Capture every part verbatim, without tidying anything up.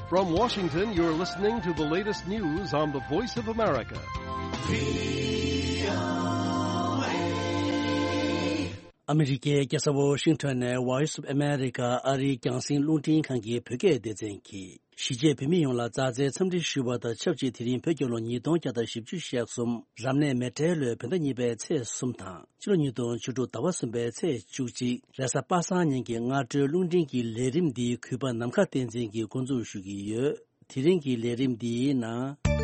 From Washington, you're listening to the latest news on the Voice of America. ཨ་མི་རི་ཀའི་རྒྱལ་ས་ཝོ་ཤིང་ཊོན་ནས་Voice of America ཨ་རིའི་རྒྱང་སྲིང་རླུང་འཕྲིན་ཁང་གི་བོད་སྐད་སྡེ་ཚན་གྱིས། གཞིས་བྱེས་བོད་མི་ཡོངས་ལ་མཛའ་བརྩེའི་འཚམས་འདྲི་ཞུ་བ་དང་ཆབས་ཅིག་དེ་རིང་བོད་རྒྱལ་ལོ་ཉིས་སྟོང་བརྒྱ་དང་བཞི་བཅུ་ཞེ་གསུམ་རབ་གནས་མེ་སྤྲེལ་ལོའི་བོད་ཟླ་གཉིས་པའི་ཚེས་གསུམ་དང་། ཕྱི་ལོ་ཉིས་སྟོང་བཅུ་དྲུག་ཟླ་བ་གསུམ་པའི་ཚེས་བཅུ་གཅིག་རེས་གཟའ་པ་སངས་ཉིན་གྱི་སྔ་དྲོའི་རླུང་འཕྲིན་གྱི་ལས་རིམ་འདིའི་གུས་པ་ནམ་མཁའ་བསྟན་འཛིན་གྱིས་འགོ་འཛུགས་ཞུ་གི་ཡོད། དེ་རིང་གི་ལས་རིམ་འདིའི་ནང་།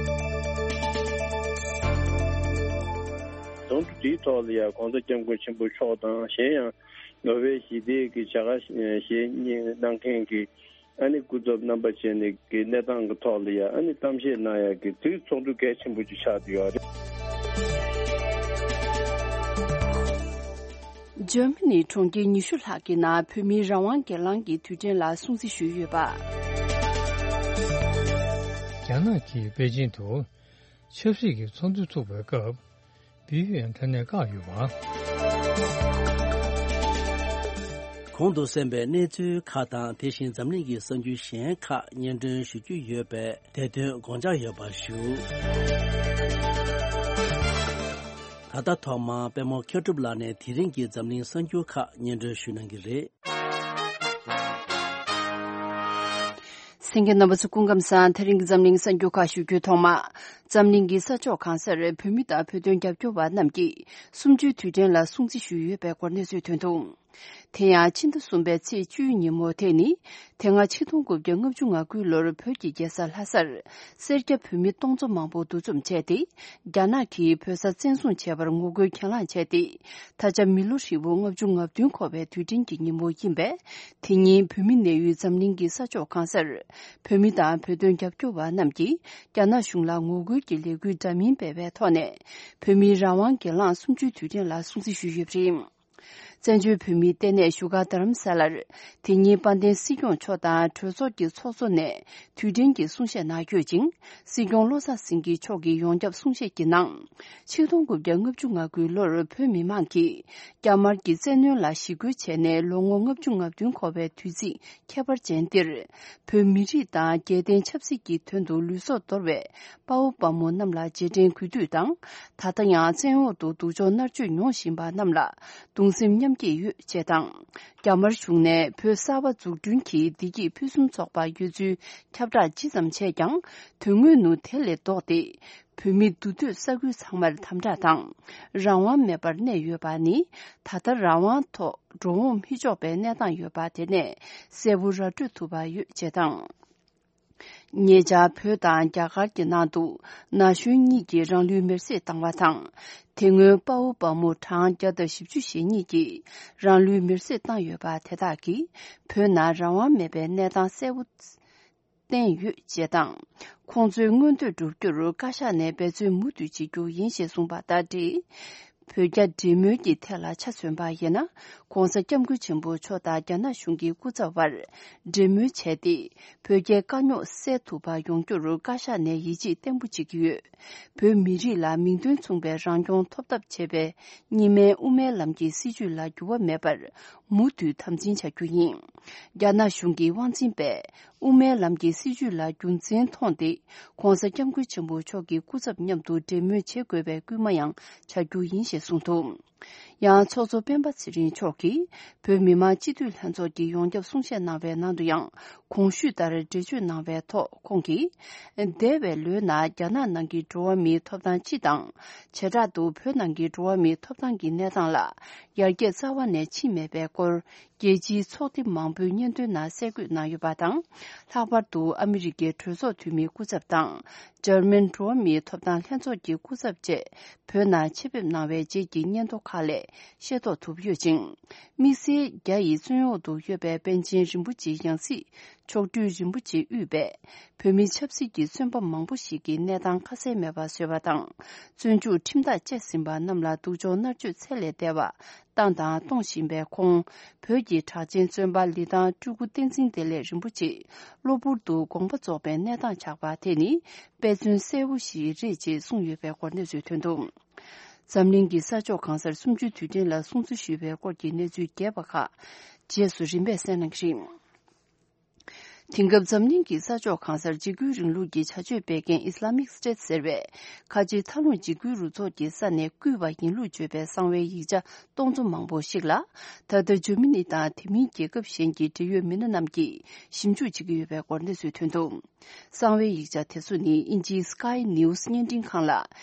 དོན་དུ་དེའི་ཐོག་ལ་ཡང་༸གོང་ས་༸སྐྱབས་མགོན་ཆེན་པོ་མཆོག་དང་། གཞན་ཡང་ནོ་བེལ་ཞི་བདེའི་གི་བྱ་དགའ་བཞེས་གནང་མཁན་གྱི་ཨ་ནི་སྐུ་ཚབ་རྣམ་པ་བཅས་ནས་ཀྱི་གནས་སྟངས་ཀྱི་ཐོག་ལ་ཡང་ཨ་ནི་གཏམ་བཤད་གནང་ཡག་གི་དེའི་ཚོགས་འདུ་གལ་ཆེན་པོ་ཅིག་ཆགས་བསྡད་ཡོད་རེད། འཇར་མ་ནི་གྲོང་ཁྱེར་ཉི་ཤུ་ལྷག་གི་ནང་བོད་མིའི་རང་དབང་སྒེར་ལངས་ཀྱི་དུས་དྲན་ལ་སྲུང་བརྩི་ཞུས་ཡོད་པ། རྒྱ་ནག་གིས་པེ་ཅིན་དུ་ཆབ་སྲིད་ཀྱི་ཚོགས་འདུ་ཚུགས་པའི་སྐབས། འབུལ་ཡོད་ཡང་དྲ་ནས་བཀག་ཡོད་པ། གོང་དུ་གསན་པའི་གནས་ཚུལ་ཁག་དང་། དེ་བཞིན་འཛམ་གླིང་གི་གསར་འགྱུར་གཞན་ཁག་སྙན་སྒྲོན་ཞུ་རྒྱུ་ཡོད་པས། དེ་དོན་དགོངས་འཇགས་ཡོད་པ་ཞུ། ད་ལྟ་ཐོག་མར་པད་མ་མཁས་གྲུབ་ལགས་ནས་དེ་རིང་གི་འཛམ་གླིང་གསར་འགྱུར་ཁག་སྙན་སྒྲོན་ཞུ་གནང་གི་རེད། གསན་མཁན་རྣམ་པ་ཚོ་སྐུ་ཁམས་བཟང་། དེ་རིང་གི་འཛམ་གླིང་གསར་འགྱུར་ཁག་ཞུ་རྒྱུའི་ཐོག་མ། འཛམ་གླིང་གི་ས་ཕྱོགས་གང་སར་བོད་མི་དང་བོད་དོན་རྒྱབ་སྐྱོར་བ་རྣམས་ཀྱིས་གསུམ་བཅུའི་དུས་དྲན་ལ་སྲུང་བརྩི་ཞུས་ཡོད་པའི་སྐོར་གནས་ཚུལ་ཐོན་འདུག། དེ་ཡང་ཕྱི་ཟླ་གསུམ་པའི་ཚེས་བཅུའི་ཉིན་མོ་དེ་ནི། དེ་སྔ་ཆིག་སྟོང་དགུ་བརྒྱ་ལྔ་བཅུ་ང་དགུའི་ལོར་བོད་ཀྱི་རྒྱལ་ས་ལྷ་སར་སེར་སྐྱ་བོད་མི་སྟོང་ཚོ་མང་པོ་འདུ་འཛོམས་བྱས་ཏེ། རྒྱ་ནག་གིས་བོད་ས་བཙན་བཟུང་བྱས་པར་ངོ་རྒོལ་གྱེན་ལངས་བྱས་ཏེ། ད་ཆ་མི་ལོ་ཧྲིལ་པོ་ལྔ་བཅུ་ང་བདུན་འཁོར་བའི་དུས་དྲན་གྱི་ཉིན་མོ་ཡིན་པས། དེ་ཉིན་བོད་མི་གནས་ཡུལ་འཛམ་གླིང་གི་ས་ཕྱོགས་གང་སར་བོད་མི་དང་བོད་དོན་རྒྱབ་སྐྱོར་བ་རྣམས་ཀྱིས་རྒྱ་ནག་གཞུང་ལ་ངོ་རྒོལ་གྱི་ལས་འགུལ་འདྲ་མིན་སྤེལ་བའི་ཐོག་ནས། བོད་མིའི་རང་དབང་སྒེར་ལངས་གསུམ་བཅུའི་དུས་དྲན་ལ་སྲུང་བརྩི་ཞུས་ཡོད་པ་རེད། བཙན་བྱོལ་བོད་མིའི་ལྟེ་གནས་བཞུགས་སྒར་རྡ་རམ་ས་ལར། དེ་ཉིན་དཔལ་ལྡན་སྲིད་སྐྱོང་མཆོག་དང་གྲོས་ཚོགས་ཀྱི་ཚོགས་གཙོ་ནས་དུས་དྲན་གྱི་གསུང་བཤད་གནང་ཡོད་ཅིང་། སྲིད་སྐྱོང་བློ་བཟང་སེང་གེ་མཆོག་གིས་ཡོངས་ཁྱབ་གསུང་བཤད་ཀྱི་ནང་། ཆིག་སྟོང་དགུ་བརྒྱ་ལྔ་བཅུ་ང་དགུའི་ལོར་བོད་མི་མང་གིས་རྒྱ་དམར་གྱི་བཙན་གནོན་ལ་ཞི་རྒོལ་བྱས་ནས་ལོ་ངོ་ལྔ་བཅུ་ང་བདུན་འཁོར་བའི་དུས་ཚིགས་ཁྱད་པར་ཅན་འདིར། བོད་མི་རིགས་དང་རྒྱལ་བསྟན་ཆབ་སྲིད་ཀྱི་དོན་དུ་ལུས་སྲོག་དོར་བའི་དཔའ་བོ་དཔའ་མོ་རྣམས་ལ་རྗེས་དྲན་གུས་འདུད་དང་། ད་ལྟ་ཡང་བཙན་འོག་ཏུ་སྡུག་སྦྱོང་མནར་གཅོད་མྱོང་བཞིན་པ་རྣམས་ལ་གདུང་སེམས་མཉམ་སྐྱེད་ཡོད་ཅེས་དང་། རྒྱ་དམར་གཞུང་ནས་བོད་གསར་པ་འཛུགས་སྐྲུན་གྱི་བདེ་སྐྱིད་ཕུན་སུམ་ཚོགས་པ་ཡོད་ཚུལ་ཁྱབ་བསྒྲགས་ཇི་ཙམ་བྱས་ཀྱང་། དོན་དངོས་ནུ་དེ་ལས་ལྡོག་སྟེ། བོད་མི་འདུས་སྡོད་ས་ཁུལ་ཚང་མར་དམ་དྲག་དང་། རང་དབང་མེད་པར་གནས་ཡོད་པ་ནི། ད་ལྟ་རང་དབང་ཐོག་འགྲོ་འོང་མི་ཆོག་པའི་གནས་སྟངས་ཡོད་པ་དེ་ནས་གསལ་པོ་ར་སྤྲོད་ཐུབ་པ་ཡོད་ཅེས་དང་། ཉེ་ཆར་བོད་དང་རྒྱ་གར་གྱི་ནང་དུ་ན་གཞོན་གཉིས་ཀྱིས་རང་ལུས་མེར་སྲེག་བཏང་བ་དང་། དེ་སྔོན་དཔའ་བོ་དཔའ་མོ་གྲངས་བརྒྱ་དང་བཞི་བཅུ་ཞེ་གཉིས་ཀྱིས་རང་ལུས་མེར་སྲེག་བཏང་ཡོད་པ་དེ་དག་གིས་བོད་ནང་རང་དབང་མེད་པའི་གནས་སྟངས་གསལ་པོ་བསྟན་ཡོད་ཅེས་དང་། ཁོང་ཚོའི་མངོན་འདོད་བསྒྲུབ་རྒྱུར་བཀའ་ཤག་ནས་འབད་བརྩོན་མུ་མཐུད་བྱེད་རྒྱུ་ཡིན་ཞེས་གསུངས་པ་དང་འབྲེལ། བོད་རྒྱ་འབྲེལ་མོལ་གྱི་ཐད་ལ་ཆ་མཚོན་པ་ཡིན་ན། ༸གོང་ས་༸སྐྱབས་མགོན་ཆེན་པོ་མཆོག་དང་རྒྱ་ནག་གཞུང་གི་སྐུ་ཚབ་དབར་འབྲེལ་མོལ་བྱས་ཏེ། བོད་རྒྱའི་དཀའ་རྙོག་སེལ་ཐུབ་པ་ཡོང་རྒྱུར་བཀའ་ཤག་ནས་ཡིད་ཆེས་བརྟན་པོ་བྱེད་ཀྱི་ཡོད། བོད་མི་རིགས་ལ་མིང་དོན་མཚུངས་པའི་རང་སྐྱོང་ཐོབ་ཐབས་བྱེད་པའི་གཉིས་སྨན་དབུ་མའི་ལམ་གྱི་སྲིད་བྱུས་ལ་འགྱུར་བ་མེད་པར་མུ་མཐུད་དམ་འཛིན་བྱ་རྒྱུ་ཡིན། རྒྱ་ནག་གཞུང་གི་དབང་འཛིན་པས་དབུ་མའི་ལམ་གྱི་སྲིད་བྱུས་ལ་རྒྱུ་མཚན་མཐོང་སྟེ། ༸གོང་ས་༸སྐྱབས་མགོན་ཆེན་པོ་མཆོག་གི་སྐུ་ཚབ་མཉམ་དུ་འབྲེལ་མོལ་བྱེད་དགོས་པའི་སྐུལ་མ་ཡང་བྱ་རྒྱུ་ཡིན་ཞེས་གསུངས་འདུག། ཡང་ཚོགས་གཙོ་སྤེན་པ་ཚེ་རིང་མཆོག་གིས་བོད་མི་མང་སྤྱི་འཐུས་ལྷན་ཚོགས་ཀྱི་ཡོངས་ཁྱབ་གསུང་བཤད་གནང་བའི་ནང་དུ་ཡང་། གོང་ཞུས་ལྟར་འགྲེལ་བརྗོད་གནང་བའི་ཐོག་ཁོང་གིས། འདས་པའི་ལོའི་ནང་རྒྱ་ནག་ནང་གི་འགྲོ་བ་མིའི་ཐོབ་ཐང་སྤྱི་དང་། བྱེ་བྲག་ཏུ་བོད་ནང་གི་འགྲོ་བ་མིའི་ཐོབ་ཐང་གི་གནས་སྟངས་ལ་ཡར་རྒྱས་རྩ་བ་ནས་ཕྱིན་མེད་པའི་སྐོར། རྒྱལ་སྤྱིའི་ཚོགས་སྡེ་མང་པོའི་སྙན་ཐོའི་ནང་གསལ་འགོད་གནང་ཡོད་པ་དང་། ལྷག་པར་དུ་ཨ་མི་རི་ཀའི་གྲོས་ཚོགས་འཐུས་མིའི་སྐུ་ཚབ་དང་། འཇར་མན་འགྲོ་བ་མིའི་ཐོབ་ཐང་ལྷན་ཚོགས་ཀྱི་སྐུ་ཚབ་བཅས་བོད་ནང་ཆེད་ཕེབས་གནང་བའི་རྗེས་ཀྱི་སྙན་ཐོ་ཁག་ལས་ཤེས་རྟོགས་ཐུབ་ཡོད་ཅིང་། དམིགས་བསལ་རྒྱ་ཡི་བཙོན་འོག་ཏུ་ཡོད་པའི་པཎ་ཆེན་རིན་པོ་ཆེའི་ཡང་སྲིད་མཆོག་སྤྲུལ་རིན་པོ་ཆེ་དབུས་པས་བོད་མི་ཆབ་སྲིད་ཀྱི་བཙོན་པ་མང་པོ་ཞིག་གི་གནས་སྟངས་ཁ་གསལ་མེད་པ་བཟོས་པ་དང་། བཙོན་འཇུག་ཁྲིམས་ཐག་བཅད་ཟིན་པ་རྣམས་ལ་སྡུག་སྦྱོང་མནར་གཅོད་ཚད་ལས་འདས་པ། བཏང་དང་གཏོང་བཞིན་པའི་ཁོང་། བོད་ཀྱི་གྲགས་ཅན་བཙོན་པ་ལི་ཐང་སྤྲུལ་སྐུ་བསྟན་འཛིན་བདེ་ལེགས་རིན་པོ་ཆེ་གློ་བུར་དུ་དགོངས་པ་རྫོགས་པའི་གནས་སྟངས་ཆགས་པ་དེ་ནི་དཔེ་མཚོན་གསལ་པོ་ཞིག་རེད་ཅེས་གསུངས་ཡོད་པའི་སྐོར་གནས་ཚུལ་ཐོན་འདུག། འཛམ་གླིང་གི་ས་ཕྱོགས་གང་སར་གསུམ་བཅུའི་དུས་དྲན་ལ་སྲུང་བརྩི་ཞུས་པའི་སྐོར་གྱི་གནས་ཚུལ་རྒྱས་པ་ཁག་རྗེས་སུ་རིམ་པས་གསན་གནང་གི་རེད། དེང་སྐབས་འཛམ་གླིང་གི་ས་ཕྱོགས་གང་སར་འཇིགས་སྐུལ་རིང་ལུགས་ཀྱི་བྱ་སྤྱོད་སྤེལ་མཁན་Islamic State ཟེར་བས། ཁ་ཆེའི་མཐའ་ལྷུང་འཇིགས་སྐུལ་རུ་ཚོགས་ཀྱི་ས་ནས་བརྐུས་པ་ཡིན་ལུགས་བརྗོད་པའི་གསང་བའི་ཡིག་ཆ་སྟོང་ཚོ་མང་པོ་ཞིག་ལ། ད་ལྟ་འཇར་མ་ནི་དང་དེ་མིན་རྒྱལ་ཁབ་གཞན་གྱི་འབྲེལ་ཡོད་མི་སྣ་རྣམས་ཀྱིས་ཞིབ་འཇུག་བྱེད་ཀྱི་ཡོད་པའི་སྐོར་གནས་ཚུལ་ཐོན་འདུག་གསང་བའི་ཡིག་ཆ་དེ་ཚོ་ནི་དབྱིན་ཇིའི་Sky News བརྙན་འཕྲིན་ཁང་ལ།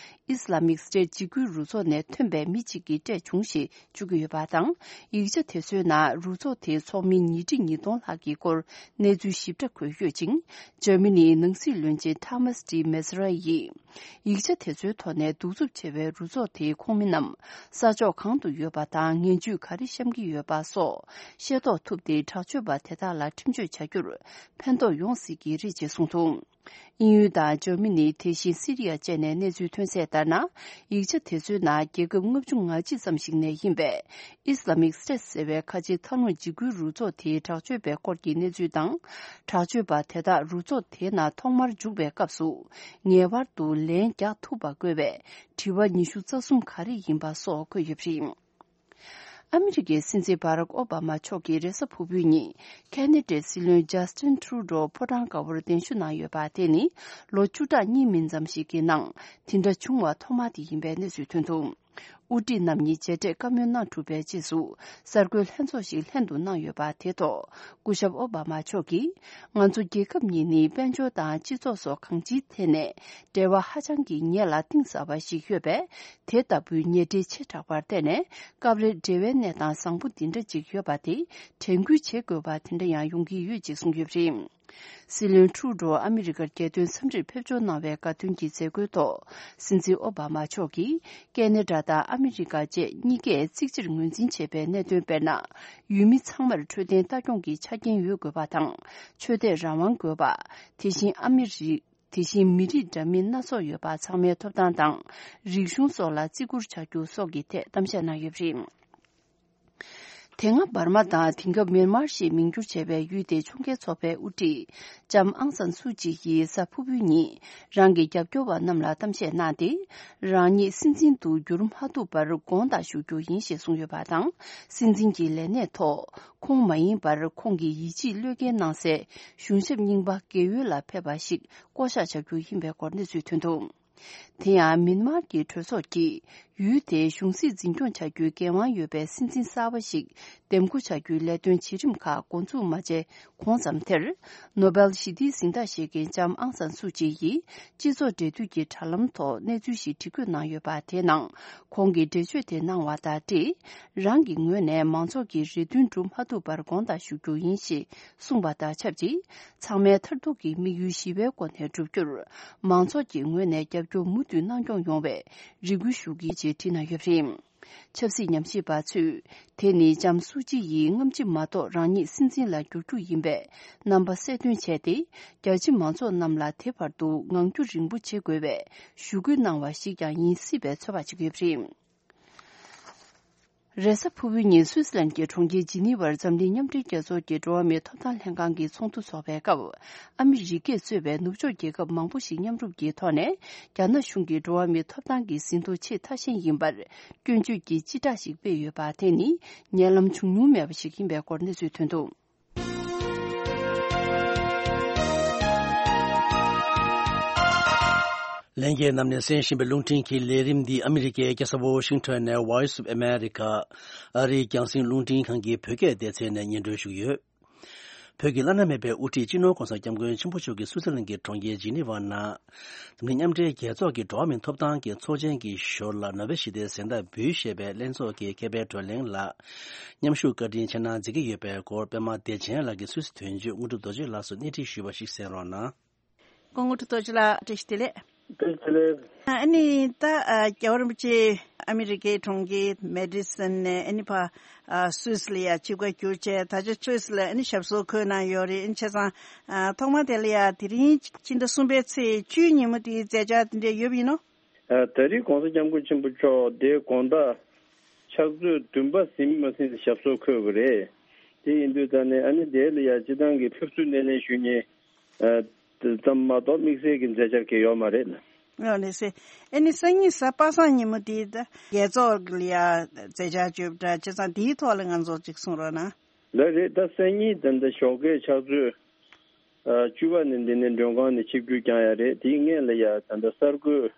Islamic State འཇིགས་སྐུལ་རུ་ཚོགས་ནས་ཐོན་པའི་མི་གཅིག་གིས་སྤྲད་བྱུང་ཞེས་བརྗོད་ཀྱི་ཡོད་པ་དང་། ཡིག་ཆ་དེ་ཚོའི་ནང་རུ་ཚོགས་དེའི་ཚོགས་མི་ཉིས་ཁྲི་ཉིས་སྟོང་ལྷག་གི་སྐོར་གནས་ཚུལ་ཞིབ་ཕྲ་འཁོད་ཡོད་ཅིང་། འཇར་མ་ནིའི་ནང་སྲིད་བློན་ཆེན་Thomas de Maizière ཡིས། ཡིག་ཆ་དེ་ཚོའི་ཐོག་ནས་གདུག་རྩུབ་ཆེ་བའི་རུ་ཚོགས་དེའི་ཁོངས་མི་རྣམས་ས་ཕྱོགས་གང་དུ་ཡོད་པ་དང་ངན་ཇུས་ག་རེ་བཤམས་ཀྱི་ཡོད་པ་སོགས་ཤེས་རྟོགས་ཐུབ་སྟེ། དྲག་སྤྱོད་པ་དེ་དག་ལ་ཁྲིམས་གཅོད་བྱ་རྒྱུར་ཕན་ཐོགས་ཡོང་སྲིད་ཀྱི་རེད་ཅེས་གསུངས་འདུག་དབྱིན་ཡུལ་དང་འཇར་མ་ནི། དེ་བཞིན་སི་རི་ཡ་བཅས་ནས་གནས་ཚུལ་ཐོན་གསལ་ལྟར་ན། ཡིག་ཆ་དེ་ཚོའི་ནང་རྒྱལ་ཁབ་ལྔ་བཅུ་ང་གཅིག་ཙམ་ཞིག་ནས་ཡིན་པའི་Islamic State ཟེར་བའི་ཁ་ཆེའི་མཐའ་ལྷུང་འཇིགས་སྐུལ་རུ་ཚོགས་དེའི་དྲག་སྤྱོད་པའི་སྐོར་གྱི་གནས་ཚུལ་དང་། དྲག་སྤྱོད་པ་དེ་དག་རུ་ཚོགས་དེའི་ནང་ཐོག་མར་འཇུག་པའི་སྐབས་སུ་ངེས་པར་དུ་ལན་རྒྱག་ཐུབ་པ་དགོས་པའི་དྲི་བ་ཉི་ཤུ་རྩ་གསུམ་ག་རེ་ཡིན་པ་སོགས་འཁོད་ཡོད་པ་རེད། ཨ་མི་རི་ཀའི་སྲིད་འཛིན་བྷ་རག་ཨོ་བྷ་མ་མཆོག་གིས་རེས་གཟའ་ཕུར་བུའི་ཉིན་ཁེ་ན་ཌའི་སྲིད་བློན་ཇཱ་སྟིན་ཁྲུ་ཌོ་ཕོ་བྲང་དཀར་པོར་གདན་ཞུ་གནང་ཡོད་པ་དེ་ནི་ལོ་བཅུ་ཕྲག་གཉིས་མིན་ཙམ་ཞིག་གི་ནང་དེ་འདྲ་བྱུང་བ་ཐོག་མ་དེ་ཡིན་པའི་གནས་ཚུལ་ཐོན་འདུག་དབུ་ཁྲིད་རྣམ་གཉིས་མཇལ་འཕྲད་བཀའ་མོལ་གནང་གྲུབ་པའི་རྗེས་སུ་གསར་འགོད་ལྷན་ཚོགས་ཤིག་ལྷན་དུ་གནང་ཡོད་པ་དེ་ཐོག་སྐུ་ཞབས་ཨོ་བྷ་མ་མཆོག་གིས། ང་ཚོ་རྒྱལ་ཁབ་གཉིས་ནི་དཔལ་འབྱོར་དང་སྤྱི་ཚོགས་སོགས་གང་ཅིའི་ཐད་ནས་འབྲེལ་བ་ཧ་ཅང་གི་ཉེ་ལ་གཏིང་ཟབ་པ་ཞིག་ཡོད་པས། དེ་ལྟ་བུའི་ཉེ་འབྲེལ་ཆེ་དྲགས་པར་བརྟེན་ནས། སྐབས་རེ་འབྲེལ་བའི་གནས་སྟངས་བཟང་པོ་འདི་འདྲ་ཅིག་ཡོད་པ་དེ་དྲན་སྐུལ་བྱེད་དགོས་པ་དེ་འདྲ་ཡང་ཡོང་གི་ཡོད་ཅེས་གསུངས་ཡོད་པ་རེད། སྲིད་བློན་ཁྲུ་ཌོ་ཨ་མི་རི་ཀར་རྒྱལ་དོན་འཚམས་འདྲིར་ཕེབས་འབྱོར་གནང་བའི་དགའ་སྟོན་གྱི་མཛད་སྒོའི་ཐོག་སྲིད་འཛིན་ཨོ་བྷ་མ་མཆོག་གིས་ཀེ་ན་ཌ་དང་ཨ་མི་རི་ཀ་བཅས་གཉིས་ཀས་གཅིག་རྗེས་གཉིས་མཐུད་བྱས་པའི་གནད་དོན། དཔེར་ན། ཡུལ་མི་ཚང་མར་འཕྲོད་བསྟེན་ལྟ་སྐྱོང་གི་ཆ་རྐྱེན་ཡོད་དགོས་པ་དང་། ཆོས་དད་རང་དབང་དགོས་པ། དེ་བཞིན་ཨ་མི་རི། དེ་བཞིན་མི་རིགས་འདྲ་མིན་སྣ་ཚོགས་ཡོད་པ་ཚང་མའི་ཐོབ་ཐང་དང་། རིག་གཞུང་སོགས་ལ་བརྩི་བཀུར་བྱ་རྒྱུ་སོགས་ཀྱི་ཐད་གཏམ་བཤད་གནང་ཡོད་པ་རེད། དེ་སྔ་འབར་མ་དང་དེང་སྐབས་མེན་མར་ཞེས་མིང་བསྒྱུར་བྱས་པའི་ཡུལ་དེའི་ཕྱོགས་འགལ་ཚོགས་པའི་དབུ་ཁྲིད་ལྕམ་ཨང་སན་སུའུ་ཅི་ཡིས་གཟའ་ཕུར་བུའི་ཉིན་རང་གི་རྒྱབ་སྐྱོར་བ་རྣམས་ལ་གཏམ་བཤད་གནང་སྟེ། རང་ཉིད་སྲིད་འཛིན་དུ་འགྱུར་མ་ཐུབ་པར་དགོངས་དག་ཞུ་རྒྱུ་ཡིན་ཞེས་གསུངས་ཡོད་པ་དང་། སྲིད་འཛིན་གྱི་ལས་གནས་ཐོག་ཁོང་མ་ཡིན་པར་ཁོང་གི་ཡིད་ཆེས་བློས་འགེལ་གནང་སའི་གཞུང་ཞབས་རྙིང་པ་དགེ་འོས་ལ་ཕེབས་པ་ཞིག་བསྐོ་གཞག་བྱ་རྒྱུ་ཡིན་པའི་སྐོར་གནས་ཚུལ་ཐོན་འདུག་དེ་ཡང་མེན་མར་གྱི་གྲོས་ཚོགས་ཀྱིས་ཡུལ་དེའི་གཞུང་སྲིད་འཛིན་སྐྱོང་བྱ་རྒྱུའི་འགན་དབང་ཡོད་པའི་སྲིད་འཛིན་གསར་པ་ཞིག་འདེམས་བསྐོ་བྱ་རྒྱུའི་ལས་དོན་བྱེད་རིམ་ཁག་འགོ་འཛུགས་མ་བྱས་གོང་ཙམ་དེར། ནོ་སྦེལ་ཞི་བདེའི་གཟེངས་རྟགས་བཞེས་མཁན་ལྕམ་ཨང་སན་སུའུ་ཅི་ཡིས་སྤྱི་ཚོགས་འབྲེལ་མཐུད་ཀྱི་དྲ་ལམ་ཐོག་གནས་ཚུལ་ཞིག་འབྲི་འགོད་གནང་ཡོད་པ་དེའི་ནང་། ཁོང་གིས་འགྲེལ་བརྗོད་དེ་གནང་བ་དང་འབྲེལ། རང་གི་ངོས་ནས་མང་ཚོགས་ཀྱི་རེ་འདུན་སྒྲུབ་མ་ཐུབ་པར་དགོངས་དག་ཞུ་རྒྱུ་ཡིན་ཞེས་གསུངས་པ་དང་ཆབས་ཅིག་ཚང་མས་མཐར་ཐུག་གི་དམིགས་ཡུལ་ཞི་བའི་སྒོ་ནས་བསྒྲུབ་རྒྱུར། མང་ཚོགས་ཀྱི་ངོས་ནས་རྒྱབ་སྐྱོར་མུ་མཐུད་གནང་སྐྱོང་ཡོང་བའི་རེ་སྐུལ་ཞུ་གི་ཡིན་ཅེས་བྲིས་གནང་ཡོད་པ་རེད། ཆབ་སྲིད་ཉམས་ཞིབ་པ་ཚོས། དེ་ནི་ལྕམ་སུའུ་ཅི་ཡིས་སྔ་ཕྱི་མ་གཏོགས་རང་ཉིད་སྲིད་འཛིན་ལ་འགྱུར་རྒྱུ་ཡིན་པའི་རྣམ་པ་གསལ་སྟོན་བྱས་ཏེ། རྒྱ་ཆེ་མང་ཚོགས་རྣམས་ལ་དེ་བར་དུ་ངང་རྒྱུད་རིང་པོ་བྱེད་དགོས་པའི་ཞུ་སྐུལ་གནང་བ་ཞིག་ཀྱང་ཡིན་སྲིད་པའི་ཚོད་དཔག་བྱེད་ཀྱི་ཡོད་པ་རེད། རེས་གཟའ་ཕུར་བུའི་ཉིན་སུད་སི་ལན་གྱི་གྲོང་ཁྱེར་ཇི་ནི་ཝར་འཛམ་གླིང་མཉམ་འབྲེལ་རྒྱལ་ཚོགས་ཀྱི་འགྲོ་བ་མིའི་ཐོབ་ཐང་ལྷན་ཁང་གི་ཚོགས་འདུ་འཚོགས་པའི་སྐབས། ཨ་མི་རི་ཀས་གཙོས་པའི་ནུབ་ཕྱོགས་རྒྱལ་ཁབ་མང་པོ་ཞིག་མཉམ་རུབ་ཀྱི་ཐོག་ནས། རྒྱ་ནག་གཞུང་གིས་འགྲོ་བ་མིའི་ཐོབ་ཐང་གི་ཟིན་ཐོ་ཆེས་མཐའ་ཞན་ཡིན་པར་སྐྱོན་བརྗོད་ཀྱི་སྤྱི་བསྒྲགས་ཤིག་སྤེལ་ཡོད་པ་དེ་ནི་ཉེ་ལམ་བྱུང་མྱོང་མེད་པ་ཞིག་ཡིན་པའི་སྐོར་གནས་ཚུལ་ཐོན་འདུག་ལྷན་རྒྱས་རྣམས་ནས་གསན་བཞིན་པའི་རླུང་འཕྲིན་གྱི་ལས་རིམ་འདི་ཨ་མི་རི་ཀའི་རྒྱལ་ས་ཝོ་ཤིང་ཊོན་ནས་Voice of America ཨ་རིའི་རྒྱང་སྲིང་རླུང་འཕྲིན་ཁང་གི་བོད་སྐད་སྡེ་ཚན་ནས་སྙན་སྒྲོན་ཞུ་གི་ཡོད། བོད་ཀྱི་བླ་ན་མེད་པའི་དབུ་ཁྲིད་སྤྱི་ནོར་༧གོང་ས་༧སྐྱབས་མགོན་ཆེན་པོ་མཆོག་གིས་སུའུ་ཙི་ལན་གྱི་གྲོང་ཁྱེར་ཇི་ནི་ཝ་ནང་། འཛམ་གླིང་མཉམ་འབྲེལ་རྒྱལ་ཚོགས་ཀྱི་འགྲོ་བ་མིའི་ཐོབ་ཐང་གི་ཚོགས་ཆེན་གྱི་ཞོར་ལ་ནོ་བེལ་ཞི་བདེའི་གཟེངས་རྟགས་འབུལ་ཞེས་པའི་ལྷན་ཚོགས་ཀྱི་མཁས་པའི་བགྲོ་གླེང་ལ། མཉམ་ཞུགས་བཀའ་དྲིན་ཆེ་གནང་མཛད་ཀྱི་ཡོད་པའི་སྐོར་པད་མ་བདེ་ཆེན་ལགས་ཀྱིས་སུད་སི་དོན་གཅོད་དངོས་གྲུབ་རྡོ་རྗེ་ལགས་སུ་སྣེ་ཁྲིད་ཞུས་པ་ཞིག་གསན་རོགས་གནང་། སྐུ་ངོ་དྲུག་རྡོ་རྗེ་ལགས་བཀྲ་ཤིས་བདེ་ལེགས། བཀྲ་ཤིས་བདེ་ལེགས། ཨ་ནི་ད་ཨ་རྒྱལ་བ་རིན་པོ་ཆེ་ཨ་མི་རི་ཀའི་གྲོང་ཁྱེར་མེ་ཌི་སོན་ནས་ཨ་ནི་ཕ་ཨ་སུད་སི་ལ་ཡ་ཆིབས་ཁ་བསྒྱུར་བྱས། ད་ཆ་སུད་སི་ལ་ཨ་ནི་ཞབས་སོར་འཁོད་གནང་ཡོད་རེད། ཨ་ནི་བྱས་ཙང་ཨ་ཐོག་མ་དེ་ལ་ཡ་དེ་རིང་ཕྱི་ཟླ་གསུམ་པའི་ཚེས་བཅུའི་ཉིན་མོ་དེའི་མཛད་འཆར་དེ་འདྲ་ཡོད་པ་ཡིན་ནོ། ཨ་ད་རེས་༧གོང་ས་༧སྐྱབས་མགོན་ཆེན་པོ་མཆོག་འདིར་དགོང་དག་ཕྱག་ཚོད་བདུན་པ་ཟིན་མ་ཟིན་ཞབས་སོར་འཁོད་པ་རེད། དེ་ཡིན་དུས་ད་ནི་ཨ་ནི་དེ་ལ་ཡ་སྤྱི་བཏང་གི་ཕེབས་བསུ་སྣེ་ལེན་ཞུ་མཁན། ཨ་ཙམ་མ་གཏོགས་དམིགས་བསལ་གྱི་མཛད་འཆར་གང་ཡོད་མ་རེད། ཨ་ནི་སེ། ཨ་ནི་སང་ཉིན་གཟའ་པ་སངས་ཉིན་མོ་དེའི་ད་རྒྱལ་ཚོགས་ལ་ཡ་མཛད་འཆར་བརྗོད་པ་འདྲ་བྱས་ཙང་དེའི་ཐོག་ལ་ང་ཚོ་ཅིག་གསུང་རོགས་གནང་། ལགས་རེད། ད་སང་ཉིན་ད་ལྟ་ཞོགས་ཀའི་ཕྱག་ཚོད་ བཅུ་པ་ནས་འདི་ནས་མགྲོན་ཁང་ནས་ཆིབས་བསྒྱུར་བསྐྱངས་ཡ་རེད། དེའི་སྔོན་ལ་ཡ་ད་ལྟ་གསར་འགོད་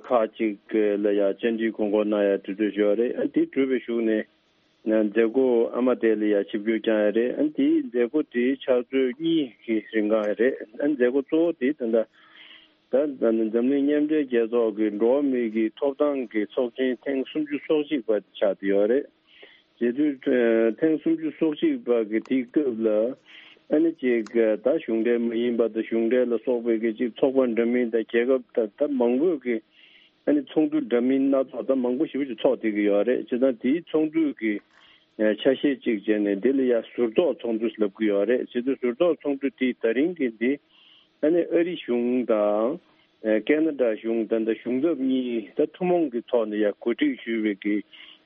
ཁག་ཅིག་ལ་ཡ་བཅར་འདྲི་དགོངས་སྐོར་གནང་ཡ་དུས་ཚོད་ཞུ་བ་རེད། དེ་གྲུབ་པའི་གཞུག་ནས་མཛད་སྒོ་ཨ་མ་དེ་ལ་ཡ་ཆིབས་བསྒྱུར་བསྐྱངས་ཡ་རེད། དེའི་མཛད་སྒོ་དེ་ཕྱག་ཚོད་གཉིས་ཀྱི་རིང་ག་རེད། མཛད་སྒོ་གཙོ་བོ་དེ་ད་ལྟ་ད་ད་འཛམ་གླིང་མཉམ་འབྲེལ་རྒྱལ་ཚོགས་ཀྱི་འགྲོ་བ་མིའི་གི་ཐོབ་ཐང་གི་ཚོགས་ཆེན་ཐེངས་སུམ་ཅུ་སོ་གཅིག་པ་ཆགས་བསྡད་ཡོད་རེད། བྱེད་དུས་ཐེངས་སུམ་ཅུ་སོ་གཅིག་པ་གི་དེའི་སྐབས་ལ་ཨ་ནི་ཅིག་ད་གཞུང་འབྲེལ་མ་ཡིན་པ་དང་གཞུང་འབྲེལ་ལ་སོགས་པའི་གི་ཅིག་ཚོགས་པ་འདྲ་མིན་དང་རྒྱལ་ཁབ་ད་ད་མང་པོས་གི་ཨ་ནི་ཚོགས་འདུ་འདྲ་མིན་སྣ་ཚོགས་ད་མང་པོ་ཞེ་པོ་ཅིག་ཚོགས་བསྡད་ཀྱི་ཡོད་རེད། བྱས་ཙང་དེའི་ཚོགས་འདུ་གི་ཆ་ཤས་གཅིག་བྱས་ནས་འདི་ལ་ཡ་ཟུར་གཏོགས་ཚོགས་འདུ་ལབ་ཀྱི་ཡོད་རེད། བྱས་ཙང་ཟུར་གཏོགས་ཚོགས་འདུ་དེ་ད་རིང་གི་འདི་ཨ་ནི་ཨ་རི་གཞུང་དང་ཨ་ཀེ་ན་ཌ་གཞུང་དང་ད་གཞུང་ཚབ་གཉིས་ད་ཐུན་མོང་གི་ཐོག་ནས་ཡ་གོ་སྒྲིག་ཞུས་པའི་གི་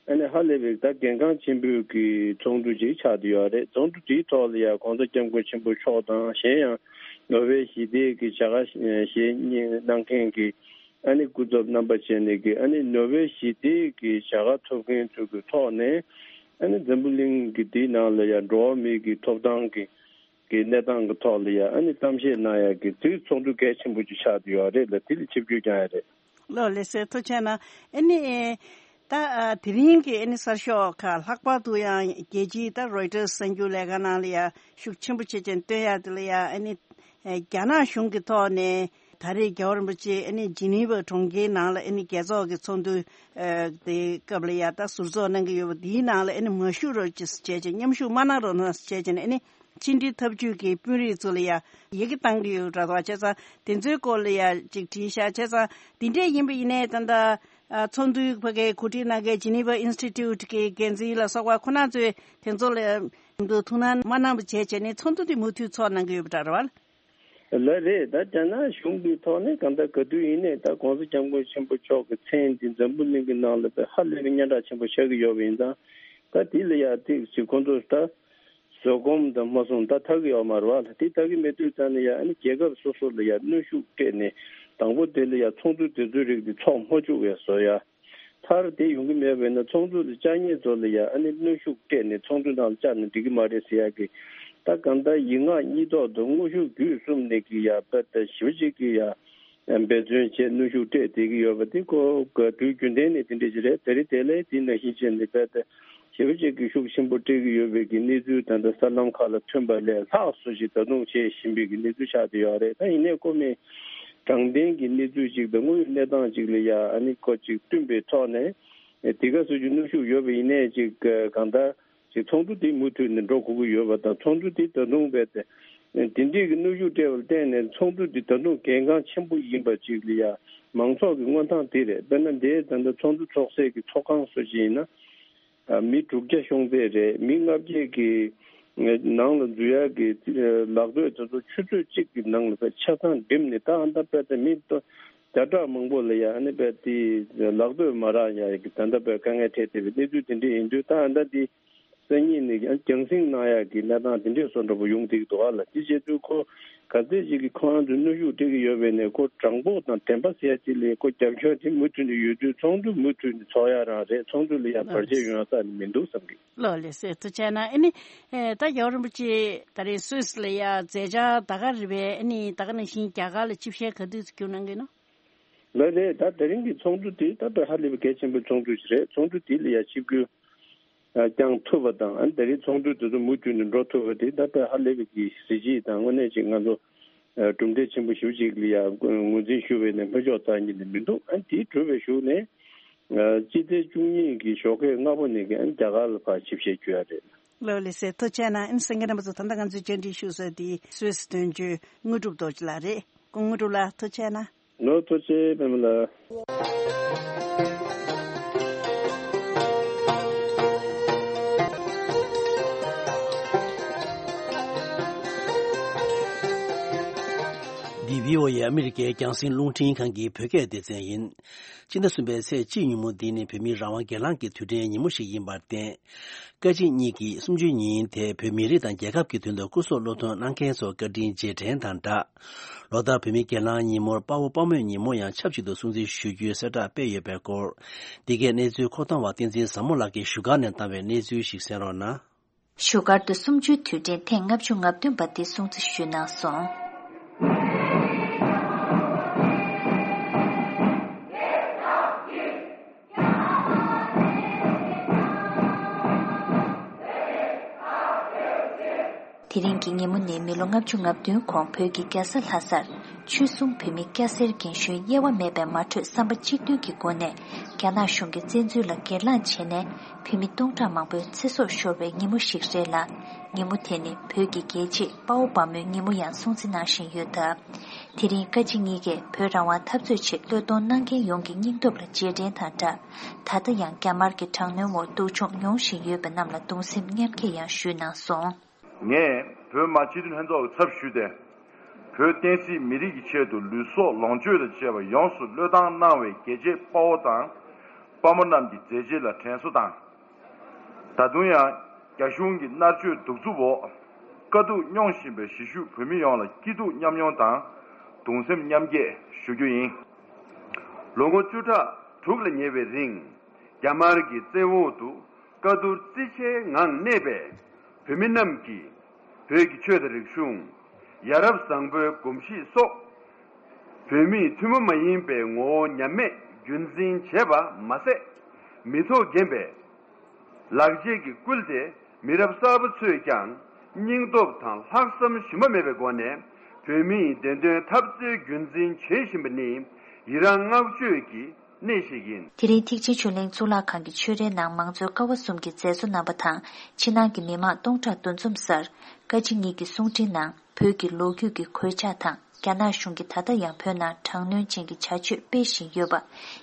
ཨ་ནི་ཧ་ལས་པའི་ད་གལ་འགངས་ཆེན་པོའི་གི་ཚོགས་འདུ་ཅིག་ཆགས་བསྡད་ཡོད་རེད། ཚོགས་འདུ་དེའི་ཐོག་ལ་ཡ་༸གོང་ས་༸སྐྱབས་མགོན་ཆེན་པོ་མཆོག་དང་གཞན་ཡང་ནོ་བེལ་ཞི་བདེའི་གི་བྱ་དགའ་བཞེས་གནང་མཁན་གི་ཨ་ནི་སྐུ་ཚབ་རྣམ་པ་བྱས་ནས་ཀྱི་ཨ་ནི་ནོ་བེལ་ཞི་བདེའི་གི་བྱ་དགའ་ཐོབ་མཁན་ཚོ་གི་ཐོག་ནས་ཨ་ནི་འཛམ་བུ་གླིང་གི་དེའི་ནང་ལ་ཡང་འགྲོ་བ་མིའི་གི་ཐོབ་ཐང་གི་གི་གནས་སྟངས་གི་ཐོག་ལ་ཡང་ཨ་ནི་གཏམ་བཤད་གནང་ཡ་གི་དེ་ཚོགས་འདུ་གལ་ཆེན་པོ་ཅིག་ཆགས་བསྡད་ཡོད་རེད་ལ། དེ་ལ་ཆིབས་བསྒྱུར་བསྐྱངས་ཡ་རེད། ལགས་ལགས་སོ། ཐུགས་རྗེ་གནང་། ཨ་ནི་ད་དེ་རིང་གི་ཨ་ནི་གསར་ཤོག་ཁག་ལྷག་པར་དུ་ཡང་རྒྱལ་སྤྱིའི་ད་རོའི་ཊར་གསར་འགྱུར་ལས་ཁང་ནང་ལ་ཡང་ཤུགས་ཆེན་པོ་བྱེད་ཅིང་བཏོན་ཡ་དེ་ལ་ཡང་ཨ་ནི། ཨེ། རྒྱ་ནག་གཞུང་གི་ཐོག་ནས་ད་རེས་རྒྱལ་བ་རིན་པོ་ཆེ་ཨ་ནི་ཇི་ནི་ཝ་གྲོང་ཁྱེར་ནང་ལ་ཨ་ནི་རྒྱལ་ཚོགས་ཀྱི་ཚོགས་འདུ་ཨེ། དེ་སྐབས་ལ་ཡ་ད་ཟུར་འཛུགས་གནང་གི་ཡོད་པ་འདིའི་ནང་ལ་ཨ་ནི་མ་ཞུགས་རོགས་བྱེད་ཅེས་མཉམ་ཞུགས་མ་གནང་རོགས་གནང་ཟེར་བྱས་ནས་ཨ་ནི་ཕྱི་འབྲེལ་འཐབ་ཇུས་ཀྱི་དཔོན་རིགས་ཚོ་ལ་ཡ་ཡི་གེ་བཏང་གི་ཡོད་འདྲ་བ། བྱས་ཙང་དེ་ཚོའི་སྐོར་ལ་ཡ་ཅིག་དྲིས་ཤག་བྱས་ཙང་དེ་འདྲས་ཡིན་པ་ཡིན་ནའི་ད་ལྟ་ཚོགས་འདུའི་ཕ་གའི་གོ་སྒྲིག་གནང་མཁན་ཇི་ནི་ཝ་ཨིན་སི་ཊི་ཊུཊ་གི་འགན་འཛིན་ལ་སོགས་པ་ཁོ་ན་ཚོས་དེ་ཚོ་ལ་ཐུགས་སྣང་མ་གནང་བ་བྱས་བྱས་ནས་ཚོགས་འདུ་དེ་མུ་མཐུད་ཚོགས་གནང་གི་ཡོད་པ་འདྲ་བ། ལགས་རེད། ད་རྒྱ་ནག་གཞུང་གི་ཐོག་ནས་གང་ལྟར་ག་དུས་ཡིན་ནའི་ད་༸གོང་ས་༸སྐྱབས་མགོན་ཆེན་པོ་མཆོག་གི་མཚན་འདི་འཛམ་བུ་གླིང་གི་ནང་ལ་ད་ཧ་ལས་པའི་སྙན་གྲགས་ཆེན་པོ་ཆགས་ཀྱི་ཡོད་པ་ཡིན་ཙང་། ད་དེ་ལ་ཡ་ཏིག་ཅིག་ཁོང་ཚོ་ད་བཟོད་སྒོམ་དང་མ་སོང་ད་ཐག་གི་ཡོད་མ་རེད་བ། ད་དེ་ཐག་གི་མེད་དུས་ཙང་ནས་ཡ་ཨ་ནི་རྒྱལ་ཁབ་སོ་སོ་ལ་ཡ་གནོན་ཤུགས་སྤྲད་ནས་དང་པོ་དེ་ལ་ཡ་ཚོགས་འདུ་དེ་ཚོའི་རིགས་དེ་ཚོགས་མ་བཅུག་པའི་བཟོ་ཡ། མཐར་དེ་ཡོང་གི་མེད་པས་ན་ཚོགས་འདུ་ལ་བཅར་མཁན་ཚོ་ལ་ཡང་ཨ་ནི་གནོན་ཤུགས་སྤྲད་ནས་ཚོགས་འདུ་ནང་ལ་བཅར་ན་འགྲིག་གི་མ་རེད་ཟེར་ཡག་གི། ད་གང་ལྟར་ཡིག་ངག་གཉིས་ཐོག་ཏུ་དངོས་ཤུགས་བརྒྱུད་གསུམ་ནས་ཀྱི་ཡ་དཔེ་ད་ཞིབ་ཅིག་གི་ཡ་འབད་བརྩོན་བྱས་གནོན་ཤུགས་སྤྲད་བསྡད་ཀྱི་ཡོད་པ་དེ་ཁོ་ག་དུས་རྒྱུན་ལྡན་ནས་དེ་འདྲ་ཞིག་རེད། ད་རེས་དེ་ལས་དེ་ནང་བཞིན་བྱས་ནས་དཔེ་ད་ཞིབ་ཅིག་གི་ཤུགས་ཆེན་པོ་སྤྲད་ཀྱི་ཡོད་པའི་གི་གནས་ཚུལ་ད་ལྟ་གསར་ལམ་ཁག་ལ་ཐོན་པ་ལས་ལྷག་སུ་ཞིག་ད་དུང་བྱེད་བཞིན་པའི་གི་གནས་ཚུལ་ཆགས་བསྡད་ཡོད་རེད། ད་ཡིན་ནའི་ཁོ་མི། དྲང་བདེན་གྱི་གནས་ཚུལ་ཅིག་དང་དངོས་ཡོད་གནས་སྟངས་ཅིག་ལ་ཡ་ཨ་ནི་ཁོ་ཅིག་བསྟུན་པའི་ཐོག་ནས་དེ་ག་སུ་ཅིག་གནོན་ཤུགས་ཡོད་པ་ཡིན་ནའི་ཅིག་གང་ལྟར་ཅིག་ཚོགས་འདུ་དེ་མུ་མཐུད་ནས་འགྲོ་དགོས་ཀྱི་ཡོད་པ་དང་། ཚོགས་འདུ་དེ་ད་དུང་རྦད་དེ་དེ་འདྲས་ཀྱི་གནོན་ཤུགས་སྤྲད་པར་བརྟེན་ནས་ཚོགས་འདུ་དེ་ད་དུང་གལ་འགངས་ཆེན་པོ་ཡིན་པ་ཅིག་ལ་ཡ་མང་ཚོགས་ཀྱི་མངོན་ཐང་དེ་རེད། དཔེར་ན་འདིའི་ད་ལྟ་ཚོགས་འདུ་ཚོགས་སའི་གི་ཚོགས་ཁང་སུ་ཅིག་ཡིན་ན། མི་དྲུག་བརྒྱ་ཤོང་ཚད་རེད། མི་ལྔ་བརྒྱ་གི་ནང་ལ་འཛུལ་ཡག་གི་ལག་འདོད་དེ་ཚོ་ཆུ་ཚོད་གཅིག་གི་ནང་ལ་ཆ་ཚང་འགྲིམས་ནས། ད་ཨ་ད་དཔེ་ད་མི་བརྒྱ་ཕྲག་མང་པོ་ལ་ཡ་ཨ་ནི་དཔེ་དེ་ལག་འདོད་མ་རག་ཡག་གི་ད་ལྟ་དཔེ་དཀའ་ངལ་འཕྲད་བསྡད་པའི་གནས་ཚུལ་དེ་འདྲ་ཡིན་དུས། ད་ཨ་ད་དེ་སང་ཉིན་ནས་ཀྱང་རྒྱང་སྲིང་གནང་ཡག་གི་གནས་སྟངས་དེ་འདྲས་བཟོ་འདྲ་པོ་ཡོང་བསྡད་ཀྱི་འདུག་ཨ་ལ། དེ་བྱེད་དུས་ཁོ་ག་ཚད་ཅིག་གིས་ཁོ་རང་ཚོས་གནོན་ཤུགས་སྤྲད་ཀྱི་ཡོད་པས་ནས། ཁོ་དྲང་པོ་དང་བདེན་པ་ཟེར་ཡ་ཅིག་ལ་ཁོ་རྒྱབ་སྐྱོར་དེ་མུ་མཐུད་ནས་ཡོད་དུས། ཚོགས་འདུ་མུ་མཐུད་ནས་ཚོགས་ཡ་རང་རེད། ཚོགས་འདུ་ལ་ཡ་བར་ཆད་ཡོང་ཡ་རྩ་ནས་མི་འདུག་བསམ་གི། ལགས་ལགས་སོ། ཐུགས་རྗེ་གནང་། ཨ་ནི་ཨེ་ད་རྒྱལ་བ་རིན་པོ་ཆེ་ད་རེས་སུད་སི་ལ་ཡ་མཛད་འཆར་ད་ག་རེ་རེད་པས། ཨ་ནི་ད་ག་ནང་བཞིན་རྒྱ་གར་ལ་ཆིབས་ཞལ་ག་དུས་སུ་བསྒྱུར་གནང་གི་ཡིན་ནམ། ལགས་རེད། ད་དེ་རིང་གི་ཚོགས་འདུ་དེ་ད་དཔེ་ཧ་ལས་པའི་གལ་ཆེན་པོའི་ཚོགས་འདུ་ཞིག་རེད། ཚོགས་འདུ་དེ་ལ་ཡ་ཆིབས་བསྒྱུར་བསྐྱངས་ཐུབ་པ་དང་། ཨ་ནི་ད་རེས་ཚོགས་འདུ་དེ་ཚོ་མུ་མཐུད་ནས་འགྲོ་ཐུབ་པ་དེ་ད་དཔེ་ཧ་ལས་པའི་གི་གཟི་བརྗིད་དང་དངོས་གནས་ཅིག་ང་ཚོ་གྲུབ་འབྲས་ཆེན་པོ་ཞེ་པོ་ཅིག་ལ་ཡ་ངོས་འཛིན་ཞུ་བའི་ནས་ཕར་ཕྱོགས་རྩ་ཉིད་ནས་མི་འདུག་ཨ་ནི་དེ་གྲུབ་པའི་གཞུག་ནས་སྤྱི་ཟླ་བཅུ་གཉིས་ཀྱི་ཞོགས་ཀས་སྔ་པོ་ནས་ཀྱི་ཨ་ནི་རྒྱ་གར་ལ་ཕར་ཆིབས་ཞལ་བསྒྱུར་ཡ་རེད། ལགས་ལགས་སོ། ཐུགས་རྗེ་གནང་། ཨ་ནི་གསན་མཁན་རྣམ་པ་ཚོ་ད་ལྟ་ང་ཚོས་བཅར་འདྲི་ཞུ་ས་དེ་སུད་སི་དོན་གཅོད་དངོས་གྲུབ་རྡོ་རྗེ་ལགས་རེད། སྐུ་ངོ་དངོས་གྲུབ་ལགས་ཐུགས་རྗེ་གནང་། ལགས་ཐུགས་རྗེ་ཆེ་པད་མ་ལགས། འདི་བྷི་ཨོ་ཨེ་ཨ་མི་རི་ཀའི་རྒྱང་སྲིང་རླུང་འཕྲིན་ཁང་གི་བོད་སྐད་སྡེ་ཚན་ཡིན། སྤྱི་ཟླ་གསུམ་པའི་ཚེས་གཅིག་ཉིན་མོ་འདི་ནི་བོད་མིའི་རང་དབང་སྒེར་ལངས་ཀྱི་དུས་དྲན་ཉིན་མོ་ཞིག་ཡིན་པར་བརྟེན། བཀའ་སྤྱི་གཉིས་ཀྱིས་གསུམ་བཅུའི་ཉིན་དེ་བོད་མི་རིགས་དང་རྒྱལ་ཁབ་ཀྱི་དོན་དུ་སྐུ་སྲོག་བློས་ཐོངས་གནང་མཁན་ཚོར་བཀའ་དྲིན་རྗེས་དྲན་དང་སྦྲགས། ལོ་ལྟར་བོད་མིའི་སྒེར་ལངས་ཉིན་མོར་དཔའ་བོ་དཔའ་མོའི་ཉིན་མོ་ཡང་ཆབས་ཅིག་ཏུ་སྲུང་བརྩི་ཞུ་རྒྱུའི་གསལ་བསྒྲགས་སྤེལ་ཡོད་པའི་སྐོར། འདི་གའི་གནས་ཚུལ་མཁོ་གཏོང་བ་བསྟན་འཛིན་བཟང་མོ་ལགས་ཀྱིས་བཞུགས་སྒར་ནས་བཏང་བའི་གནས་ཚུལ་ཞིག་གསན་རོགས་གནང་། བཞུགས་སྒར་དུ་གསུམ་བཅུའི་དུས་དྲན་ཐེངས་ལྔ་བཅུ་ང་བདུན་པ་འདི་སྲུང་བརྩི་ཞུས་གནང་སོང་། དེ་རིང་གི་ཉིན་མོ་ནི་མི་ལོ་ལྔ་བཅུ་ང་བདུན་གོང་བོད་ཀྱི་རྒྱལ་ས་ལྷ་སར། ཆོས་སྲུང་བོད་མི་སྐྱ་སེར་རྒན་གཞོན་དབྱེ་བ་མེད་པའི་མ་གྲོས་བསམ་པ་གཅིག་མཐུན་གྱི་སྒོ་ནས་རྒྱ་ནག་གཞུང་གི་བཙན་འཛུལ་ལ་སྒེར་ལངས་བྱས་ནས་བོད་མི་སྟོང་ཕྲག་མང་པོའི་ཚེ་སྲོག་ཤོར་བའི་ཉིན་མོ་ཞིག་རེད་ལ། ཉིན་མོ་དེ་ནི་བོད་ཀྱི་རྒྱལ་གཅེས་དཔའ་བོ་དཔའ་མོའི་ཉིན་མོ་ཡང་སྲུང་བརྩི་གནང་བཞིན་ཡོད་སྟབས། དེ་རིང་བཀའ་སྤྱི་གཉིས་ཀས་བོད་རང་དབང་འཐབ་རྩོད་ཆེད་བློས་གཏོང་གནང་མཁན་ཡོངས་ཀྱི་སྙིང་སྟོབས་ལ་རྗེས་དྲན་དང་སྦྲགས། ད་ལྟ་ཡང་རྒྱ་དམར་གྱི་དྲག་གནོན་འོག་སྡུག་སྦྱོང་མྱོང་བཞིན་ཡོད་པ་རྣམས་ལ་གདུང་སེམས་མཉམ་སྐྱེད་ཡང་ཞུས་གནང་སོང་། ངས་བོད་མི་སྤྱི་འཐུས་ལྷན་ཚོགས་ཀྱི་ཚབ་ཞུས་ཏེ། བོད་བསྟན་སྲིད་མི་རིགས་ཀྱི་ཆེད་དུ་ལུས་སྲོག་ལོངས་སྤྱོད་དང་བཅས་པ་ཡོངས་སུ་བློས་བཏང་གནང་བའི་རྒྱལ་གཅེས་དཔའ་བོ་དང་དཔའ་མོ་རྣམས་ཀྱི་མཛད་རྗེས་ལ་དྲན་གསོ་དང་། ད་དུང་ཡང་རྒྱ་གཞུང་གི་མནར་གཅོད་གདུག་རྩུབ་འོག་དཀའ་སྡུག་མྱོང་བཞིན་པའི་གཞིས་བཞུགས་བོད་མི་ཡོངས་ལ་སྐྱིད་སྡུག་མཉམ་མྱོང་དང་གདུང་སེམས་མཉམ་སྐྱེད་ཞུ་རྒྱུ་ཡིན། ལོ་ངོ་བཅུ་ཕྲག་དྲུག་ལ་ཉེ་བའི་རིང་། རྒྱ་དམར་གྱི་བཙན་འོག་ཏུ་དཀའ་སྡུག་རྩིས་ཆེའི་ངང་གནས་པའི་བོད་མི་རྣམས་ཀྱིས་བོད་ཀྱི་ཆོས་དང་རིག་གཞུང་། ཡ་རབས་བཟང་པོའི་གོམས་གཤིས་སོགས་བོད་མིའི་ཐུན་མོང་མ་ཡིན་པའི་ངོ་བོ་ཉམས་མེད་རྒྱུན་འཛིན་བྱས་པ་མ་ཟད། མི་ཐོག་རྒན་པའི་ལག་རྗེས་ཀྱི་བསྐུལ་ཏེ་མི་རབས་གསར་པ་ཚོས་ཀྱང་སྙིང་སྟོབས་དང་ལྷག་བསམ་ཞུམ་པ་མེད་པའི་སྒོ་ནས་བོད་མིའི་བདེན་དོན་འཐབ་རྩོད་རྒྱུན་འཛིན་བྱེད་བཞིན་པ་ནི་ཡི་རངས་བསྔགས་བརྗོད་ཀྱི་གནས་ཤིག་ཡིན། དེ་རིང་ཐེག་ཆེན་ཆོས་གླིང་གཙུག་ལག་ཁང་གི་ཆོས་རའི་ནང་མང་གཙོའི་ཀ་བ་གསུམ་གྱི་མཛད་གཙོ་རྣམ་པ་དང་ཕྱི་ནང་གི་མི་མང་སྟོང་ཕྲག་འདུ་འཛོམས་སར་བཀའ་སྤྱི་གཉིས་ཀྱི་གསུང་འཕྲིན་ནང་བོད་ཀྱི་ལོ་རྒྱུས་ཀྱི་གོད་ཆག་དང་། རྒྱ་ནག་གཞུང་གིས་ད་ལྟ་ཡང་བོད་ནང་དྲག་གནོན་ཅན་གྱི་བྱ་སྤྱོད་སྤེལ་བཞིན་ཡོད་པ།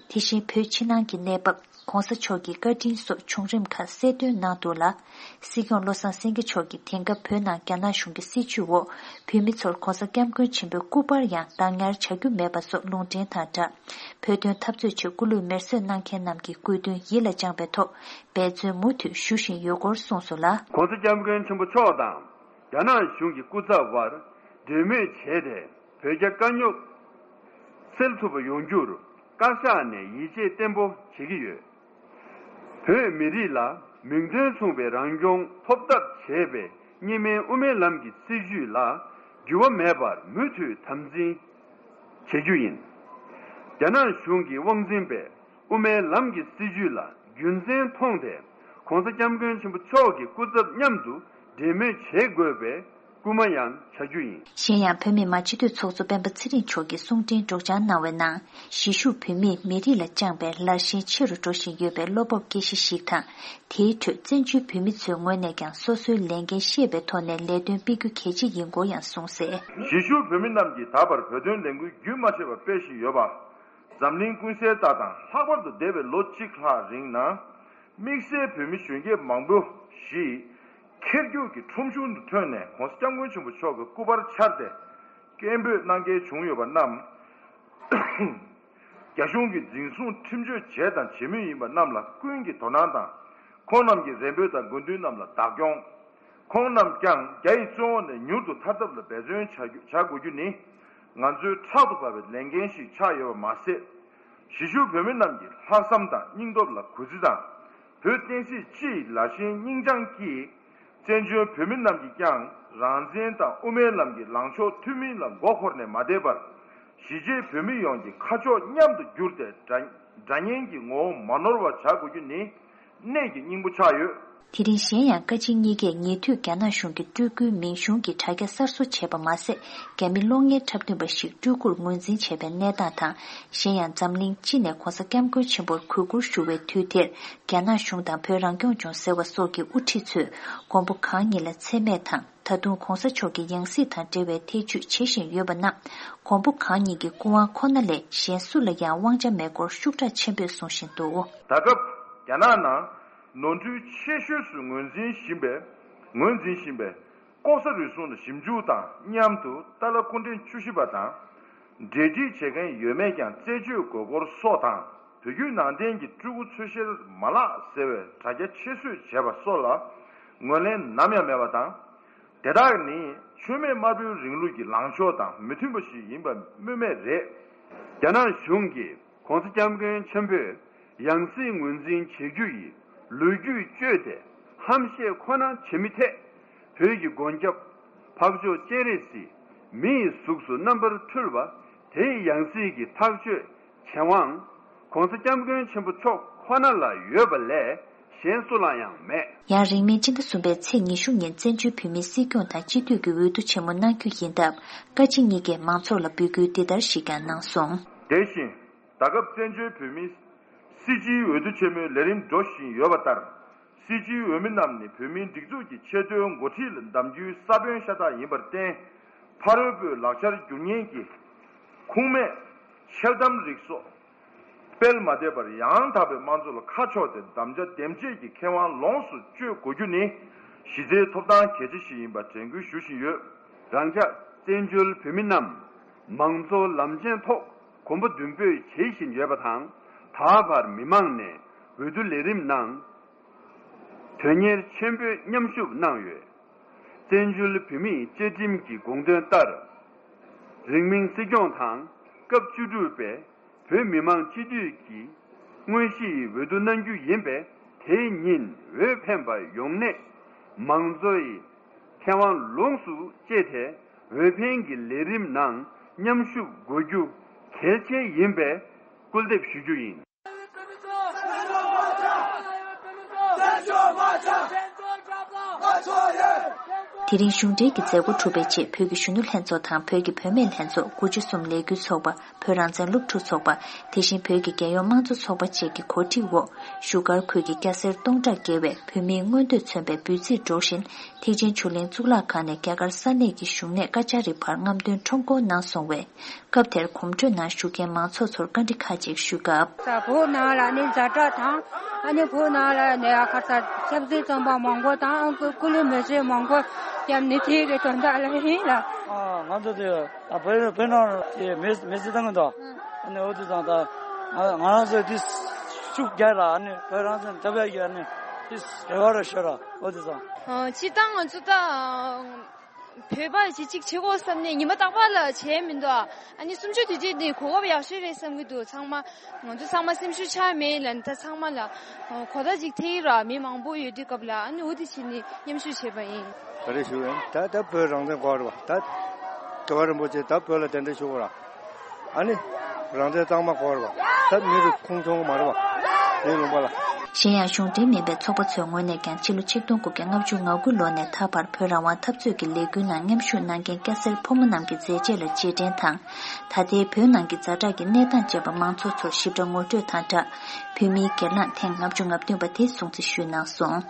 དེ་བཞིན་བོད་ཕྱི་ནང་གི་གནས་བབ། ྋགོང་ས་མཆོག་གི་བཀའ་དྲིན་སོགས་བྱུང་རིམ་ཁག་གསལ་སྟོན་གནང་འདུག་ལ། སྲིད་སྐྱོང་བློ་བཟང་སེང་གེ་མཆོག་གིས་དེང་སྐབས་བོད་ནང་རྒྱ་ནག་གཞུང་གི་སྲིད་བྱུས་འོག་བོད་མི་ཚོར་༧གོང་ས་༧སྐྱབས་མགོན་ཆེན་པོའི་སྐུ་པར་ཡང་བཏང་ཉར་བྱ་རྒྱུ་མེད་པ་སོགས་ལུང་འདྲེན་དང་སྦྲགས། བོད་དོན་འཐབ་རྩོད་ཆེད་སྐུ་ལུས་མེར་སྲེག་གནང་མཁན་རྣམས་ཀྱི་དགོས་འདུན་ཡིད་ལ་བཅངས་པའི་ཐོག་འབད་བརྩོན་མུ་མཐུད་ཞུ་བཞིན་ཡོད་སྐོར་གསུངས་སོང་ལ། ྋགོང་ས་ྋསྐྱབས་མགོན་ཆེན་པོ་མཆོག་དང་རྒྱ་ནག་གཞུང་གི་སྐུ་ཚབ་དབར་གྲོས་མོལ་བྱས་ཏེ་བོད་རྒྱ་དཀའ་རྙོག་སེལ་ཐུབ་པ་ཡོང་རྒྱུར་བཀའ་ཤག་ནས་ཡིད་ཆེས་བརྟན་པོ་བྱེད་ཀྱི་ཡོད། བོད་མི་རིགས་ལ་མིང་དོན་མཚུངས་པའི་རང་སྐྱོང་ཐོབ་ཐབས་བྱེད་པའི་གཉིས་སྨན་དབུ་མའི་ལམ་གྱི་སྲིད་བྱུས་ལ་འགྱུར་བ་མེད་པར་མུ་མཐུད་དམ་འཛིན་བྱེད་རྒྱུ་ཡིན། རྒྱ་ནག་གཞུང་གི་དབང་འཛིན་པའི་དབུ་མའི་ལམ་གྱི་སྲིད་བྱུས་ལ་རྒྱུ་མཚན་མཐོང་སྟེ་༧གོང་ས་༧སྐྱབས་མགོན་ཆེན་པོ་མཆོག་གི་སྐུ་ཚབ་མཉམ་དུ་འབྲེལ་མོལ་བྱེད་དགོས་པའི་སྐུལ་མ་ཡང་བྱ་རྒྱུ་ཡིན། གཞན་ཡང་བོད་མི་མང་སྤྱི་འཐུས་ཚོགས་གཙོ་སྤེན་པ་ཚེ་རིང་མཆོག་གིས་གསུང་འཕྲིན་སྒྲོག་སྦྱང་གནང་བའི་ནང་། གཞིས་བཞུགས་བོད་མིས་མི་རིགས་ལ་བཅངས་པའི་ལར་ཞེན་ཆེ་རུ་འགྲོ་བཞིན་ཡོད་པའི་བློ་སྤོབས་སྐྱེ་གཞི་ཞིག་དང་། དེའི་ཁྲོད་བཙན་བྱོལ་བོད་མི་ཚོའི་ངོས་ནས་ཀྱང་སོ་སོའི་ལས་འགན་ཤེས་པའི་ཐོག་ནས་ལས་དོན་སྤེལ་རྒྱུ་གལ་ཆེ་ཡིན་སྐོར་ཡང་གསུངས་གསལ། གཞིས་བཞུགས་བོད་མི་རྣམས་ཀྱིས་ད་བར་བོད་དོན་ལས་འགུལ་རྒྱུན་མ་ཆད་པར་སྤེལ་བཞིན་ཡོད་པ། འཛམ་གླིང་ཀུན་གསལ་ལྟར་དང་ལྷག་པར་དུ་འདས་པའི་ལོ་གཅིག་ལྷག་རིང་ནང་། དམིགས་བསལ་བོད་མི་གཞོན་སྐྱེས་མང་པོ་ཞིག་ཁེར་རྒྱུག་གི་ཁྲོམ་གཞུང་དུ་ཐོན་ནས་༧གོང་ས་༧སྐྱབས་མགོན་ཆེན་པོ་མཆོག་གི་སྐུ་པར་འཕྱར་ཏེ། སྐད་འབོད་གནང་མཁན་བྱུང་ཡོད་པ་རྣམས། རྒྱ་གཞུང་གིས་འཛིན་བཟུང་ཁྲིམས་གཅོད་བྱས་དང་བྱེད་མུས་ཡིན་པ་རྣམས་ལ་ཀུན་གྱིས་དོ་སྣང་དང་། ཁོང་རྣམས་ཀྱི་རེ་འབོད་དང་དགོས་འདུན་རྣམས་ལ་བདག་སྐྱོང་། ཁོང་རྣམས་ཀྱང་རྒྱ་ཡི་བཙོན་འོག་ནས་མྱུར་དུ་ཐར་ཐབས་ལ་འབད་བརྩོན་བྱ་རྒྱུ་བྱ་དགོས་རྒྱུ་ནི། ང་ཚོའི་ཕྲག་ཏུ་བབས་པའི་ལས་འགན་ཞིག་ཆགས་ཡོད་པ་མ་ཟད། གཞིས་བཞུགས་བོད་མི་རྣམས་ཀྱི་ལྷག་བསམ་དང་སྙིང་སྟོབས་ལ་གུས་བརྩི་དང་། བོད་བསྟན་སྲིད་སྤྱི་ཡི་ལར་ཞེན་སྙིང་བཅངས་ཀྱིས། བཙན་བྱོལ་བོད་མི་རྣམས་ཀྱིས་ཀྱང་རང་བཙན་དང་དབུ་མའི་ལམ་གྱི་ལངས་ཕྱོགས་མཐུན་མིན་ལ་མགོ་འཁོར་ནས་མ་བསྡད་པར། གཞིས་བྱེས་བོད་མི་ཡོངས་ཀྱི་ཁ་ཕྱོགས་མཉམ་དུ་བསྒྱུར་ཏེ་དགྲ་དགྲ་གཉེན་གྱི་ངོ་བོ་མ་ནོར་བ་བྱ་དགོས་རྒྱུ་ནི་གནད་ཀྱི་སྙིང་པོ་ཆགས་ཡོད། དེ་རིང་གཞན་ཡང་བཀའ་སྤྱི་གཉིས་ཀས་ཉེ་དུས་རྒྱ་ནག་གཞུང་གིས་སྤྲུལ་སྐུའི་མིང་གཞུང་གི་དྲ་རྒྱ་གསར་བཟོ་བྱས་པ་མ་ཟད། རྒྱ་མི་གློག་བརྙན་འཁྲབ་སྟོན་པ་ཞིག་སྤྲུལ་སྐུར་ངོས་འཛིན་བྱས་པའི་གནས་སྟངས་དང་། གཞན་ཡང་འཛམ་གླིང་སྤྱི་ནས་༧གོང་ས་༧སྐྱབས་མགོན་ཆེན་པོར་གུས་བཀུར་ཞུ་བའི་དུས་དེར། རྒྱ་ནག་གཞུང་དང་བོད་རང་སྐྱོང་ལྗོངས་ཟེར་བ་སོགས་ཀྱི་དབུ་ཁྲིད་ཚོས་མགོན་པོ་གང་ཉིད་ལ་མཚན་སྨད་དང་། ད་དུང་༧གོང་ས་མཆོག་གི་ཡང་སྲིད་དང་འབྲེལ་བའི་ཐེ་བྱུས་བྱེད་བཞིན་ཡོད་པ་རྣམས། མགོན་པོ་གང་ཉིད་ཀྱི་སྐུ་དབང་ཁོ་ན་ལས་གཞན་སུ་ལ་ཡང་དབང་ཆ་མེད་སྐོར་ཤུགས་དྲག་ཆེན་པོས་གསུང་བཞིན་འདུག། ད་སྐབས་རྒྱ་ནག་ནང་ནོར་འཁྲུལ་ཆེ་ཤོས་སུ་ངོས་འཛིན་བཞིན་པའི་ངོས་འཛིན་བཞིན་པའི་ལྐོག་ཟ་རུལ་སུངས་ལ་ཞིབ་འཇུག་དང་མཉམ་དུ་ཏཱ་ལ་སྐུ་ཕྲེང་བཅུ་བཞི་པ་དང་། འབྲེལ་འདྲིས་བྱེད་མཁན་ཡོད་མེད་ཀྱང་རྩད་གཅོད་དགོས་སྐོར་སོགས་དང་། བོད་བརྒྱུད་ནང་བསྟན་གྱི་སྤྲུལ་སྐུ་འཚོལ་བཤེར་མ་ལག་ཟེར་བའི་དྲ་རྒྱ་ཕྱིར་བཟོས་བྱས་པ་སོགས་ལ་ངོས་ལེན་ནམ་ཡང་མེད་པ་དང་། དེ་དག་ནི་ཆོས་མེད་དམར་པོའི་རིང་ལུགས་ཀྱི་ལངས་ཕྱོགས་དང་མི་མཐུན་པ་ཞིག་ཡིན་པ་སྨོས་མེད་རེད། རྒྱ་ནག་གཞུང་གིས་༧གོང་ས་༧སྐྱབས་མགོན་ཆེན་པོས་ཡང་སྲིད་ངོས་འཛིན་བྱེད་རྒྱུ་ཡི་ལོ་རྒྱུས་བཅོས་ཏེ། ཧམ་བཤད་ཁོ་ན་བྱེད་མི་ཐད། བོད་ཀྱི་མགོན་སྐྱབས་འཕགས་མཆོག་སྤྱན་རས་གཟིགས་མི་ཡི་གཟུགས་སུ་རྣམ་པར་འཕྲུལ་བ། དེའི་ཡང་སྲིད་ཀྱི་ཐག་གཅོད་བྱེད་དབང་༸གོང་ས་༸སྐྱབས་མགོན་ཆེན་པོ་མཆོག་ཁོ་ན་ལ་ཡོད་པ་ལས་གཞན་སུ་ལ་ཡང་མེད། ཡང་རིང་མིན་སྤྱི་ཟླ་གསུམ་པའི་ཚེས་ཉི་ཤུ་ཉིན་བཙན་བྱོལ་བོད་མིའི་སྲིད་སྐྱོང་དང་སྤྱི་འཐུས་ཀྱི་འོས་བསྡུ་ཆེན་མོ་གནང་རྒྱུ་ཡིན་སྟབས། བཀའ་སྤྱི་གཉིས་ཀས་མང་ཚོགས་ལ་འབོད་སྐུལ་འདི་ལྟར་ཞིག་ཀྱང་གནང་སོང་། དེ་བཞིན། ད་སྐབས་བཙན་བྱོལ་བོད་མིའི་སྲིད་སྤྱིའི་འོས་བསྡུ་ཆེན་མོའི་ལས་རིམ་འགྲོ་བཞིན་ཡོད་པ་ལྟར། སྲིད་སྤྱིའི་འོས་མི་རྣམས་ནི་བོད་མིའི་སྒྲིག་འཛུགས་ཀྱི་ཆེས་མཐོའི་འགོ་ཁྲིད་ལ་གདམ་རྒྱུའི་ས་བོན་ཤ་སྟག་ཡིན་པར་བརྟེན། ཕ་རོལ་པོའི་ལག་ཆར་འགྱུར་ཉེན་གྱི་ཁུངས་མེད་འཆལ་གཏམ་རིགས་སོགས་སྤེལ་མ་བསྡད་པར། ཡང་དག་པའི་དམངས་གཙོ་ལ་ཁ་ཕྱོགས་ཏེ་དམ་བཅའ་འདེམས་བྱེད་ཀྱི་ཁེ་དབང་ལོངས་སུ་སྤྱོད་དགོས་རྒྱུ་ནི་གཞི་རྩའི་ཐོབ་ཐང་གལ་ཆེ་ཞིག་ཡིན་པ་དྲན་སྐུལ་ཞུ་བཞིན་ཡོད། རང་ཅག་བཙན་བྱོལ་བོད་མི་རྣམས་མང་གཙོ་ལམ་ཆེན་ཐོག་གོམ་པ་མདུན་སྤོས་བྱེད་བཞིན་ཡོད་པ་དང་། ད་བར་མི་མང་ནས་འོས་བསྡུ་ལས་རིམ་ནང་དོན་གཉེར་ཆེན་པོས་མཉམ་ཞུགས་གནང་ཡོད། བཙན་བྱོལ་བོད་མིའི་བཅའ་ཁྲིམས་ཀྱི་དགོངས་དོན་ལྟར། རིང་མིན་སྲིད་སྐྱོང་དང་སྐབས་བཅུ་དྲུག་པའི་བོད་མི་མང་སྤྱི་འཐུས་ཀྱི་དངོས་གཞིའི་འོས་བསྡུ་གནང་རྒྱུ་ཡིན་པས། དེའི་ཉིན་འོས་འཕེན་པ་ཡོང་སྣེ་མང་གཙོའི་ཁེ་དབང་ལོངས་སུ་སྤྱད་དེ། འོས་འཕེན་གྱི་ལས་རིམ་ནང་མཉམ་ཞུགས་དགོས་རྒྱུ་གལ་ཆེ་ཡིན་པས་སྐུལ་འདེབས་ཞུ་རྒྱུ་ཡིན། དེ་རིང་གཞུང་འབྲེལ་གྱི་མཛད་སྒོ་གྲུབ་པའི་རྗེས། བོད་ཀྱི་གཞོན་ནུ་ལྷན་ཚོགས་དང་བོད་ཀྱི་བུད་མེད་ལྷན་ཚོགས། དགུ་བཅུ་གསུམ་ལས་འགུལ་ཚོགས་པ། བོད་རང་བཙན་སློབ་ཕྲུག་ཚོགས་པ། དེ་བཞིན་བོད་ཀྱི་རྒྱལ་ཡོངས་དམངས་གཙོ་ཚོགས་པ་བཅས་ཀྱི་གོ་སྒྲིག་འོག་བཞུགས་སྒར་ཁུལ་གྱི་སྐྱ་སེར་སྟོང་ཕྲག་བརྒལ་བས་བོད་མིའི་མངོན་འདོད་མཚོན་པའི་འབོད་ཚིག་སྒྲོག་བཞིན། ཐེག་ཆེན་ཆོས་གླིང་གཙུག་ལག་ཁང་ནས་རྒྱ་གར་ས་གནས་ཀྱི་བཞུགས་གནས་ཀ་ཅ་རི་བར་རྔམ་སྟོན་ཁྲོམ་སྐོར་གནང་སོང་བས། སྐབས་དེར་གོམ་བགྲོད་ནང་ཞུགས་མཁན་མང་ཚོགས་ཚོར་བཀའ་འདྲི་ཁག་ཅིག་ཞུས་སྐབས། ད་བོད་ནང་ལ་ནི་ཛ་དྲག་དང་། ཨ་ནི་བོད་ནང་ལ་ནི་ཨ་ཁ་ས་ཆབ་སྲིད་བཙོན་པ་མང་པོ་དང་། ཨ་ཀུ་ཀུ་ལུ་མི་སེར་མང་པོ་ཡང་ནི་དེ་གི་དོན་དག་ལ་ཡིན་ལ། ཨ་ང་ཚོ་དེ་ད་བོད་བོད་ནང་གི་མི་མི་སེར་དང་གི་འདུག་ཨ་ནི་འོ་དེ་ཙང་ད་ང་ང་རང་ཚོ་དེ་ཤུགས་རྒྱག་ལ། ཨ་ནི་བོད་རང་བཙན་འཐབ་ཡག་གི་ཨ་ནི་དེ་རེ་བ་རེ་ཤོད་ར། འོ་དེ་ཙང་། ཨ་སྤྱིར་བཏང་ང་ཚོ་ད། བོད་པ་ཞིག་ཅིག་བྱེད་དགོས་བསམ་ནས་ཉི་མ་རྟག་པར་ལ་བྱས་མི་འདུག་ཨ་ནི་གསུམ་བཅུ་དུས་ཆེན་འདི་གོ་སྐབས་ཡག་ཤོས་རེད་བསམ་གྱི་འདུག་ཚང་མ་ང་ཚོ་ཚང་མ་སེམས་ཤུགས་ཆག་མེད་ལ། ད་ཚང་མ་ལ་གོ་བརྡ་ཅིག་ཐེབས་ཀྱི་ར། མི་མང་པོ་ཡོད་དུས་སྐབས་ལ། ཨ་ནི་འོ་དེ་བྱས་ནས་མཉམ་ཞུགས་བྱས་པ་ཡིན། ག་རེ་ཞུ་ཡིན། ད་ད་བོད་རང་བཙན་དགོས་རེད་བ། ད་རྒྱལ་བ་རིན་པོ་ཆེ་ད་བོད་ལ་གདན་འདྲེན་ཞུ་དགོས་ར། ཨ་ནི་རང་བཙན་གཙང་མ་དགོས་རེད་བ། ད་མི་རུ་ཁུངས་མཐོང་གི་མ་རེད་བ། མི་ལུང་པ་ལ། གཞན་ཡང་གཞུང་འབྲེལ་མིན་པའི་ཚོགས་པ་ཚོའི་ངོས་ནས་ཀྱང་ཕྱི་ལོ་ཆིག་སྟོང་དགུ་བརྒྱ་ལྔ་བཅུ་ང་དགུ་ལོ་ནས་ད་བར་བོད་རང་དབང་འཐབ་རྩོད་ཀྱི་ལས་འགུལ་ནང་མཉམ་ཞུགས་གནང་མཁན་སྐྱ་སེར་ཕོ་མོ་རྣམས་ཀྱི་མཛད་རྗེས་ལ་རྗེས་དྲན་དང་། ད་ལྟའི་བོད་ནང་གི་ཛ་དྲག་གི་གནས་སྟངས་བཅས་པ་མང་ཚོགས་ཚོར་ཞིབ་ཕྲ་ངོ་སྤྲོད་དང་སྦྲགས། བོད་མིའི་སྒེར་ལངས་ཐེངས་ལྔ་བཅུ་ང་བདུན་པ་དེ་སྲུང་བརྩི་ཞུས་གནང་སོང་།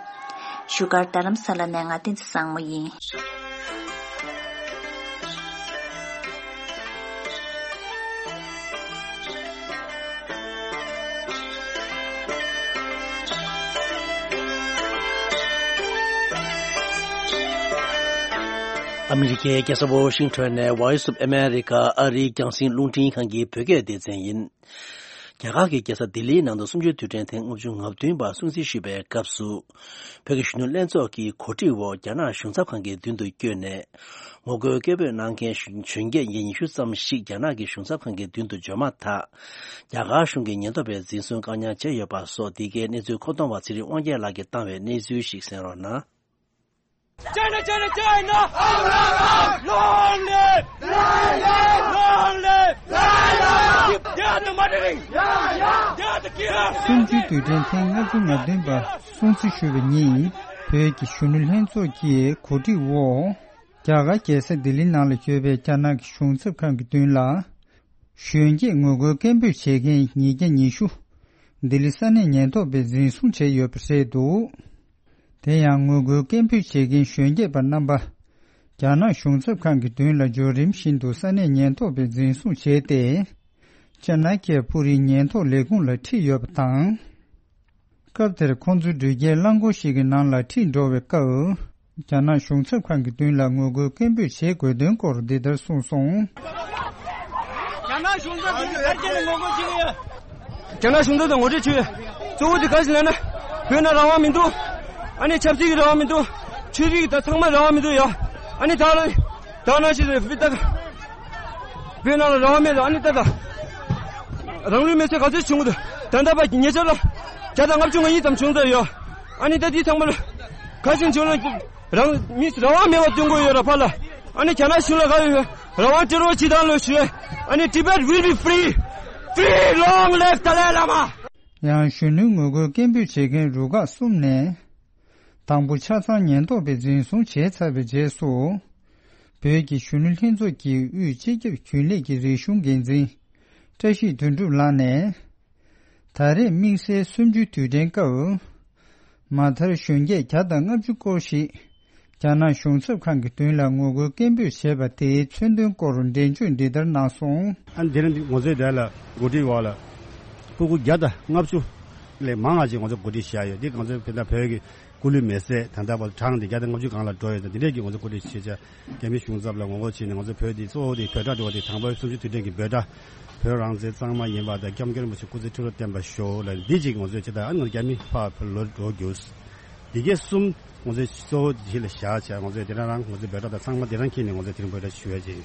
བཞུགས་སྒར་རྡ་རམ་ས་ལ་ནས་ང་བསྟན་འཛིན་བཟང་མོ་ཡིན། ཨ་མི་རི་ཀའི་རྒྱལ་ས་ཝོ་ཤིང་ཊོན་ནས་Voice of America ཨ་རིའི་རྒྱང་སྲིང་རླུང་འཕྲིན་ཁང་གི་བོད་སྐད་སྡེ་ཚན་ཡིན། རྒྱ་གར་གྱི་རྒྱལ་ས་ལྡི་ལིའི་ནང་དུ་གསུམ་བཅུའི་དུས་དྲན་ཐེངས་ལྔ་བཅུ་ང་བདུན་པ་སྲུང་བརྩི་ཞུས་པའི་སྐབས་སུ། བོད་ཀྱི་གཞོན་ནུ་ལྷན་ཚོགས་ཀྱི་གོ་སྒྲིག་འོག་རྒྱ་ནག་གཞུང་ཚབ་ཁང་གི་མདུན་དུ་བསྐྱོད་ནས། ངོ་རྒོལ་སྐད་འབོད་གནང་མཁན་གཞོན་སྐྱེས་ཉིས་བརྒྱ་ཉི་ཤུ་ཙམ་ཞིག་རྒྱ་ནག་གི་གཞུང་ཚབ་ཁང་གི་མདུན་དུ་འབྱོར་མ་ཐག་རྒྱ་གར་གཞུང་གིས་ཉེན་རྟོག་པས་འཛིན་བཟུང་བཀག་ཉར་བྱས་ཡོད་པ་སོགས། འདི་གའི་གནས་ཚུལ་མཁོ་གཏོང་བ་ཚེ་རིང་དབང་རྒྱལ་ལགས་ཀྱིས་བཏང་བའི་གནས་ཚུལ་ཞིག་གསན་རོགས་གནང་། China, China, China! Long live! Long live! Long live! They are the murdering! They are the killer! གསུམ་བཅུའི་དུས་དྲན་ཐེངས་ལྔ་བཅུ་ང་བདུན་པ་སྲུང་བརྩི་ཞུ་བའི་ཉིན། བོད་ཀྱི་གཞོན་ནུ་ལྷན་ཚོགས་ཀྱི་གོ་སྒྲིག་འོག་རྒྱ་གར་རྒྱལ་ས་ལྡི་ལི་ནང་ལ་ཡོད་པའི་རྒྱ་ནག་གི་གཞུང་ཚབ་ཁང་གི་མདུན་ལ། གཞོན་སྐྱེས་ངོ་རྒོལ་སྐད་འབོད་བྱེད་མཁན་ཉིས་བརྒྱ་ཉི་ཤུ། ལྡི་ལི་ས་གནས་ཉེན་རྟོག་པས་འཛིན་བཟུང་བྱས་ཡོད་པ་རེད་འདུག་དེ་ཡང་ངོ་རྒོལ་སྐད་འབོད་བྱེད་མཁན་གཞོན་སྐྱེས་པ་རྣམ་པ། རྒྱ་ནག་གཞུང་ཚབ་ཁང་གི་མདུན་ལ་འབྱོར་རིམ་བཞིན་དུ་ས་གནས་ཉེན་རྟོག་པས་འཛིན་བཟུང་བྱས་ཏེ། ཅ་ན་ཀྱ་པུ་རིའི་ཉེན་རྟོག་ལས་ཁུངས་ལ་ཁྲིད་ཡོད་པ་དང་། སྐབས་དེར་ཁོང་ཚོ་འགྲུལ་སྐྱེལ་རླངས་འཁོར་ཞིག་གི་ནང་ལ་ཁྲིད་འགྲོ་བའི་སྐབས། རྒྱ་ནག་གཞུང་ཚབ་ཁང་གི་མདུན་ལ་ངོ་རྒོལ་སྐད་འབོད་བྱེད་དགོས་དོན་སྐོར་འདི་ལྟར་གསུངས་སོང་། རྒྱ་ནག་གཞུང་ཚབ་ཀྱིས་ཕལ་ཆེར་ངོ་རྒོལ་བྱེད་ཀྱི་ཡོད། རྒྱ་ནག་གཞུང་ཚབ་དང་ངོ་སྤྲོད་བྱེད་ཡོད། གཙོ་བོ་དེ་ག་ཞིག་ལབ་ན། བོད་ནང་རང་དབང་མི་འདུག་ཨ་ནི་ཆབ་སྲིད་ཀྱི་རང་དབང་མི་འདུག་ཆོས་རིག་དང་ཚང་མ་རང་དབང་མི་འདུག་ཡ། ཨ་ནི་ད་ལ་ད་ནང་བཞིན་རེད། བོད་ད་བོད་ནང་ལ་རང་དབང་མེད་རེད། ཨ་ནི་ད་ད་རང་ལུས་མེར་སྲེག་ག་ཚོད་བྱུང་གི་འདུག་ད་ལྟ་བར་ཉེ་ཆར་ལ་བརྒྱ་དང་ལྔ་བཅུ་ང་གཉིས་ཙམ་བྱུང་ཚར་ཡོད། ཨ་ནི་ད་འདི་ཚང་མ་ལ་ ཁ་ཆེ་ཆུང་ལ་རང་མི་རང་དབང་མེད་པ་སྟོན་དགོས་ཡོད་ར་ཕ་ལ། ཨ་ནི་རྒྱ་ནག་གཞུང་ལ་ག་ཡོད། རང་དབང་སྤྲོད་རོགས་བྱེད་དང་ལོ་ཞུ། ཨ་ནི་Tibet will be free. Free, long live Dalai Lama. ཡང་གཞོན་ནུའི་ངོ་རྒོལ་སྐད་འབོད་བྱེད་མཁན་རུ་ཁག་གསུམ་ནས། དང་པོ་ཆ་ཚང་ཉེན་རྟོག་པས་འཛིན་བཟུང་བྱས་ཚར་བའི་རྗེས་སུ། བོད་ཀྱི་གཞོན་ནུ་ལྷན་ཚོགས་ཀྱི་དབུས་སྤྱི་ཁྱབ་རྒྱུན་ལས་ཀྱི་རིག་གཞུང་འགན་འཛིན་བཀྲ་ཤིས་དོན་གྲུབ་ལགས་ནས། ད་རེས་དམིགས་བསལ་གསུམ་བཅུའི་དུས་དྲན་སྐབས། མ་མཐར་གཞོན་སྐྱེས་བརྒྱ་དང་ལྔ་བཅུ་སྐོར་ཞིག་རྒྱ་ནག་གཞུང་ཚབ་ཁང་གི་མདུན་ལ་ངོ་རྒོལ་སྐད་འབོད་བྱས་པ་དེའི་མཚོན་དོན་སྐོར་འགྲེལ་བརྗོད་འདི་ལྟར་གནང་སོང་། ཨ་ནི་དེ་རིང་འདི་ང་ཚོའི་དེ་ལ་འགོ་ཁྲིད་འོག་ལ་སྤུ་གུ་བརྒྱ་དང་ལྔ་བཅུ་ལས་མང་བ་ཅིག་ང་ཚོ་འགོ་ཁྲིད་བཞག་ཡོད། འདི་ང་ཚོའི་བོད་དང་བོད་ཀྱི་སྐུ་ལུས་མེ་བསྲེགས་ད་ལྟ་བར་གྲངས་འདི་བརྒྱ་དང་ལྔ་བཅུ་སྒང་ལ་འགྲོ་ཡོད། ད་འདི་འདྲས་ཀྱི་ང་ཚོ་འགོ་ཁྲིད་བྱེད་ཆ་རྒྱ་མི་གཞུང་ཚབ་ལ་ངོ་རྒོལ་བྱས་ནས་ང་ཚོ་བོད་འདི་བོད་སྒྲ་འགྲོ་བ་འདི་དང་པོའི་གསུམ་བཅུའི་དུས་དྲན་གྱི་བོད་སྒྲ། བོད་རང་བཙན་གཙང་མ་ཡིན་པ་དང་སྐྱབས་མགོན་རིན་པོ་ཆེ་སྐུ་ཚེ་ཁྲི་ལོ་བརྟན་པར་ཤོག་ལ་འདི་གཅིག་ང་ཚོས་ཇི་ལྟར་ཨ་ནི་རྒྱ་མི་ཕར་བོད་ལོག་འགྲོ་རྒྱུ། འདི་གས་གསུམ་ང་ཚོས་གཙོ་བོ་གཅིག་ལ་བཞག་བྱས་ང་ཚོས་དེ་རང་རང་ང་ཚོའི་བོད་སྒྲ་དང་ཚང་མ་དེ་རང་འཁྱེར་ནས་ང་ཚོས་དེ་རིང་བོད་སྒྲ་ཞུ་ཡ་ཅིག་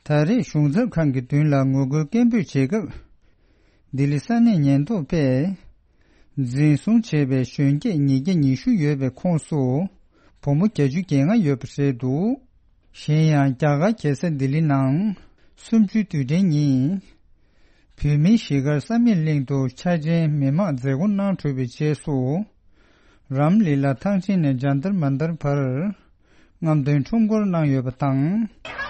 ད་རེས་གཞུང་ཚབ་ཁང་གི་མདུན་ལ་ངོ་རྒོལ་སྐད་འབོད་བྱེད་སྐབས། ལྡི་ལི་ས་གནས་ཉེན་རྟོག་པས། འཛིན་བཟུང་བྱས་པའི་གཞོན་སྐྱེས་ཉིས་བརྒྱ་ཉི་ཤུ་ཡོད་པའི་ཁོངས་སུ། བུ་མོ་བརྒྱད་ཅུ་གྱ་ལྔ་ཡོད་པ་རེད་འདུག་གཞན་ཡང་རྒྱ་གར་རྒྱལ་ས་ལྡི་ལི་ནང་། གསུམ་བཅུའི་དུས་དྲན་ཉིན། བོད་མིའི་གཞིས་སྒར་བསམ་ཡས་གླིང་དུ་འཆར་ཅན་མི་མང་མཛད་སྒོ་གནང་གྲུབ་པའི་རྗེས་སུ། རམ་ལི་ལ་ཐང་ཆེན་ནས་ཇན་ཏར་མན་ཏར་བར། རྔམ་སྟོན་ཁྲོམ་སྐོར་གནང་ཡོད་པ་དང་།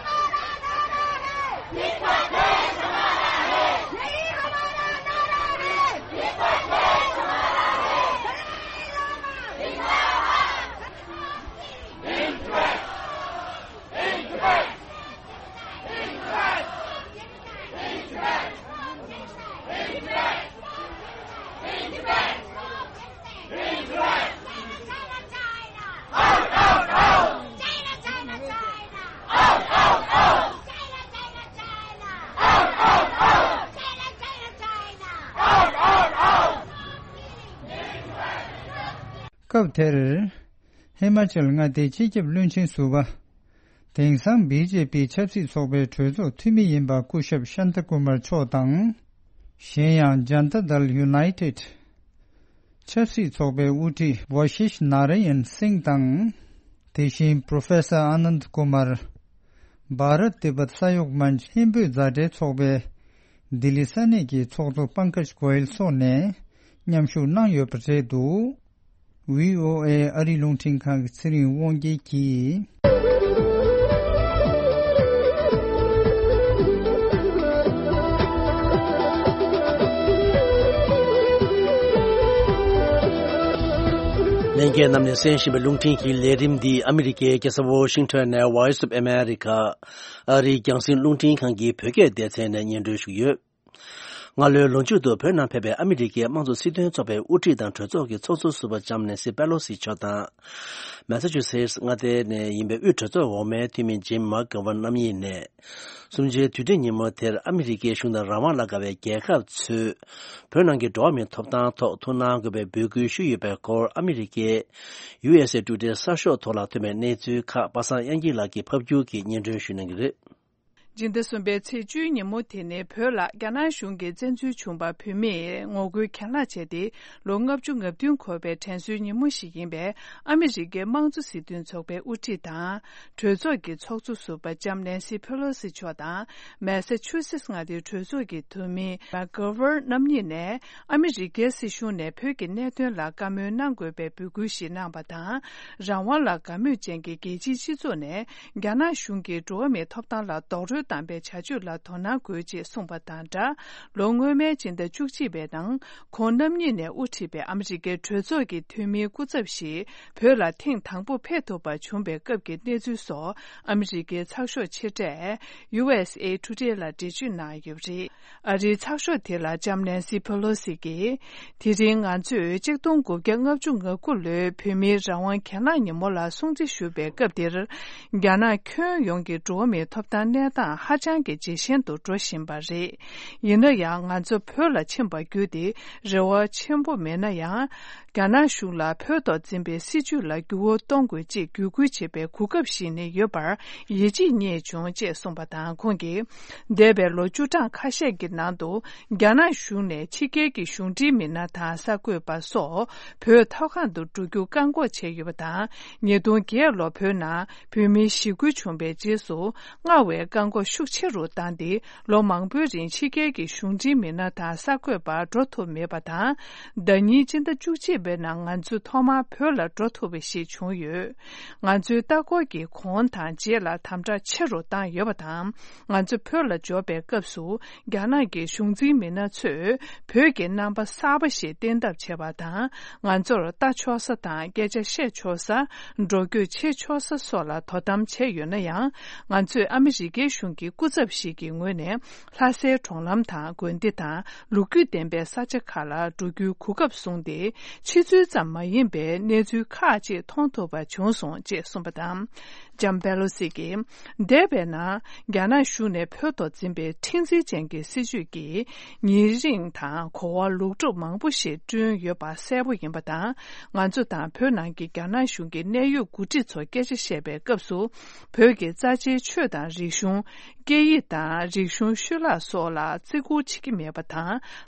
སྐབས་དེར། ཧི་མ་ཅལ་མངའ་སྡེའི་སྤྱི་ཁྱབ་བློན་ཆེན་ཟུར་པ། དེང་སང་བི་ཇེ་པི་ཆབ་སྲིད་ཚོགས་པའི་གྲོས་ཚོགས་འཐུས་མི་ཡིན་པ་སྐུ་ཞབས་ཤཱན་ཏཱ་ཀུ་མར་མཆོག་དང་། གཞན་ཡང་ཇན་ཏཱ་དལ་ཡུ་ནའི་ཏེད་ཆབ་སྲིད་ཚོགས་པའི་དབུ་ཁྲིད་ཝ་ཤིཤ་ནཱ་ར་ཡན་སིང་དང་། དེ་བཞིན་པྲོ་ཕེ་སར་ཨ་ནནྡ་ཀུ་མར། བྷ་རཏ་ཏི་བྷད་ས་ཡོག་མན་ཆ་ཧིན་བོད་མཛའ་འབྲེལ་ཚོགས་པའི་ལྡི་ལི་ས་གནས་ཀྱི་ཚོགས་གཙོ་པང་ཀཇ་གོ་ཡལ་སོགས་ནས་མཉམ་ཞུགས་གནང་ཡོད་པ་རེད་འདུག་ཝི་ཨོ་ཨེ་ཨ་རིའི་རླུང་འཕྲིན་ཁང་གི་ཚེ་རིང་དབང་རྒྱལ་གྱིས། ལྷན་རྒྱས་རྣམས་ནས་གསན་བཞིན་པའི་རླུང་འཕྲིན་གྱི་ལས་རིམ་འདི་ཨ་མི་རི་ཀའི་རྒྱལ་ས་ཝོ་ཤིང་ཊོན་ནས་Voice of America ཨ་རིའི་རྒྱང་སྲིང་རླུང་འཕྲིན་ཁང་གི་བོད་སྐད་སྡེ་ཚན་ནས་སྙན་སྒྲོན་ཞུས་ཡོད། སྔ་ལོའི་ལོ་མཇུག་ཏུ་བོད་ནང་ཕེབས་པའི་ཨ་མི་རི་ཀའི་དམངས་གཙོ་སྲིད་དོན་ཚོགས་པའི་དབུ་ཁྲིད་དང་གྲོས་ཚོགས་ཀྱི་ཚོགས་གཙོ་ཟུར་པ་ལྕམ་ནེན་སི་པེ་ལོ་སི་མཆོག་དང་། མེ་ས་ཆུ་སེ་ཊི་མངའ་སྡེ་ནས་ཡིན་པའི་དབུས་གྲོས་ཚོགས་འོག་མའི་འཐུས་མི་ཇིམ་མཱ་ཀེ་ཝན་རྣམ་གཉིས་ནས། གསུམ་བཅུའི་དུས་དྲན་ཉིན་མོ་དེར་ཨ་མི་རི་ཀའི་གཞུང་དང་རང་དབང་ལ་དགའ་བའི་རྒྱལ་ཁབ་ཚོས། བོད་ནང་གི་འགྲོ་བ་མིའི་ཐོབ་ཐང་ཐོག་ཐུགས་སྣང་དགོས་པའི་འབོད་སྐུལ་ཞུས་ཡོད་པའི་སྐོར་ཨ་མི་རི་ཀའི་ཡུ་ཨེས་ཨེ་ཊུ་ཌེ་གསར་ཤོག་ཐོག་ལ་ཐོན་པའི་གནས་ཚུལ་ཁག་པ་སངས་དབྱངས་སྐྱིད་ལགས་ཀྱིས་ཕབ་སྒྱུར་གྱིས་སྙན་སྒྲོན་ཞུ་གནང་གི་རེད། སྤྱི་ཟླ་གསུམ་པའི་ཚེས་བཅུའི་ཉིན་མོ་དེ་ནི་བོད་ལ་རྒྱ་ནག་གཞུང་གིས་བཙན་འཛུལ་བྱུང་བར་བོད་མིས་ངོ་རྒོལ་གྱེན་ལངས་བྱས་ཏེ་ལོ་ལྔ་བཅུ་ང་བདུན་འཁོར་བའི་དྲན་གསོའི་ཉིན་མོ་ཞིག་ཡིན་པས། ཨ་མི་རི་ཀའི་དམངས་གཙོ་སྲིད་དོན་ཚོགས་པའི་དབུ་ཁྲིད་དང་། གྲོས་ཚོགས་ཀྱི་ཚོགས་གཙོ་ཟུར་པ་ལྕམ་ནེན་སི་ཕེ་ལོ་སི་མཆོག་དང་། མེ་ས་ཆུ་སེ་ཊི་མངའ་སྡེའི་གྲོས་ཚོགས་ཀྱི་འཐུས་མི་མཱ་ཀེ་ཝན་རྣམ་གཉིས་ནས། ཨ་མི་རི་ཀའི་སྲིད་གཞུང་ནས་བོད་ཀྱི་གནད་དོན་ལ་བཀའ་མོལ་གནང་དགོས་པའི་འབོད་སྐུལ་ཞིག་གནང་བ་དང་། རང་དབང་ལ་དགའ་མོས་ཅན་གྱི་རྒྱལ་སྤྱིའི་སྤྱི་ཚོགས་ནས། རྒྱ་ནག་གཞུང་གིས་འགྲོ་བ་མིའི་ཐོབ་ཐང་ལ་རྡོག་རོལ་བཏང་པའི་བྱ་སྤྱོད་ལ་དོ་སྣང་དགོས་ཅེས་གསུངས་པ་དང་སྦྲགས། ལོ་སྔོན་མའི་སྤྱི་ཟླ་བཅུ་གཅིག་པའི་ནང་། ཁོང་རྣམ་གཉིས་ནས་དབུ་ཁྲིད་པའི་ཨ་མི་རི་ཀའི་གྲོས་ཚོགས་ཀྱི་འཐུས་མིའི་སྐུ་ཚབ་ཞིག་བོད་ལ་ཐེངས་དང་པོ་ཕེབས་ཐུབ་པ་བྱུང་བའི་སྐབས་ཀྱི་གནས་ཚུལ་སོགས། ཨ་མི་རི་ཀའི་ཚགས་ཤོག་ཆེ་གྲས་ཡུ་ཨེས་ཨེ་ཊུ་ཌེ་ལ་འགྲེལ་བརྗོད་གནང་ཡོད་པ་རེད། ཨ་རིའི་ཚགས་ཤོག་དེ་ལ་ལྕམ་ནེན་སི་ཕེ་ལོ་སི་གིས། དེ་རིང་ང་ཚོས་གཅིག་སྟོང་དགུ་བརྒྱ་ལྔ་བཅུ་ང་དགུ་ལོའི་བོད་མིའི་རང་དབང་གྱེན་ལངས་ཉིན་མོ་ལ་སྲུང་བརྩི་ཞུ་བའི་སྐབས་འདིར། རྒྱ་ནག་ཁྱོན་ཡོངས་ཀྱི་འགྲོ་བ་མིའི་ཐོབ་ཐང་གནས་སྟངས་ཧ་ཅང་གི་ཇེ་ཞན་དུ་འགྲོ་བཞིན་པ་རེད། ཡིན་ན་ཡང་ང་ཚོ་བོད་ལ་ཕྱིན་པ་བརྒྱུད་དེ་རེ་བ་ཆེན་པོ་མེད་ན་ཡང་། རྒྱ་ནག་གཞུང་ལ་བོད་ཐོག་འཛིན་པའི་སྲིད་བྱུས་ལ་འགྱུར་བ་གཏོང་དགོས་ཅེས་བརྒྱུད་སྐུལ་བྱེད་པའི་གོ་སྐབས་ཤིག་ནི་ཡོད་པར་ཡིད་ཆེས་རྙེད་བྱུང་ཅེས་གསུངས་པ་དང་། ཁོང་གིས། འདས་པའི་ལོ་བཅུ་གྲངས་ཁ་ཤས་ཀྱི་ནང་དུ། རྒྱ་ནག་གཞུང་ནས་ཕྱི་རྒྱལ་གྱི་གཞུང་འབྲེལ་མི་སྣ་དང་གསར་འགོད་པ་སོགས་བོད་ཐོག་ཁག་ཏུ་འགྲོ་རྒྱུ་བཀག་འགོག་བྱས་ཡོད་པ་དང་། ཉིས་སྟོང་བརྒྱད་ལོར་བོད་ནང་བོད་མིའི་ཞི་རྒོལ་བྱུང་བའི་རྗེས་སུ། སྔར་བས་བཀག་འགོག་ཤུགས་ཆེ་རུ་བཏང་སྟེ། ལོ་མང་པོའི་རིང་ཕྱི་རྒྱལ་གྱི་གཞུང་འབྲེལ་མི་སྣ་དང་གསར་འགོད་པ་འགྲོ་ཐུབ་མེད་པ་དང་། ཟླ་ཉིན་སྤྱི་ཟླ་བཅུ་གཅིག་པའི་ནང་ང་ཚོས་ཐོག་མར་བོད་ལ་འགྲོ་ཐུབ་པ་ཞིག་བྱུང་ཡོད། ང་ཚོའི་ལྟ་སྐོར་གྱི་གོང་དང་རྗེས་ལ་དམ་དྲག་ཆེ་རུ་བཏང་ཡོད་པ་དང་། ང་ཚོ་བོད་ལ་འབྱོར་པའི་སྐབས་སུ། རྒྱ་ནག་གི་གཞུང་འཛིན་མི་སྣ་ཚོས་བོད་ཀྱི་རྣམ་པ་གསར་པ་ཞིག་བསྟན་ཐབས་བྱས་པ་དང་། ང་ཚོར་ལྟ་ཆོག་ས་དང་སྐད་ཆ་བཤད་ཆོག་ས། འགྲོ་སྐྱོད་བྱེད་ཆོག་ས་སོགས་ལ་དོ་དམ་བྱས་ཡོད་ན་ཡང་། ང་ཚོས་ཨ་མི་རི་ཀའི་གཞུང་གི་སྐུ་ཚབ་ཞིག་གི་ངོས་ནས། ལྷ་སའི་གྲོང་ལམ་དང་དགོན་སྡེ་དང་ལོ་རྒྱུས་ལྡན་པའི་ས་ཆ་ཁག་ལ་འགྲོ་རྒྱུའི་གོ་སྐབས་བཟུང་སྟེ། ཕྱི་ཚུལ་ཙམ་མ་ཡིན་པའི་གནས་ཚུལ་ཁག་ཅིག་མཐོང་ཐུབ་པ་བྱུང་སོང་ཅེས་གསུངས་པ་དང་། ལྕམ་པེ་ལོ་སི་གིས། འདས་པའི་ནང་རྒྱ་ནག་གཞུང་ནས་བོད་ཐོག་འཛིན་པའི་མཁྲེགས་འཛིན་ཅན་གྱི་སྲིད་བྱུས་ཀྱིས་ཉེ་རིང་དང་གོ་བ་ལོག་སྒྲུབ་མང་པོ་ཞིག་བསྐྲུན་ཡོད་པ་གསལ་པོ་ཡིན་པ་དང་། ང་ཚོ་དང་བོད་ནང་གི་རྒྱ་ནག་གཞུང་གི་གནད་ཡོད་འགོ་ཁྲིད་ཚོ་སྐད་ཆ་བཤད་པའི་སྐབས་སུ། བོད་ཀྱི་རྩ་ཆེའི་ཆོས་དང་རིག་གཞུང་། སྐད་ཡིག་དང་རིག་གཞུང་ཤུལ་ལྷག་སོགས་ལ་བརྩི་བཀུར་བྱེད་ཀྱི་མེད་པ་དང་།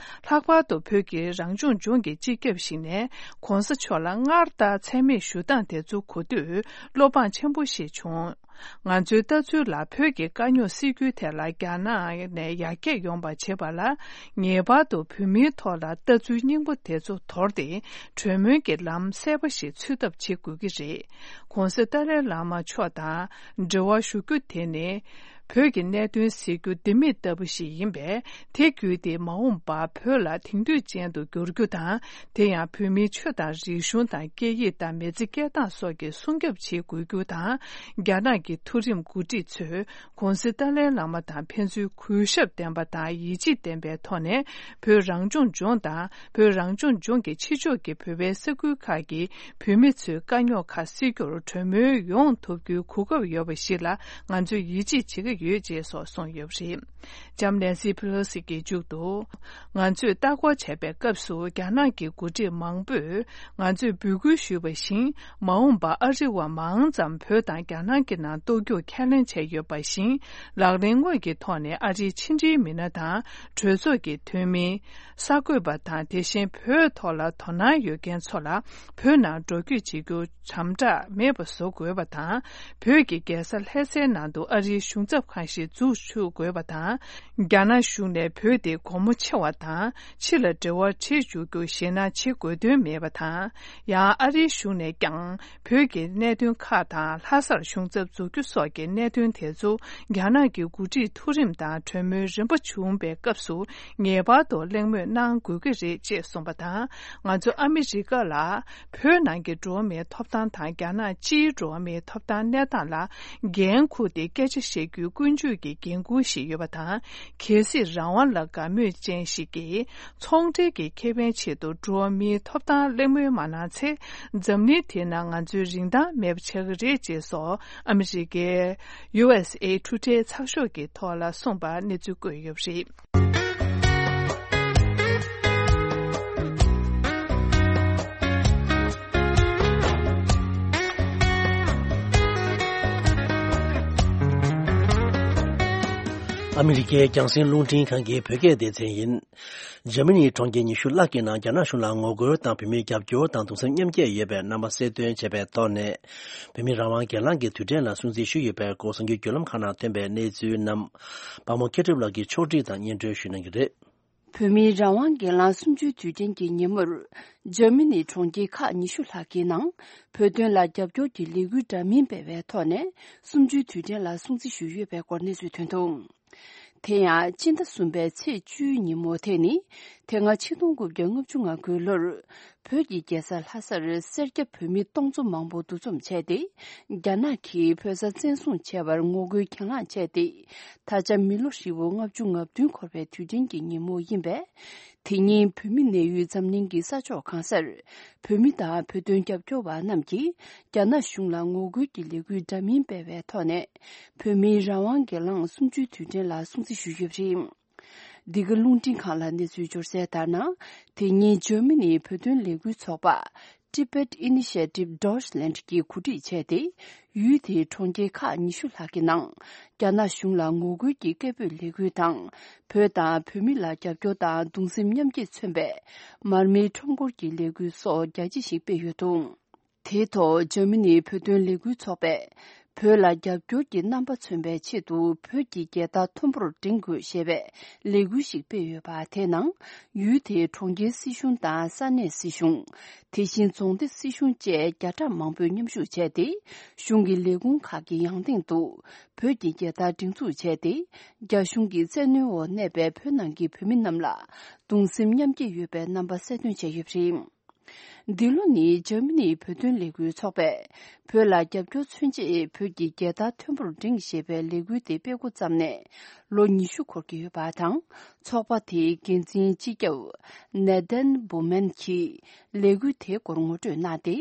ལྷག་པར་དུ་བོད་ཀྱི་རང་སྐྱོང་ལྗོངས་ཀྱི་སྤྱི་ཁྱབ་ཞིག་ནས་༸གོང་ས་མཆོག་ལ་སྔར་ལྟར་མཚན་སྨད་ཞུ་སྟངས་དེ་ཚོ་གོ་དུས་བློ་ཕངས་ཆེན་པོ་ཞིག་བྱུང་། ང་ཚོའི་ལྟ་ཚུལ་ལ་བོད་ཀྱི་དཀའ་རྙོག་སེལ་རྒྱུའི་ཐད་ལ་རྒྱ་ནག་ནས་ཡར་རྒྱས་ཡོང་པ་བྱེད་པ་ལ། ངེས་པར་དུ་བོད་མིའི་ཐོག་ལ་ལྟ་ཚུལ་རྙིང་པ་དེ་ཚོ་དོར་ཏེ། གྲོས་མོལ་གྱི་ལམ་གསལ་པོ་ཞིག་འཚོལ་ཐབས་བྱེད་དགོས་ཀྱི་རེད། ༸གོང་ས་ཏཱ་ལའི་བླ་མ་མཆོག་དང་འབྲེལ་བ་ཞུ་རྒྱུ་དེ་ནི། བོད་ཀྱི་གནད་དོན་སེལ་རྒྱུ་ལྡེ་མིག་ལྟ་བུ་ཞིག་ཡིན་པས། དེ་བརྒྱུད་དེ་མ་འོངས་པར་བོད་ལ་དེང་དུས་ཅན་དུ་འགྱུར་རྒྱུ་དང་། དེ་ཡང་བོད་མིའི་ཆོས་དང་རིག་གཞུང་དང་སྐད་ཡིག་དང་མི་ཚེ་སྐྱེལ་སྟངས་སོགས་ཀྱི་སྲུང་སྐྱོབ་བྱེད་དགོས་རྒྱུ་དང་། རྒྱ་ནག་གི་མཐོ་རིམ་འགོ་ཁྲིད་ཚོས་༸གོང་ས་ཏཱ་ལའི་བླ་མ་དང་ཕན་ཚུན་གུས་ཞབས་ལྡན་པ་དང་ཡིད་ཆེས་ལྡན་པའི་ཐོག་ནས། བོད་རང་སྐྱོང་ལྗོངས་དང་། བོད་རང་སྐྱོང་ལྗོངས་ཀྱི་ཕྱི་ཕྱོགས་ཀྱི་བོད་པའི་ས་ཁུལ་ཁག་གི་བོད་མི་ཚོའི་དཀའ་རྙོག་ཁག་སེལ་རྒྱུར་གྲོས་མོལ་ཡོང་ཐུབ་རྒྱུའི་གོ་སྐབས་ཡོད་པ་ཞིག་ལ་ང་ཚོས་ཡིད་ཆེས་བྱེད་ཀྱི་ཡོད་ཅེས་སོགས་གསུངས་ཡོད་པ་རེད། ལྕམ་ནན་སི་པེ་ལོ་སི་གིས་མཇུག་ཏུ། ང་ཚོས་ལྟ་སྐོར་བྱས་པའི་སྐབས་སུ་རྒྱ་ནག་གི་འགོ་ཁྲིད་མང་པོས་ང་ཚོས་འབོད་སྐུལ་ཞུས་པ་བཞིན། མ་འོངས་པར་ཨ་རི་བ་མང་ཙམ་བོད་དང་རྒྱ་ནག་གི་ནང་གཏོགས་རྒྱུར་ཁས་ལེན་བྱས་ཡོད་པ་བཞིན། ལག་ལེན་དངོས་ཀྱི་ཐོག་ནས་ཨ་རིའི་ཕྱི་འབྲེལ་མི་སྣ་དང་གྲོས་ཚོགས་ཀྱི་འཐུས་མི། གསར་འགོད་པ་དང་། དེ་བཞིན་བོད་ཐོག་ལ་དོ་སྣང་ཡོད་མཁན་ཚོ་ལ་བོད་ནང་འགྲོ་སྐྱོད་བྱེད་རྒྱུ་དམ་དྲག་མེད་པ་བཟོ་དགོས་པ་དང་། བོད་ཀྱི་རྒྱལ་ས་ལྷ་སའི་ནང་དུ་ཨ་རིའི་གཞུང་ཚབ་ཁང་ཞིག་འཛུགས་ཆོག་དགོས་པ་དང་། རྒྱ་ནག་གཞུང་ནས་བོད་དེ་སྒོ་མོ་ཕྱེ་བ་དང་། ཕྱི་ལ་འབྲེལ་བ་བྱེད་འཇུག་རྒྱུ་ཞེད་སྣང་བྱེད་དགོས་དོན་མེད་པ་དང་། ཡང་ཨ་རིའི་གཞུང་ནས་ཀྱང་བོད་ཀྱི་གནད་དོན་ཁག་དང་། ལྷ་སར་གཞུང་ཚབ་འཛུགས་རྒྱུ་སོགས་ཀྱི་གནད་དོན་དེ་ཚོ་རྒྱ་ནག་གི་འགོ་ཁྲིད་མཐོ་རིམ་དང་གྲོས་མོལ་རིམ་པ་བྱུང་བའི་སྐབས་སུ་ངེས་པར་དུ་གླེང་མོལ་གནང་དགོས་ཀྱི་རེད་ཅེས་གསུངས་པ་དང་། ང་ཚོ་ཨ་མི་རི་ཀ་ལ་བོད་ནང་གི་འགྲོ་བ་མིའི་ཐོབ་ཐང་དང་རྒྱ་ནག་སྤྱིའི་འགྲོ་བ་མིའི་ཐོབ་ཐང་གནས་སྟངས་ལ་འགན་འཁུར་ཏེ་སྐད་ཆ་བཤད་རྒྱུའི་ཀུན་སྤྱོད་ཀྱི་འགན་འཁུར་ཞིག་ཡོད་པ་དང་། གལ་སྲིད་རང་དབང་ལ་དགའ་མོས་ཅན་ཞིག་གིས་ཚོང་འབྲེལ་གྱི་ཁེ་ཕན་ཆེད་དུ་འགྲོ་བ་མིའི་ཐོབ་ཐང་གླེང་མོལ་མ་གནང་ཚེ། འཛམ་གླིང་དེའི་ནང་ང་ཚོའི་རིན་ཐང་མེད་པ་ཆགས་ཀྱི་རེད་ཅེས་སོགས་ཨ་མི་རི་ཀའི་ཡུ་ཨེས་ཨེ་ཊུ་ཌེ་ཚགས་ཤོག་གི་ཐོག་ལ་གསུངས་པ་གནས་ཚུལ་བཀོད་ཡོད་པ་རེད། ཨ་མི་རི་ཀའི་རྒྱང་སྲིང་རླུང་འཕྲིན་ཁང་གི་བོད་སྐད་སྡེ་ཚན་ཡིན། འཇར་མ་ནིའི་གྲོང་ཁྱེར་ཉི་ཤུ་ལྷག་གི་ནང་རྒྱ་ནག་གཞུང་ལ་ངོ་རྒོལ་དང་བོད་མིར་རྒྱབ་སྐྱོར་དང་གདུང་སེམས་མཉམ་སྐྱེད་ཡོད་པའི་རྣམ་པ་གསལ་སྟོན་བྱས་པའི་ཐོག་ནས། བོད་མིའི་རང་དབང་སྒེར་ལངས་ཀྱི་དུས་དྲན་ལ་སྲུང་བརྩི་ཞུས་ཡོད་པའི་སྐོར་གསར་འགྱུར་བརྒྱུད་ལམ་ཁག་ནང་ཐོན་པའི་གནས་ཚུལ་རྣམས། པདྨ་མཁས་གྲུབ་ལགས་ཀྱིས་ཕྱོགས་སྒྲིག་དང་སྙན་སྒྲོན་ཞུ་གནང་གི་རེད། བོད་མིའི་རང་དབང་སྒེར་ལངས་གསུམ་བཅུའི་དུས་དྲན་གྱི་ཉིན་མོར། འཇར་མ་ནིའི་གྲོང་ཁྱེར་ཁག་ཉི་ཤུ་ལྷག་གི་ནང་། བོད་དོན་ལ་རྒྱབ་སྐྱོར་གྱི་ལས་འགུལ་འདྲ་མིན་སྤེལ་བའི་ཐོག་ནས། གསུམ་བཅུའི་དུས་དྲན་ལ་སྲུང་བརྩི་ཞུས་ཡོད་པའི་སྐོར་གནས་ཚུལ་ཐོན་འདུག་དེ་ཡང་སྤྱི་ཟླ་གསུམ་པའི་ཚེས་བཅུའི་ཉིན་མོ་དེ་ནི། དེ་སྔ་ཆིག་སྟོང་དགུ་བརྒྱ་ལྔ་བཅུ་ང་དགུའི་ལོར། བོད་ཀྱི་རྒྱལ་ས་ལྷ་སར་སེར་སྐྱ་བོད་མི་སྟོང་ཚོ་མང་པོ་འདུ་འཛོམས་བྱས་ཏེ། རྒྱ་ནག་གིས་བོད་ས་བཙན་བཟུང་བྱས་པར་ངོ་རྒོལ་གྱེན་ལངས་བྱས་ཏེ། ད་ཆ་མི་ལོ་ཧྲིལ་པོ་ལྔ་བཅུ་ང་བདུན་འཁོར་བའི་དུས་དྲན་གྱི་ཉིན་མོ་ཡིན་པས། དེ་ཉིན་བོད་མི་གནས་ཡུལ་འཛམ་གླིང་གི་ས་ཕྱོགས་གང་སར། བོད་མི་དང་བོད་དོན་རྒྱབ་སྐྱོར་བ་རྣམས་ཀྱིས། རྒྱ་ནག་གཞུང་ལ་ངོ་རྒོལ་གྱི་ལས་འགུལ་འདྲ་མིན་སྤེལ་བའི་ཐོག་ནས། བོད་མིའི་རང་དབང་སྒེར་ལངས་གསུམ་བཅུའི་དུས་དྲན་ལ་སྲུང་བརྩི་ཞུས་ཡོད་པ་རེད། འདི་ག་རླུང་འཕྲིན་ཁང་ལ་གནས་ཚུལ་འབྱོར་གསལ་ལྟར་ན། དེ་ཉིན་འཇར་མ་ནིའི་བོད་དོན་ལས་འགུལ་ཚོགས་པ། Tibet Initiative Deutschland གྱིས་གོ་སྒྲིག་བྱས་ཏེ། ཡུལ་དེའི་གྲོང་ཁྱེར་ཁག་ཉི་ཤུ་ལྷག་གི་ནང་། རྒྱ་ནག་གཞུང་ལ་ངོ་རྒོལ་གྱི་སྐད་འབོད་ལས་འགུལ་དང་། བོད་དང་བོད་མི་ལ་རྒྱབ་སྐྱོར་དང་གདུང་སེམས་མཉམ་སྐྱེད་མཚོན་པའི། མར་མེའི་ཁྲོམ་སྐོར་གྱི་ལས་འགུལ་སོགས་རྒྱ་ཆེ་ཞིག་སྤེལ་ཡོད་འདུག་དེའི་ཐོག་འཇར་མ་ནིའི་བོད་དོན་ལས་འགུལ་ཚོགས་པས། བོད་ལ་རྒྱབ་སྐྱོར་གྱི་རྣམ་པ་མཚོན་པའི་ཆེད་དུ་བོད་ཀྱི་རྒྱལ་དར་མཐོན་པོར་བསྒྲེངས་དགོས་ཞེས་པའི་ལས་འགུལ་ཞིག་སྤེལ་ཡོད་པ། དེའི་ནང་ཡུལ་དེའི་གྲོང་ཁྱེར་སྲིད་གཞུང་དང་ས་གནས་སྲིད་གཞུང་། དེ་བཞིན་རྫོང་སྡེ་སྲིད་གཞུང་བཅས་བརྒྱ་ཕྲག་མང་པོས་མཉམ་ཞུགས་བྱས་ཏེ། གཞུང་གི་ལས་ཁུངས་ཁག་གི་ཡང་སྟེང་དུ་བོད་ཀྱི་རྒྱལ་དར་སྒྲེང་འཛུགས་བྱས་ཏེ། རྒྱ་གཞུང་གི་བཙན་གནོན་འོག་གནས་པའི་བོད་ནང་གི་བོད་མི་རྣམས་ལ་གདུང་སེམས་མཉམ་སྐྱེད་ཡོད་པའི་རྣམ་པ་གསལ་སྟོན་བྱས་ཡོད་པ་རེད། འདི་ལོ་ནི་འཇར་མ་ནིའི་བོད་དོན་ལས་འགུལ་ཚོགས་པས། བོད་ལ་རྒྱབ་སྐྱོར་མཚོན་ཆེད་བོད་ཀྱི་རྒྱལ་དར་མཐོན་པོར་བསྒྲེངས་ཞེས་པའི་ལས་འགུལ་དེ་སྤེལ་འགོ་བརྩམས་ནས་ལོ་ཉི་ཤུ་འཁོར་གྱི་ཡོད་པ་དང་། ཚོགས་པ་དེའི་འགན་འཛིན་སྤྱི་ཁྱབ་ནེ་དན་བུ་མན་གྱིས་ལས་འགུལ་དེའི་སྐོར་ངོ་སྤྲོད་གནང་སྟེ།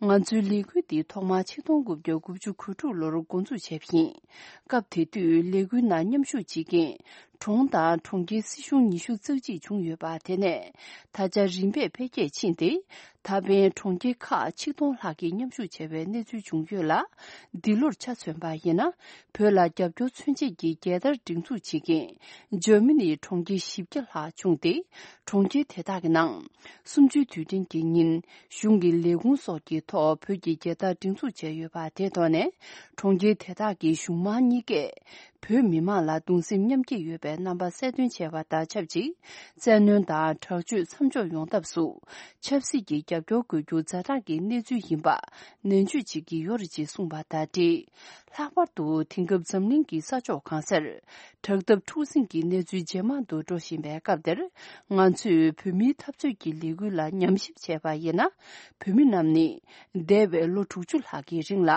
ང་ཚོའི་ལས་འགུལ་འདི་ཐོག་མར་ཆིག་སྟོང་དགུ་བརྒྱ་དགུ་བཅུ་གོ་དྲུག་ལོར་འགོ་འཛུགས་བྱས་པ་ཡིན། སྐབས་དེ་དུས་ལས་འགུལ་ནང་མཉམ་ཞུགས་བྱེད་མཁན། གྲོང་དང་གྲོང་ཁྱེར་སྲིད་གཞུང་ཉི་ཤུ་རྩ་གཅིག་བྱུང་ཡོད་པ། དེ་ནས་ད་ཆ་རིམ་པས་འཕེལ་རྒྱས་ཕྱིན་ཏེ། ད་ཕན་གྲོང་ཁྱེར་ཁག་ཆིག་སྟོང་ལྷག་གིས་མཉམ་ཞུགས་བྱས་པའི་གནས་ཚུལ་བྱུང་ཡོད་ལ། འདི་ལོར་ཆ་མཚོན་པ་ཡིན་ན། བོད་ལ་རྒྱབ་སྐྱོར་མཚོན་ཆེད་ཀྱི་རྒྱལ་དར་སྒྲེང་འཛུགས་བྱེད་མཁན། འཇར་མ་ནིའི་གྲོང་ཁྱེར་བཞི་བརྒྱ་ལྷག་བྱུང་སྟེ། གྲོང་ཁྱེར་དེ་དག་གི་ནང་། གསུམ་བཅུའི་དུས་དྲན་གྱི་ཉིན། གཞུང་གི་ལས་ཁུངས་སོགས་ཀྱི་ཐོག་བོད་ཀྱི་རྒྱལ་དར་སྒྲེང་འཛུགས་བྱས་ཡོད་པ། དེའི་ཐོག་ནས། གྲོང་ཁྱེར་དེ་དག་གི་གཞུང་མང་གཉིས་ཀས། བོད་མི་མང་ལ་གདུང་སེམས་མཉམ་སྐྱེད་ཡོད་པའི་རྣམ་པ་གསལ་སྟོན་བྱས་པ་དང་ཆབས་ཅིག་བཙན་གནོན་དང་དྲག་སྤྱོད་མཚམས་འཇོག་ཡོང་ཐབས་སུ། ཆབ་སྲིད་ཀྱི་རྒྱབ་སྐྱོར་དགོས་རྒྱུ་ཛ་དྲག་གི་གནས་ཚུལ་ཡིན་པ། ནན་བརྗོད་བྱེད་ཀྱི་ཡོད་རེད་ཅེས་གསུངས་པ་དང་འབྲེལ། ལྷག་པར་དུ་དེང་སྐབས་འཛམ་གླིང་གི་ས་ཕྱོགས་གང་སར། དྲག་འཐབ་འཁྲུག་ཟིང་གི་གནས་ཚུལ་ཇེ་མང་དུ་འགྲོ་བཞིན་པའི་སྐབས་འདིར། ང་ཚོས་བོད་མིའི་འཐབ་རྩོད་ཀྱི་ལས་འགུལ་ལ་ཉམས་ཞིབ་བྱས་པ་ཡིན་ན། བོད་མི་རྣམས་ནི། འདས་པའི་ལོ་དྲུག་ཅུ་ལྷག་གི་རིང་ལ།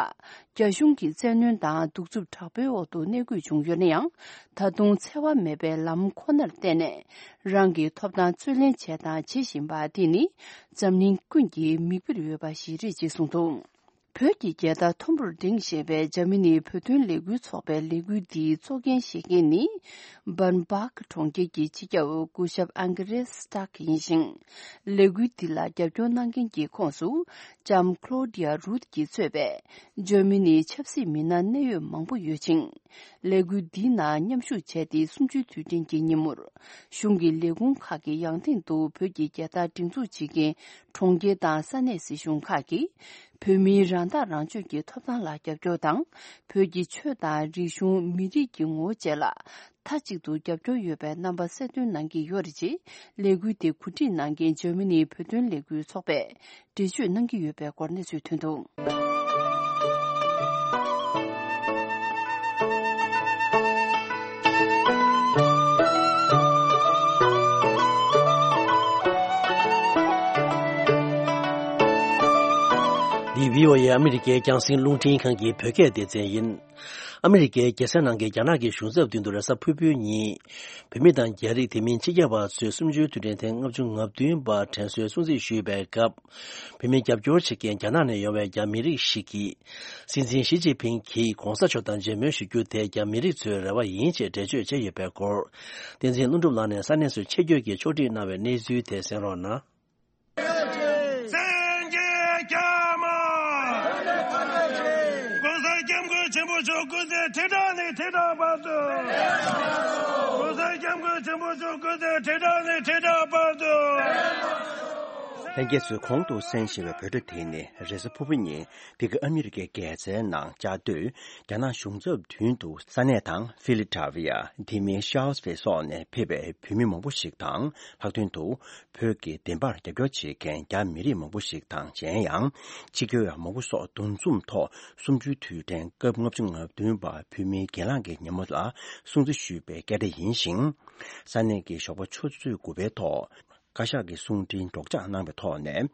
རྒྱ་གཞུང་གི་བཙན་གནོན་དང་གདུག་རྩུབ་དྲག་པོའི་འོག་ཏུ་གནས་དགོས་བྱུང་ཡོད་ན་ཡང་། ད་དུང་འཚེ་བ་མེད་པའི་ལམ་ཁོ་ནར་བརྟེན་ནས། རང་གི་ཐོབ་ཐང་རྩོད་ལེན་བྱས་དང་བྱེད་བཞིན་པ་འདི་ནི། འཛམ་གླིང་ཀུན་གྱི་མིག་དཔེར་འོས་པ་ཞིག་རེད་ཅེས་གསུངས་འདུག་བོད་ཀྱི་རྒྱལ་དར་མཐོན་པོར་བསྒྲེངས་ཞེས་པའི་འཇར་མ་ནིའི་བོད་དོན་ལས་འགུལ་ཚོགས་པའི་ལས་འགུལ་འདིའི་གཙོ་འགན་བཞེས་མཁན་ནི། སྦར་འབག་གྲོང་ཁྱེར་གྱི་སྤྱི་ཁྱབ་སྐུ་ཞབས་ཨང་ཀེ་རེས་སི་ཏག་ཡིན་ཞིང་། ལས་འགུལ་འདི་ལ་རྒྱབ་སྐྱོར་གནང་མཁན་གྱི་ཁོངས་སུ། ལྕམ་ཁློ་ཌི་ཡ་རུད་ཀྱིས་གཙོས་པའི་འཇར་མ་ནིའི་ཆབ་སྲིད་མི་སྣ་གནད་ཡོད་མང་པོ་ཡོད་ཅིང་། ལས་འགུལ་འདིའི་ནང་མཉམ་ཞུགས་བྱས་ཏེ། གསུམ་བཅུའི་དུས་དྲན་གྱི་ཉིན་མོར། གཞུང་གི་ལས་ཁུངས་ཁག་གི་ཡང་སྟེང་དུ་བོད་ཀྱི་རྒྱལ་དར་སྒྲེང་འཛུགས་བྱེད་མཁན་གྲོང་ཁྱེར་དང་ས་གནས་སྲིད་གཞུང་ཁག་གིས། བོད་མིའི་རང་ཐག་རང་གཅོད་ཀྱི་ཐོབ་ཐང་ལ་རྒྱབ་སྐྱོར་དང་། བོད་ཀྱི་ཆོས་དང་རིག་གཞུང་། མི་རིགས་ཀྱི་ངོ་བོ་བཅས་ལ་མཐའ་གཅིག་ཏུ་རྒྱབ་སྐྱོར་ཡོད་པའི་རྣམ་པ་གསལ་སྟོན་གནང་གི་ཡོད་རེད་ཅེས། ལས་འགུལ་དེ་གོ་སྒྲིག་གནང་མཁན་འཇར་མ་ནིའི་བོད་དོན་ལས་འགུལ་ཚོགས་པས་འགྲེལ་བརྗོད་གནང་གི་ཡོད་པའི་སྐོར་གནས་ཚུལ་ཐོན་འདུག་འདི་བྷི་ཨོ་ཨེ་ཨ་མི་རི་ཀའི་རྒྱང་སྲིང་རླུང་འཕྲིན་ཁང་གི་བོད་སྐད་སྡེ་ཚན་ཡིན། ཨ་མི་རི་ཀའི་རྒྱལ་ས་ནང་གི་རྒྱ་ནག་གི་གཞུང་ཚབ་མདུན་དུ་རེས་གཟའ་ཕུར་བུའི་ཉིན། བོད་མི་དང་རྒྱ་རིགས། དེ་མིན་ཕྱི་རྒྱལ་བ་ཚོས་གསུམ་བཅུའི་དུས་དྲན་ཐེངས་ལྔ་བཅུ་ང་བདུན་པ་དྲན་གསོའི་སྲུང་བརྩི་ཞུས་པའི་སྐབས། བོད་མི་རྒྱབ་སྐྱོར་བྱེད་མཁན་རྒྱ་ནག་ནས་ཡོང་བའི་རྒྱ་མི་རིགས་ཤིག་གིས། སྲིད་འཛིན་ཞི་ཅིན་ཕིང་གིས་གོང་ས་མཆོག་དང་མཇལ་མོལ་ཞུ་རྒྱུ་དེ་རྒྱ་མི་རིགས་ཚོའི་རེ་བ་ཡིན་ཅེས་འགྲེལ་བརྗོད་བྱས་ཡོད་པའི་སྐོར། བསྟན་འཛིན་ཀླུ་སྒྲུབ་ལགས་ནས་ས་གནས་སུ་ཆེད་བསྐྱོད་ཀྱིས་ཕྱོགས་སྒྲིག་གནང་བའི་གནས་ཚུལ་དེ་གསན་རོགས་གནང་། གསན་རྒྱལ་རྒྱ་མ། ༸གོང་ས་༸སྐྱབས་མགོན་ཆེན་པོ་མཆོག་སྐུ་ཚེ་ཁྲི་ཕྲག་ནས་ཁྲི་ཕྲག་བར་དུ། ༸གོང་ས་༸སྐྱབས་མགོན་ཆེན་པོ་མཆོག་སྐུ་ཚེ་ཁྲི་ཕྲག་ནས་ཁྲི་ཕྲག་བར་དུ། ལྷན་རྒྱས་ཚོས་གོང་དུ་གསན་བཞིན་པའི་བོད་སྒྲ་དེ་ནི་རེས་གཟའ་ཕུར་བུ་ཉིན་འདི་ག་ཨ་མི་རི་ཀའི་རྒྱལ་རྩེའི་ནང་བཅའ་སྡོད་རྒྱ་ནག་གཞུང་ཚབ་མདུན་དུ་ས་གནས་དང་ཕི་ལི་ཌེལ་ཕི་ཡ། དེ་མིན་ཤར་ལི་སི་བྷིལ་སོགས་ནས་ཕེབས་པའི་བོད་མི་མང་པོ་ཞིག་དང་། ལྷག་དོན་དུ་བོད་ཀྱི་བདེན་པར་རྒྱབ་སྐྱོར་བྱེད་མཁན་རྒྱ་མི་རིགས་མང་པོ་ཞིག་དང་། གཞན་ཡང་ཕྱི་རྒྱལ་བ་མང་པོ་སོགས་འདུ་འཛོམས་ཐོག་གསུམ་བཅུའི་དུས་དྲན་སྐབས་ལྔ་བཅུ་ང་བདུན་པ་བོད་མིའི་གྱེན་ལངས་ཀྱི་ཉིན་མོ་ལ་སྲུང་བརྩི་ཞུས་པའི་སྐད་སྒྲ་ཡིན་ཞིང་། ས་གནས་ཀྱི་ཞོགས་པ་ཆུ་ཚོད་དགུ་པའི་ཐོག་བཀའ་ཤག་གི་གསུང་འཕྲིན་སྒྲོག་སྦྱང་གནང་བའི་ཐོག་ནས།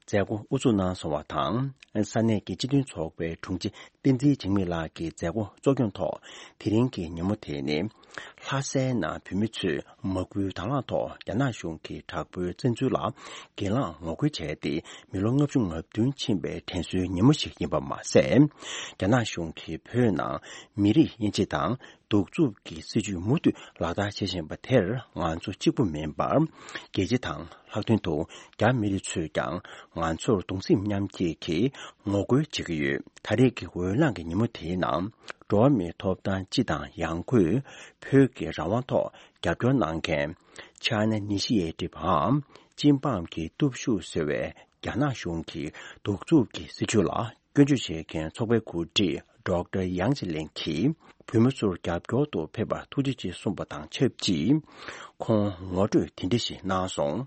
མཛད་སྒོ་དབུ་འཛུགས་གནང་སོང་བ་དང་། ས་གནས་ཀྱི་སྤྱི་མཐུན་ཚོགས་པའི་དྲུང་ཆེ་བསྟན་འཛིན་འཇིགས་མེད་ལགས་ཀྱིས་མཛད་སྒོ་གཙོ་སྐྱོང་ཐོག་དེ་རིང་གི་ཉིན་མོ་དེ་ནི། ལྷ་སའི་ནང་བོད་མི་ཚོས་མ་སྐུལ་དང་བླངས་ཐོག་རྒྱ་ནག་གཞུང་གི་དྲག་པོའི་བཙན་འཛུལ་ལ་སྒེར་ལངས་ངོ་རྒོལ་བྱས་ཏེ། མི་ལོ་ལྔ་བཅུ་ང་བདུན་ཕྱིན་པའི་དྲན་གསོའི་ཉིན་མོ་ཞིག་ཡིན་པ་མ་ཟད། རྒྱ་ནག་གཞུང་གིས་བོད་ནང་མི་རིགས་དབྱེ་འབྱེད་དང་གདུག་རྩུབ་ཀྱི་སྲིད་བྱུས་མུ་མཐུད་ལག་བསྟར་བྱེད་བཞིན་པ་དེར་ང་ཚོ་གཅིག་པུ་མིན་པར། རྒྱལ་སྤྱི་དང་ལྷག་དོན་དུ་རྒྱ་མི་རིགས་ཚོས་ཀྱང་ང་ཚོར་གདུང་སེམས་མཉམ་སྐྱེད་ཀྱིས་ངོ་རྒོལ་བྱེད་ཀྱི་ཡོད། ད་རེས་ཀྱི་འོས་ལངས་ཀྱི་ཉིན་མོ་དེའི་ནང་། འགྲོ་བ་མིའི་ཐོབ་ཐང་སྤྱི་དང་ཡང་སྒོས་བོད་ཀྱི་རང་དབང་ཐོག་རྒྱབ་སྐྱོར་གནང་མཁན། China Initiative འམ་སྤྱི་འབངས་ཀྱི་སྟོབས་ཤུགས་ཟེར་བའི་རྒྱ་ནག་གཞུང་གི་གདུག་རྩུབ་ཀྱི་སྲིད་བྱུས་ལ་སྐྱོན་བརྗོད་བྱེད་མཁན་ཚོགས་པའི་འགོ་ཁྲིད་Doctor Yang Jieling གྱིས་བོད་མི་ཚོར་རྒྱབ་སྐྱོར་དུ་ཕེབས་པར་ཐུགས་རྗེ་ཆེ་གསུངས་པ་དང་ཆབས་ཅིག་ཁོང་ངོ་སྤྲོད་དེ་འདྲ་ཞིག་གནང་སོང་།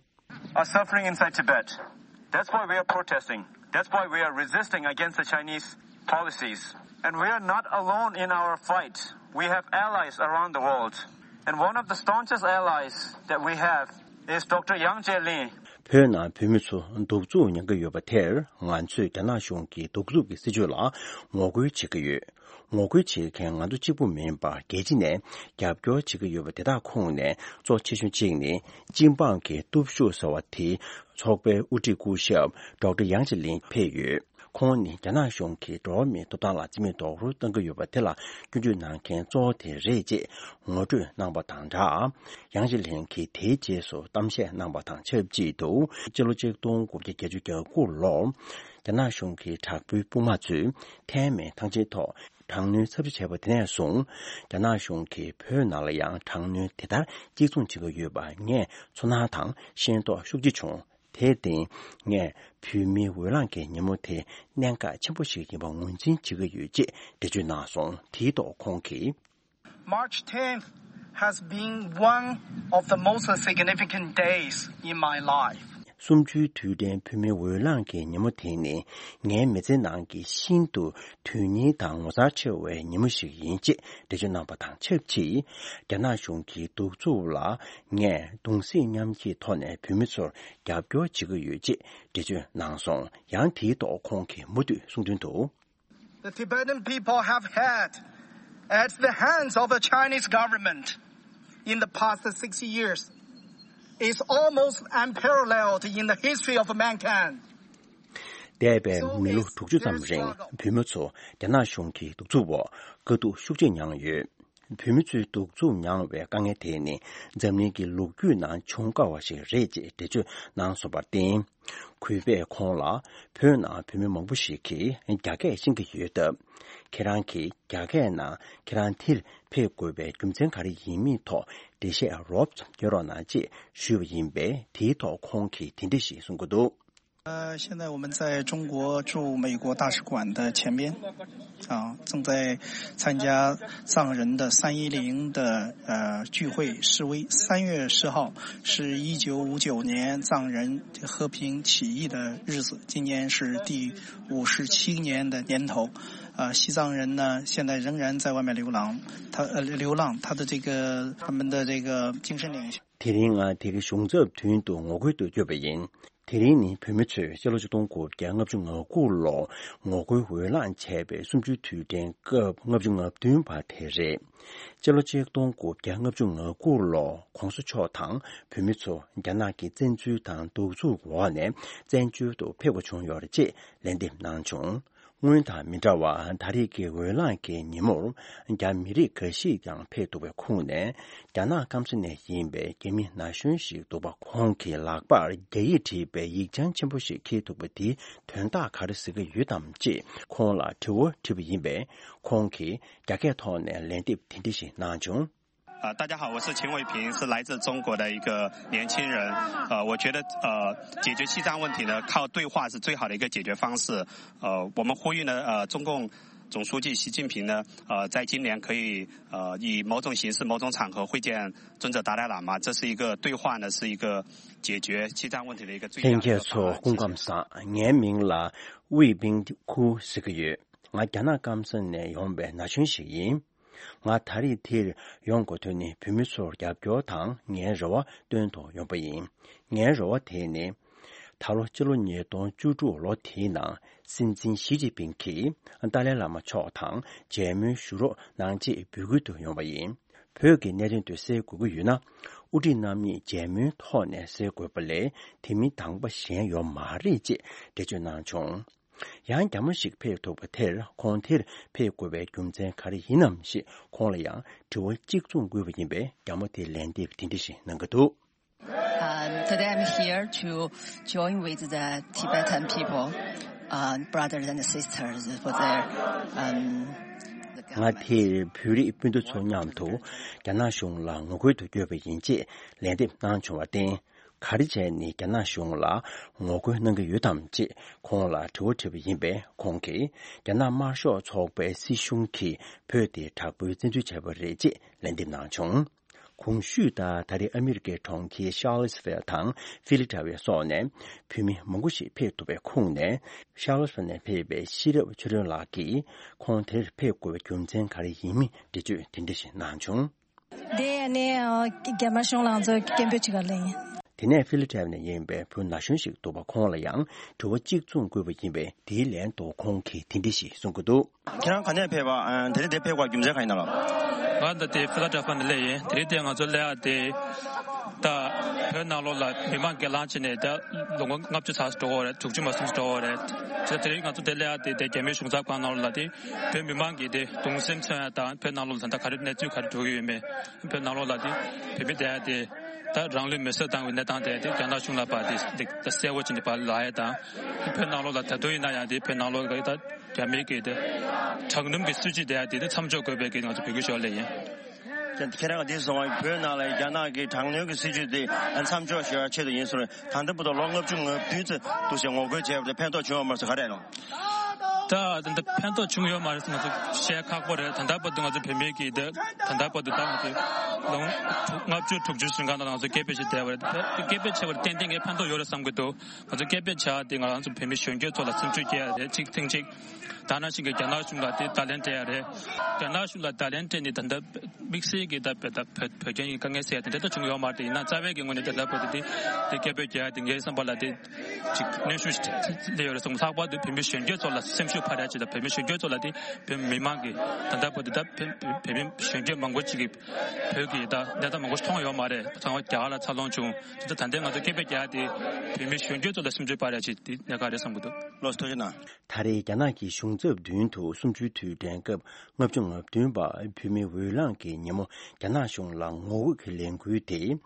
Are suffering inside Tibet. That's why we are protesting. That's why we are resisting against the Chinese policies. And we are not alone in our fight. We have allies around the world. And one of the staunchest allies that we have is Doctor Yang Jieling. བོད་ནང་བོད་མི་ཚོ་གདུག་རྩུབ་མྱང་གི་ཡོད་པ་དེར་ང་ཚོས་རྒྱ་ནག་གཞུང་གི་གདུག་རྩུབ་ཀྱི་སྲིད་བྱུས་ལ་ངོ་རྒོལ་བྱེད་ཀྱི་ཡོད། ངོ་རྒོལ་བྱེད་མཁན་ང་ཚོ་གཅིག་པུ་མིན་པར་རྒྱལ་སྤྱི་ནས་རྒྱབ་སྐྱོར་བྱེད་ཀྱི་ཡོད་པ་དེ་དག་ཁོངས་ནས་གཙོ་ཆེ་ཤོས་གཅིག་ནི་སྤྱི་འབངས་ཀྱི་སྟོབས་ཤུགས་ཟེར་བ་དེ་ཚོགས་པའི་དབུ་ཁྲིད་སྐུ་ཞབས་Doctor Yang Jieling ཕེབས་ཡོད། ཁོང་ནི་རྒྱ་ནག་གཞུང་གིས་འགྲོ་བ་མིའི་ཐོབ་ཐང་ལ་རྩིས་མེད་རྡོག་རོལ་གཏོང་གི་ཡོད་པ་དེ་ལ་སྐྱོན་བརྗོད་གནང་མཁན་གཙོ་བོ་དེ་རེད་ཅེས་ངོ་སྤྲོད་གནང་པ་དང་སྦྲགས། Yang Jieling གིས་དེའི་རྗེས་སུ་གཏམ་བཤད་གནང་པ་དང་ཆབས་ཅིག་ཏུ། སྤྱི་ལོ་ཆིག་སྟོང་དགུ་བརྒྱ་བརྒྱད་ཅུ་གྱ་དགུ་ལོར་རྒྱ་ནག་གཞུང་གི་དྲག་པོའི་དཔུང་དམག་ཚོས་ཐའེ་མེན་ཐང་ཆེན་ཐོག་དྲག་གནོན་ཚབས་ཆེ་བྱས་པ་དེ་ནས་བཟུང་། རྒྱ་ནག་གཞུང་གིས་བོད་ནང་ལ་ཡང་དྲག་གནོན་དེ་ལྟར་གཅིག་མཚུངས་བྱེད་ཀྱི་ཡོད་པ་ངས་ཚོར་སྣང་དང་ཤེས་རྟོགས་ཤུགས་ཆེ་བྱུང་། དེར་བརྟེན། ངས་བོད་མིའི་འོས་ལངས་ཀྱི་ཉིན་མོ་དེ་གནད་འགག་ཆེན་པོ་ཞིག་ཡིན་པ་ངོས་འཛིན་བྱེད་ཀྱི་ཡོད་ཅེས་འགྲེལ་བརྗོད་གནང་སོང་། དེའི་ཐོག་ཁོང་གིས། March tenth has been one of the most significant days in my life. གསུམ་བཅུའི་དུས་དྲན་བོད་མིའི་འོས་ལངས་ཀྱི་ཉིན་མོ་དེ་ནི་ངའི་མི་ཚེ་ནང་གི་ཤིན་ཏུ་དོན་སྙིང་དང་ངོ་མཚར་ཆེ་བའི་ཉིན་མོ་ཞིག་ཡིན་ཅེས་འགྲེལ་བརྗོད་གནང་པ་དང་ཆབས་ཅིག་རྒྱ་ནག་གཞུང་གི་གདུག་རྩུབ་ལ་ངས་གདུང་སེམས་མཉམ་སྐྱེད་ཐོག་ནས་བོད་མི་ཚོར་རྒྱབ་སྐྱོར་བྱེད་ཀྱི་ཡོད་ཅེས་འགྲེལ་བརྗོད་གནང་སོང་། ཡང་དེའི་ཐོག་ཁོང་གིས་མུ་མཐུད་གསུངས་དོན་དུ། The Tibetan people have had at the hands of the Chinese government in the past sixty years is almost unparalleled in the history of mankind. འདས་པའི་མི་ལོ་དྲུག་ཅུ་ཙམ་རིང་བོད་མི་ཚོ་རྒྱ་ནག་གཞུང་གི་གདུག་རྩུབ་འོག་དཀའ་སྡུག་ཤུགས་ཆེ་མྱངས་ཡོད། བོད་མི་ཚོའི་གདུག་རྩུབ་མྱངས་པའི་དཀའ་ངལ་དེ་ནི་འཛམ་གླིང་གི་ལོ་རྒྱུས་ནང་བྱུང་དཀའ་བ་ཞིག་རེད་ཅེས་འགྲེལ་བརྗོད་གནང་སོང་བར་བརྟེན། གུས་པས་ཁོང་ལ་བོད་ནང་བོད་མི་མང་པོ་ཞིག་གིས་རྒྱ་སྐད་ཤེས་ཀྱི་ཡོད་སྟབས། ཁྱེད་རང་གིས་རྒྱ་སྐད་ནང་ཁྱེད་རང་འདིར་ཕེབས་དགོས་པའི་རྒྱུ་མཚན་ག་རེ་ཡིན་མིན་ཐོག་འགྲེལ་བཤད་རོབ་ཙམ་སྐྱོན་རོགས་གནང་ཅེས་ཞུས་པ་ཡིན་པས། དེའི་ཐོག་ཁོང་གིས་དེ་འདྲ་ཞིག་གསུང་གི་འདུག། 呃，现在我们在中国驻美国大使馆的前边，啊，正在参加藏人的三一零的，呃，聚会示威。三月十号是一九五九年藏人和平起义的日子，今年是第五十七年的年头。呃，西藏人呢，现在仍然在外面流浪，他，呃，流浪，他的这个，他们的这个精神领袖 དེ་རིང་ང་དེ་གའི་གཞུང་ཚབ་མདུན་དུ་ངོ་རྒོལ་དུ་བསྐྱོད་པ་ཡིན། དེ་རིང་ནི་བོད་མི་ཚོས་སྤྱི་ལོ་ཆིག་སྟོང་དགུ་བརྒྱ་ལྔ་བཅུ་ང་དགུ་ལོར་ངོ་རྒོལ་འོས་ལངས་བྱས་པའི་གསུམ་བཅུའི་དུས་དྲན་སྐབས་ལྔ་བཅུ་ང་བདུན་པ་དེ་རེད། སྤྱི་ལོ་ཆིག་སྟོང་དགུ་བརྒྱ་ལྔ་བཅུ་ང་དགུ་ལོར་གོང་ས་མཆོག་དང་བོད་མི་ཚོ་རྒྱ་ནག་གི་བཙན་འཛུལ་དང་གདུག་རྩུབ་འོག་ནས་བཙན་བྱོལ་དུ་ཕེབས་དགོས་བྱུང་ཡོད་རེད་ཅེས་ལན་འདེབས་གནང་བྱུང་། སྔོན་དང་མི་འདྲ་བར་ད་རེས་ཀྱི་འོས་ལངས་ཀྱི་ཉིན་མོར་རྒྱ་མི་རིགས་འགའ་ཞིག་ཀྱང་ཕེབས་འདུག་པའི་ཁོངས་ནས། རྒྱ་ནག་སྐམ་ས་ནས་ཡིན་པའི་རྒྱ་མི་ན་གཞོན་ཞིག་འདུག་པ། ཁོང་གི་ལག་པར་རྒྱ་ཡིག་བྲིས་པའི་ཡིག་ཆ་ཆེན་པོ་ཞིག་འཁྱེར་འདུག་པ་དེའི་དོན་དག་ག་རེ་ཟེར་གྱི་ཡོད་དམ་ཅེས་ཁོང་ལ་དྲི་བ་དྲིས་པ་ཡིན་པས། ཁོང་གིས་རྒྱ་སྐད་ཐོག་ནས་ལན་འདེབས་དེ་འདྲ་ཞིག་གནང་བྱུང་། 呃，大家好，我是秦伟平，是来自中国的一个年轻人。呃，解决西藏问题呢，靠对话是最好的一个解决方式。呃，我们呼吁呢，呃，中共总书记习近平呢，呃，在今年可以，呃，以某种形式、某种场合会见尊者达赖喇嘛，这是一个对话呢，是一个解决西藏问题的一个最佳的一个方案。 ལྷན་རྒྱས་ཚོ་སྐུ་ཁམས་བཟང་། ངའི་མིང་ལ་ཝེ་པིང་ཁུ་ཟེར་གྱི་ཡོད། ང་རྒྱ་ནག་སྐམ་ས་ནས་ཡོང་བའི་ན་གཞོན་ཞིག་ཡིན། ང་ད་རེས་འདིར་ཡོང་དགོས་དོན་ནི་བོད་མི་ཚོར་རྒྱབ་སྐྱོར་དང་ངའི་རེ་བ་བཏོན་དུ་ཡོང་པ་ཡིན། ངའི་རེ་བ་དེ་ནི། ད་ལོ་སྤྱི་ལོ་ཉིས་སྟོང་བཅུ་དྲུག་ལོ་དེའི་ནང་སྲིད་འཛིན་ཞི་ཅིན་ཕིང་གིས་ཏཱ་ལའི་བླ་མ་མཆོག་དང་མཇལ་མོལ་ཞུ་རོགས་གནང་ཅེས་འབོད་སྐུལ་དུ་ཡོང་བ་ཡིན། བོད་ཀྱི་གནད་དོན་དེ་སེལ་དགོས་ཀྱི་ཡོད་ན། དབུ་ཁྲིད་རྣམ་གཉིས་མཇལ་མོལ་ཐོག་ནས་སེལ་དགོས་པ་ལས་དེ་མིན་དང་པོ་གཞན་ཡོད་མ་རེད་ཅེས་འགྲེལ་བརྗོད་གནང་བྱུང་། ཡང་རྒྱ་མོ་ཞིག་ཕེབས་ཐུབ་པ་དེར་ཁོང་དེར་ཕེབས་དགོས་པའི་རྒྱུ་མཚན་ག་རེ་ཡིན་ནམ་ཞེས་ཁོང་ལ་ཡང་དྲི་བ་གཅིག་མཚུངས་བཀོད་པ་ཡིན་པས། རྒྱ་མོ་དེས་ལན་འདེབས་དེ་འདྲ་ཞིག་གནང་གི་འདུག Um, today I'm here to join with the Tibetan people, uh, brothers and sisters for their, um, the ང་དེར་བོད་རིགས་སྤུན་ཟླ་ཚོ་མཉམ་དུ་རྒྱ་ནག་གཞུང་ལ་ངོ་རྒོལ་དུ་བསྐྱོད་པ་ཡིན་ཅེས་ལན་འདེབས་གནང་བྱུང་བར་བརྟེན། ག་རེ་བྱས་ནས་རྒྱ་ནག་གཞུང་ལ་ངོ་རྒོལ་གནང་གི་ཡོད་དམ་ཅེས་ཁོང་ལ་དྲི་བ་དྲིས་པ་ཡིན་པས། ཁོང་གིས་རྒྱ་ནག་དམར་ཤོག་ཚོགས་པའི་སྲིད་གཞུང་གིས་བོད་དེ་དྲག་པོའི་བཙན་འཛུལ་བྱས་པ་རེད་ཅེས་ལན་འདེབས་གནང་བྱུང་། གོང་ཞུས་ལྟར། ད་རེས་ཨ་མི་རི་ཀའི་གྲོང་ཁྱེར་ཤར་ལོ་སི་ཕེལ་དང་ཧྥི་ལི་ཏྲ་ཝེ་སོགས་ནས་བོད་མི་མང་པོ་ཞིག་ཕེབས་ཐུབ་པའི་ཁོངས་ནས། ཤར་ལོ་སི་ཕེལ་ནས་ཕེབས་པའི་ཤེས་རབ་ཆོས་སྒྲོན་ལགས་ཀྱིས་ཁོང་དེར་ཕེབས་དགོས་པའི་རྒྱུ་མཚན་ག་རེ་ཡིན་མིན་འགྲེལ་བརྗོད་དེ་འདྲ་ཞིག་གནང་བྱུང་། དེ་ནས་རྒྱ་དམར་གཞུང་ལ་ང་ཚོས་སྐད་འབོད་བྱེད་ག་ལ་ཡིན། དེ་ནས་ཧྥི་ལི་ཏྲ་ཝེ་ནས་ཡིན་པའི་བོད་ན་གཞོན་ཞིག་འདུག་པ། ཁོང་ལ་ཡང་དྲི་བ་གཅིག་མཚུངས་བཀོད་པ་ཡིན་པས། དེའི་ལན་དུ་ཁོང་གིས་དེ་འདྲ་ཞིག་གསུང་གི་འདུག་ཁྱེད་རང་ག་ནས་ཕེབས་པ། ཨ། དེ་རིང་འདིར་ཕེབས་པར་རྒྱུ་མཚན་གང་ཡིན་ནམ་ལགས། ང་ད་ལྟ་ཧྥི་ལ་ཌེལ་ཧྥི་ཡ་ནས་སླེབས་ཡིན། དེ་རིང་འདིར་ང་ཚོ་སླེབས་ཡག་དེ་ད་བོད་ནང་ལོགས་ལ་མི་མང་སྒེར་ལངས་བྱས་ནས་ད་ལོ་ངོ་ལྔ་བཅུ་ཙམ་འགྲོ་གི་རེད། དྲུག་ཅུ་མ་ཟིན་འགྲོ་གི་རེད། དེ་དེ་རིང་ང་ཚོ་འདིར་སླེབས་ཡག་དེ་དེ་རྒྱ་མིའི་གཞུང་ཚབ་ཁང་ནང་ལོགས་ལ་དེ་བོད་མི་མང་གི་དེ་གདུང་སེམས་མཚོན་ཡག་དང་། བོད་ནང་ལོགས་ལ་ད་ལྟ་ག་རེ་གནས་ཚུལ་ག་རེ་འགྲོ་གི་ཡོད་མེད། བོད་ནང་ལོགས་ལ་དེ་བོད་མི་དེ་ཡག་དེ་ད་རང་ལུས་མེར་སྲེག་བཏང་བའི་གནས་སྟངས་དེ་དེ་རྒྱ་ནག་གཞུང་ལ་ཕར་དེ་དེ་ད་གསལ་པོ་བྱས་ནས་ཕར་ལབ་ཡག་དང་། བོད་ནང་ལོགས་ལ་ད་དུང་ཡིན་ན་ཡང་དེ་བོད་ནང་ལོགས་ལ་ད་རྒྱ་མིའི་གི་དེ་དྲག་གནོན་གྱི་སྲིད་བྱུས་དེ་ཡང་དེ་དེ་མཚམས་འཇོག་དགོས་པའི་གི་ང་ཚོ་འབོད་སྐུལ་ཞུ་བ་ལ་ཡིན། ཁྱེད་རང་གིས་འདི་གསུངས་པ། བོད་ནང་ལ་རྒྱ་ནག་གི་དྲག་གནོན་གྱི་སྲིད་བྱུས་དེ་མཚམས་འཇོག་ཞུ་བའི་ཆེད་དུ་ཡིན་ཟེར། ད་ལྟ་བར་དུ་ལོ་ལྔ་བཅུ་ང་བདུན་ཙམ་འདུག་ཟེར་ངོ་རྒོལ་བྱས་པ་དེ་ཕན་ཐོགས་བྱུང་ཡོད་མ་རེད་ཟེར། ག་རེ་ལབ། ད་ད་ལྟ་ཕན་ཐོགས་བྱུང་ཡོད་མ་རེད་ཟེར་ང་ཚོ་བཤད་ཁག་པོ་རེད། ད་ལྟ་བར་དུ་ང་ཚོ་བོད་མི་གི་དེ་ད་ལྟ་བར་དུ་ད་ང་ཚོ་ལོ་ལྔ་བཅུ་དྲུག་ཅུ་ཟིན་གང་ད་ང་ཚོ་སྐད་འབོད་ཞིག་བསྡད་པ་རེད། སྐད་འབོད་བྱས་པར་ཏན་ཏན་གྱི་ཕན་ཐོགས་ཡོད་རེད་བསམ་གྱི་འདུག་ང་ཚོ་སྐད་འབོད་བྱས་ཏེ་ང་རང་ཚོ་བོད་མི་གཞོན་སྐྱེས་ཚོ་ལ་སེམས་ཤུགས་སྐྱེ་ཡ་རེད། གཅིག་ཐེངས་གཅིག་ད་ནང་བཞིན་གྱི་རྒྱ་ནག་གཞུང་ལ་དེ་བརྡ་ལན་སྤྲད་ཡ་རེད། རྒྱ་ནག་གཞུང་ལ་བརྡ་ལན་སྤྲད་ནས་ད་ལྟ་དམིགས་བསལ་གྱི་ད་བོད་ད་བོད་བོད་རྒྱ་གཉིས་དཀའ་ངལ་སེལ་ཡ་དེ་འདྲ་ད་བྱུང་ཡོད་མ་རེད། ཡིན་ན་རྩ་བའི་གི་ངོས་ནས་ད་ལྟ་བར་དུ་དེ་དེ་སྐད་འབོད་རྒྱག་ཡ་དེ་ངའི་བསམ་པ་ལ་དེ་ཅིག་གནོན་ཤུགས་ཤིག་སླེབས་ཡོད་རེད་བསམ། ལྷག་པར་དུ་བོད་མི་གཞོན་སྐྱེས་ཚོ་ལ་སེམས་ཤུགས་འཕར་ཡ་ཅིག་དང་། བོད་མི་གཞོན་སྐྱེས་ཚོ་ལ་དེ་བོད་མི་མང་གི་ད་ལྟ་བར་དུ་ད་བོད་བོད་བོད་མི་གཞོན་སྐྱེས་མང་པོ་ཅིག་གིས་བོད་ཀྱི་ད་གནས་སྟངས་མང་པོ་ཞིག་མཐོང་ཡོད་མ་རེད། ཚང་མ་རྒྱ་གར་ལ་འཚར་ལོངས་བྱུང་། དེ་ད་ལྟ་ང་ཚོ་སྐད་འབོད་རྒྱག་ཡ་དེ་བོད་མི་གཞོན་སྐྱེས་ཚོ་ལ་སེམས་ཤུགས་འཕར་ཡ་ཅིག་དེ་གནད་འགག་རེད་བསམ་གྱི་འདུག་ལགས་སོ། ཐུགས་རྗེ་གནང་། ད་རེས་རྒྱ་ནག་གི་གཞུང་ཚབ་མདུན་དུ་གསུམ་བཅུའི་དུས་དྲན་སྐབས་ལྔ་བཅུ་ང་བདུན་པ་བོད་མིའི་འོས་ལངས་ཀྱི་ཉིན་མོ་རྒྱ་ནག་གཞུང་ལ་ངོ་རྒོལ་གྱི་ལས་འགུལ་དེ།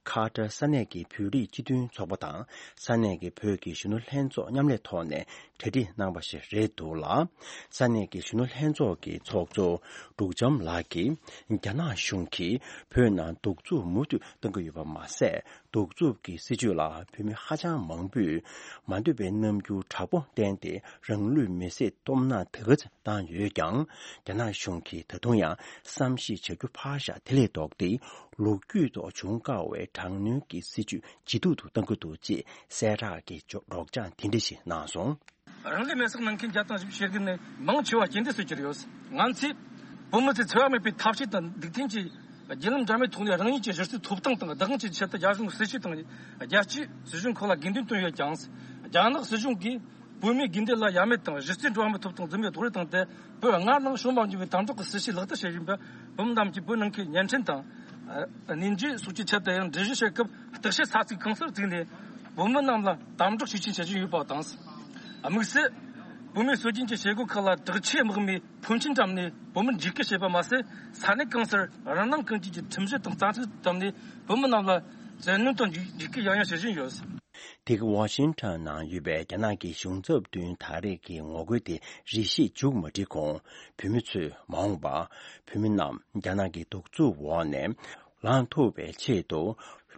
ཁ་ཏར་ས་གནས་ཀྱི་བོད་རིགས་སྤྱི་མཐུན་ཚོགས་པ་དང་ས་གནས་ཀྱི་བོད་ཀྱི་གཞོན་ནུ་ལྷན་ཚོགས་མཉམ་ལས་ཐོག་ནས་གྲ་སྒྲིག་གནང་བ་ཞིག་རེད་འདུག་ལ། ས་གནས་ཀྱི་གཞོན་ནུ་ལྷན་ཚོགས་ཀྱི་ཚོགས་གཙོ་འབྲུག་བྱམས་ལགས་ཀྱིས་རྒྱ་ནག་གཞུང་གིས་བོད་ནང་གདུག་རྩུབ་མུ་མཐུད་གཏོང་གི་ཡོད་པ་མ་ཟད། གདུག་རྩུབ་ཀྱི་སྲིད་བྱུས་ལ་བོད་མི་ཧ་ཅང་མང་པོས་མ་འདོད་པའི་རྣམ་འགྱུར་དྲག་པོ་བསྟན་ཏེ། རང་ལུས་མེར་སྲེག་སྟོབས་ན་དེ་ག་ཙམ་བཏང་ཡོད་ཀྱང་། རྒྱ་ནག་གཞུང་གིས་ད་དུང་ཡང་བསམ་ཤེས་བྱ་རྒྱུ་ཕར་བཞག་དེ་ལས་ལྡོག་སྟེ། ལོ་རྒྱུས་ཐོག་བྱུང་དཀའ་བའི་དྲག་གནོན་གྱི་སྲིད་བྱུས་ཇེ་སྡུག་ཏུ་གཏང་གི་འདུག་ཅེས་གསལ་བསྒྲགས་ཀྱི་སྒྲོག་སྦྱང་དེ་འདྲ་ཞིག་གནང་སོང་། རང་ལུས་མེར་སྲེག་གནང་མཁན་བརྒྱ་དང་བཞི་བཅུ་ཞེ་དགུ་ནས་མང་ཆེ་བ་རྐྱེན་འདས་སུ་གྱུར་ཡོད། ང་ཚོས་བོད་མི་ཚོས་འཚེ་བ་མེད་པའི་ཐབས་ཤེས་དང་སྡིག་ཐོན་གྱིས་བརྒྱུད་ལམ་འདྲ་མིན་ཐོག་ནས་རང་ཉིད་ཀྱི་གཞི་རྩའི་ཐོབ་ཐང་དང་བདག་དབང་བཅས་ཀྱི་ཆེད་དུ་རྒྱ་གཞུང་སྲིད་བྱུས་དང་རྒྱལ་སྤྱིའི་སྲིད་གཞུང་ཁག་ལ་དགོས་འདུན་བཏོན་ཡོད་ཀྱང་། རྒྱ་ནག་སྲིད་གཞུང་གིས་བོད་མིའི་དགོས་འདུན་ལ་ཡ་མེད་དང་། གཞི་རྩའི་འགྲོ་བ་མིའི་ཐོབ་ཐང་འཛིན་པའི་རྡོག་རོལ་བཏང་སྟེ། བོད་སྔར་ནང་བྱུང་མ་མྱོང་བའི་དམ་དྲག་གི་སྲིད་བྱུས་ལག་བསྟར་བྱེད་བཞིན་པ། བོད་མི་རྣམས་ཀྱིས་བོད་ནང་ཁུལ་བརྙན་འཕྲིན་དང་གནས་མཇལ་སོགས་ཀྱི་ཆེད་དུ་ཡང་འགྲེལ་བརྗོད་བྱེད་སྐབས། བརྟག་དཔྱད་ས་ཚིགས་གང་སར་བཙུགས་ནས། བོད་མི་རྣམས་ལ་དམ་དྲག་ཤུགས་ཆེན་བྱེད་བཞིན་ཡོད་པ་དང་། དམིགས་བསལ་བོད་མིའི་སྲོལ་རྒྱུན་གྱི་བྱེད་སྒོ་ཁག་ལ་དྲག་ཆས་དམག་མིས་ཕོན་ཆེན་བཀྲམ་ནས་བོད་མི་འཇིགས་སྐུལ་བྱེད་པ་མ་ཟད། ས་གནས་གང་སར་རང་སྣང་ཀུན་སྐྱེས་ཀྱི་ཁྲིམས་གཞི་དང་རྩ་ཁྲིམས་བརྩམས་ནས། བོད་མི་རྣམས་ལ་བཙན་གནོན་དང་འཇིགས་འཇིགས་སྐུལ་ཡང་ཡང་བྱེད་བཞིན་ཡོད། དེ་ག་ཝ་ཤིང་ཊོན་ནང་ཡོད་པའི་རྒྱ་ནག་གི་གཞུང་ཚབ་མདུན་ད་རེས་ཀྱི་ངོ་རྒོལ་དེ་རེ་ཞིག་མཇུག་མ་སྒྲིལ་གོང་། བོད་མི་ཚོས་མ་འོངས་པར་བོད་མི་རྣམས་རྒྱ་ནག་གི་གདུག་རྩུབ་འོག་ནས་ལངས་ཐུབ་པའི་ཆེད་དུ།